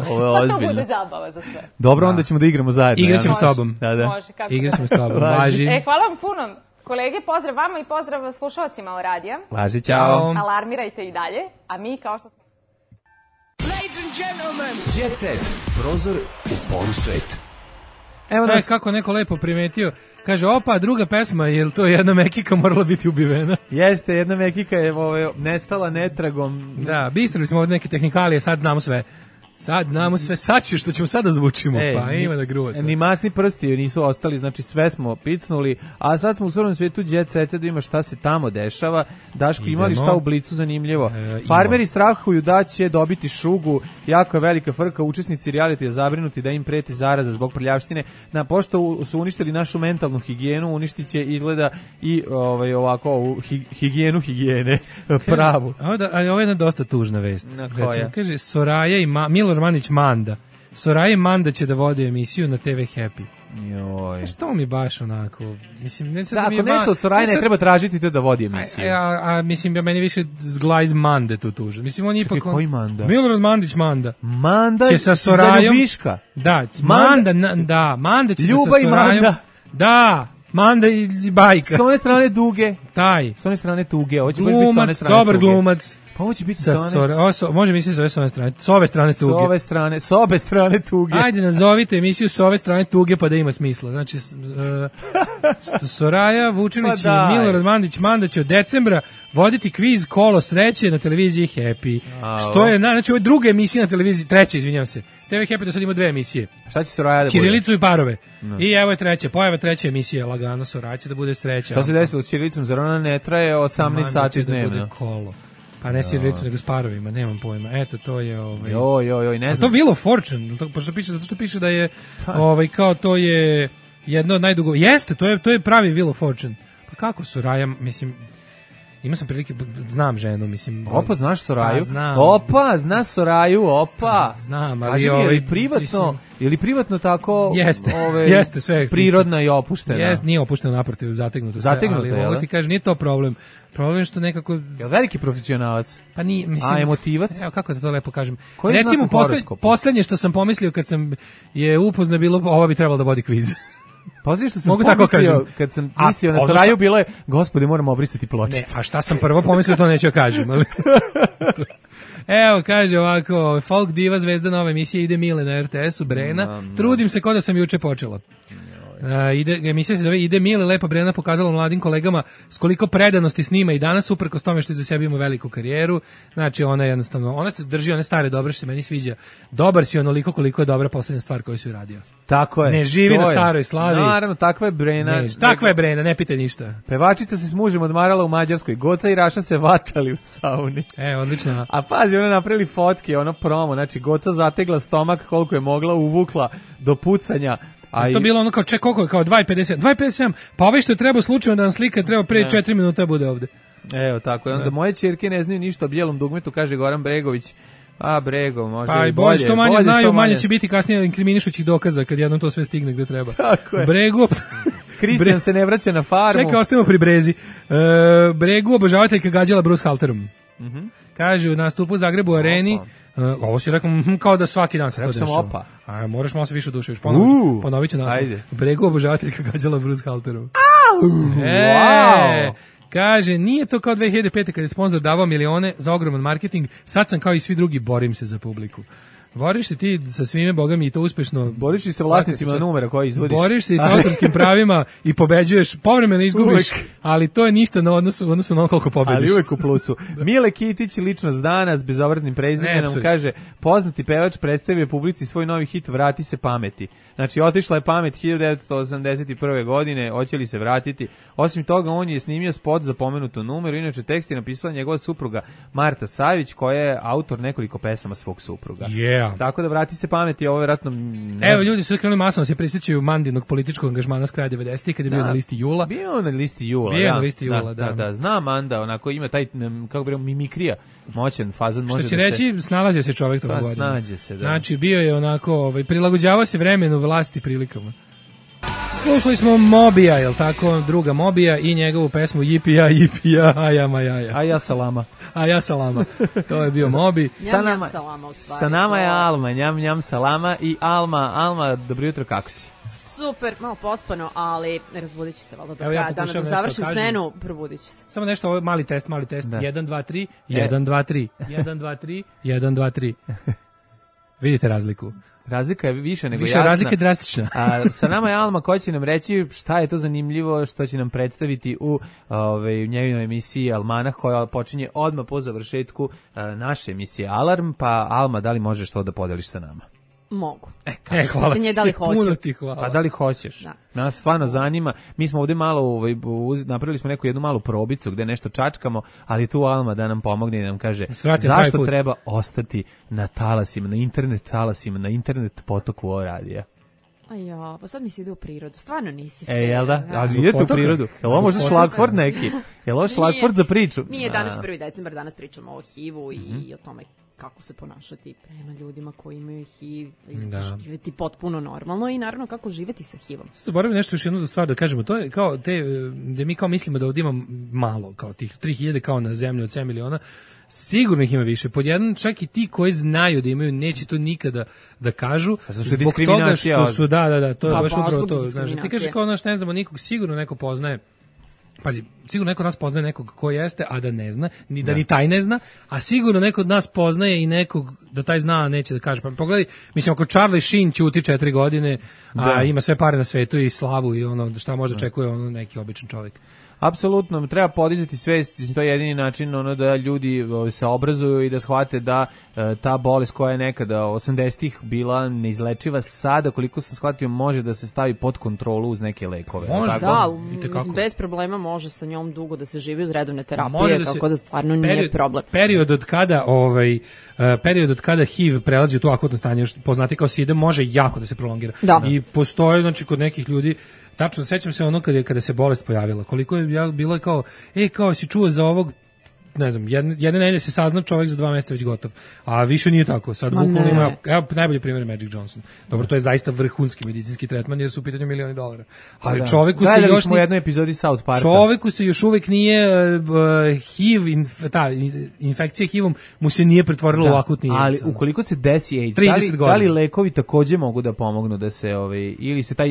ovo je pa to bude zabava za sve. Dobro, onda ćemo da igramo zajedno. Igraćemo s tobom. Može, kako Igraćemo s tobom, važi. Hvala vam puno. Kolege, pozdrav vama i pozdrav slušalcima o radija. Važi, čao. Alarmirajte i dalje, a mi kao što smo... Ladies and gentlemen, Jet Set, prozor u polusvet. Evo nas. Kako neko lepo primetio, kaže, opa, druga pesma, je li to jedna mekika morala biti ubivena? Jeste, jedna mekika je nestala netragom. Da, bistrili smo od neke tehnikalije, sad znamo sve. Sad znamo sve, sad će što ćemo sada zvučimo, pa ima da gruva sve. Ni masni prsti nisu ostali, znači sve smo picnuli, a sad smo u stvarnom svijetu Jet Seta da ima šta se tamo dešava. Daško, imali šta u Blicu zanimljivo? Farmeri strahuju da će dobiti šugu, jako je velika frka, učesnici realitija zabrinuti da im preti zaraza zbog prljavštine. Pošto su uništili našu mentalnu higijenu, uništit će izgleda i ovako higijenu higijene, pravu. Ali ovo je jedna dosta tužna vest. Recimo, kaže, Soraja i Milor Mandić Manda. Soraja i Manda će da vode emisiju na TV Happy. Joj. Što mi baš onako, mislim, ne sad da, ako nešto od Soraje ne treba tražiti to da vodi emisiju. Mislim, meni više zgla iz Mande tu tuže. Mislim, on ipak... Čekaj, koji Manda? Milorad Mandić Manda. Manda će sa Sorajom... Ljubiška? Da, Manda će Ljuba sa Sorajom... Manda. Da, Manda i Bajka. S one strane duge. Taj. S one strane tuge. Ovo će baš biti s one strane dobar glumac. Pa ovo će biti može misliti s ove strane. S ove strane tuge. S obe strane tuge. Ajde, nazovite emisiju s ove strane tuge pa da ima smisla. Znači, Soraja Vučinić i Milorad Mandić Manda će od decembra voditi kviz Kolo sreće na televiziji Happy. Što je, znači, ovo je druga emisija na televiziji, treća, izvinjam se. TV Happy do sad ima 2 emisije. Šta će Soraja da bude? Ćirilicu i parove. I evo je treća, pojava treća emisija, lagano, Soraja će da bude sreća. Šta se desilo s Ćirilicom? Zar ona ne traje 18 sati dnevno? Da bude Kolo. Pa ne Ćirilicu, nego s parovima, nemam pojma. Eto, to je... Joj, ne znam. A to Wheel of Fortune, zato što piše da je, kao to je jedno od najdugo... Jeste, to je pravi Wheel of Fortune. kako Soraya, mislim, imao sam prilike, znam ženu, mislim. Opa, znaš Soraju? Znam. Opa, znaš Soraju, opa. Znam, ali kaži mi, je li privatno tako jeste, sve prirodna i opuštena? Jeste, nije opušteno, naprotiv, zategnuto sve, ali mogu ti kažem, nije to problem. Problem je što nekako... Je li veliki profesionalac? Pa nije, mislim... A emotivac? Evo, kako da to lepo kažem. Koji je recimo, poslednje što sam pomislio kad sam je upoznao bilo, ova bi trebalo da vodi kviz. Poslije što sam pomislio, kad sam mislio na Soraju, bilo je, gospodi, moramo obrisati pločicu. Ne, a šta sam prvo pomislio, to neću kažem, ali... Evo, kaže ovako, folk diva zvezda nove emisije Ide Mile na RTS-u, Brena. Trudim se kao da sam juče počela. Emisija se zove Ide Mile, lepa Brena pokazala mladim kolegama s koliko predanosti snima i danas, uprkos tome što za sebi ima veliku karijeru. Znači, ona jednostavno, ona se drži one stare dobre što se meni sviđa. Dobar si onoliko koliko je dobra poslednja stvar koju si uradio. Tako je. Ne živi na staroj slavi. Naravno, takva je Brena. Takva je Brena, ne pitaj ništa. Pevačica se s mužem odmarala u Mađarskoj. Goca i Raša se vatali u sauni. Odlično. A pazi, ona napravili fotke, ono promo. Znači, Goca zategla stomak koliko je mogla, uvukla do pucanja. A to bilo ono kao koliko je, kao 2,50, 2,57, pa ovaj što je trebao slučajno da nam slika, treba pre 4 minuta bude ovde. Evo tako, onda moje ćerke ne znaju ništa o bijelom dugmetu, kaže Goran Bregović. A Brego, možda pa i bolje. Što manje znaju, manje će biti kasnije inkriminišućih dokaza kad jednom to sve stigne gde treba. Tako je. Brego... Kristijan se ne vraća na farmu. Čekaj, ostajemo pri Brezi. Bregu obožavateljka gađala Bruce Halterom. Kaže, u nastupu u Zagrebu areni, ovo si rekao, kao da svaki dan se to dešava. Opa. A moraš malo se više oduševiš. Ponovit ću naslov. Bregu obožavateljka gađala Bruce Halterom. Wow. Kaže, nije to kao 2005. kad je sponsor davao milione za ogroman marketing, sad sam kao i svi drugi, borim se za publiku. Boriš se ti sa svime, boga mi, i to uspešno. Boriš se sa vlasnicima numera koji izvodiš. Boriš se i sa autorskim pravima i pobeđuješ, povremeno izgubiš, ali to je ništa na odnosu na ono koliko pobediš. Ali uvek u plusu. Mile Kitić, ličnost dana s bezobraznim prezimenom, kaže, poznati pevač predstavio publici svoj novi hit Vrati se pameti. Znači, otišla je pamet 1981. godine, hoće li se vratiti. Osim toga, on je snimio spot za pomenutu numeru, inače tekst je napisala njegova supruga Marta Savić, koja je autor nekoliko pesama svog supruga. Tako da Vrati se pameti, ovo vjerojatno... Evo, ljudi su krenuli masno se prisjećaju Mandinog političkog angažmana s kraja 90-ih, kad je bio na listi Jula. Bio na listi Jula, na listi Jula, da. Znam Manda, onako ima taj, kako bi rekao, mimikrija, moćan fazon. Može što će reći, snalazio se čovjek toga godina. Snađe se, da. Znači, bio je onako, prilagođavao se vremenu, vlasti, prilikama. Slušali smo Mobija, jel tako, druga Mobija i njegovu pesmu Jipija, ajama, jaja. A ja salama. A ja salama. To je bio Mobi. Njam salama u stvari. Sa nama je Alma, njam salama i Alma, dobro jutro, kako si? Super, malo pospano, ali razbudit ću se valjda do kraja dana, dok završim smenu, probudit ću se. Samo nešto, ovo je mali test, 1, 2, 3, 1, 2, 3, 1, 2, 3, 1, 2, 3. Vidite razliku. Razlika je više nego jasna. Razlika je drastična. A sa nama je Alma koja će nam reći šta je to zanimljivo što će nam predstaviti u njegovoj emisiji Almanah koja počinje odmah po završetku naše emisije Alarm. Pa Alma, da li možeš to da podeliš sa nama? Mogu. Hvala. Da li hoću? Puno ti hvala. A da li hoćeš? Da. Nas stvarno zanima. Mi smo ovdje malo, napravili smo jednu malu probicu gdje nešto čačkamo, ali tu Alma da nam pomogne i nam kaže zašto treba ostati na talasima, na internet talasima, na internet potoku ovo radija. Ajo, pa sad mi se ide u prirodu. Stvarno nisi fair. Jel da? Ali idete u prirodu. Jel ovo možda šlagford neki? Jel ovo šlagford za priču? Nije danas 1. decembar, danas pričamo o HIV-u i o tome kako se ponašati prema ljudima koji imaju HIV, živjeti potpuno normalno i naravno kako živjeti sa HIV-om. Zaboravim nešto još jednu stvar da kažemo, to je kao da mi kao mislimo da ovdje ima malo, kao tih 3000 kao na zemlji od 7 miliona, sigurno ih ima više. Pod jedan, čak i ti koji znaju da imaju, neće to nikada da kažu, zbog toga što su, to je baš upravo to. Znaš, ti kažeš kao naš, ne znamo nikog, sigurno neko poznaje. Pazi, sigurno neko od nas poznaje nekog ko jeste, a da ne zna, ni da ni taj ne zna, a sigurno neko od nas poznaje i nekog da taj zna, a neće da kaže. Pa pogledaj, mislim, ako Charlie Sheen ćuti 4 godine, a ima sve pare na svetu i slavu i ono šta može očekuje ono neki običan čovjek. Apsolutno, treba podizati svest, to je jedini način da ljudi se obrazuju i da shvate da ta bolest koja je nekada 80-ih bila neizlečiva, sada koliko sam shvatio može da se stavi pod kontrolu uz neke lekove. Može, mislim, bez problema može sa njom dugo da se živi uz redovne terapije, tako da stvarno nije problem. Period od kada HIV prelazi u to akutno stanje, poznati kao SIDA, može jako da se prolongira. Da. I postoje, znači, kod nekih ljudi Tačno, sećam se ono kada se bolest pojavila. Koliko je bilo kao, kao si čuo za ovog, ne znam, jedne nedelje se saznao čovjek za 2 mjeseca već gotov. A više nije tako. Sad bukvalno ima, evo najbolji primjer Magic Johnson. Dobro, to je zaista vrhunski medicinski tretman jer su u pitanju $1.000.000. Ali čovjeku se još u jednoj epizodi South Parka. Čovjeku se još uvek nije HIV, infekcija HIV-om mu se nije pretvorila u akutni AIDS. Ali ukoliko se desi AIDS, da li lekovi takođe mogu da pomognu da se ili se taj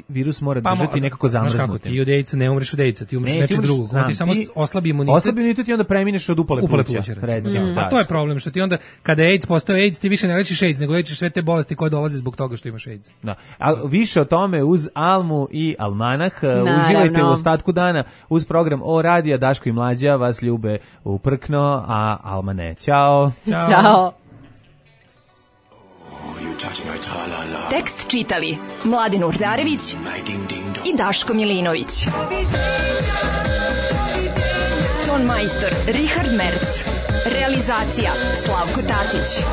virus mora držati nekako zamrznutim? Ti od AIDS-a ne umreš od AIDS-a, ti umreš nečeg drugog. Ti samo oslabi imunitet. Oslabi imunitet i onda premineš od upale pluća, recimo. A to je problem, što ti onda, kada je AIDS postao AIDS, ti više ne lečiš AIDS, nego lečiš sve te bolesti koje dolaze zbog toga što imaš AIDS. Da. A više o tome uz Almu i Almanah. Uživajte u ostatku dana uz program O radija. Daško i Mlađa vas ljube uprkno, a Alma ne. Ćao. Ćao. Tekst čitali Mladin Urdarević i Daško Milinović. Ton majstor Richard Merc. Realizacija Slavko Tatić.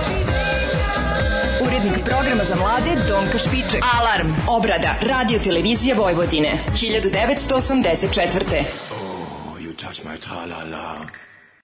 Urednik programa za mlade Donka Špiček. Alarm. Obrada Radio Televizije Vojvodine 1984. Oh, you touch my tra-la-la.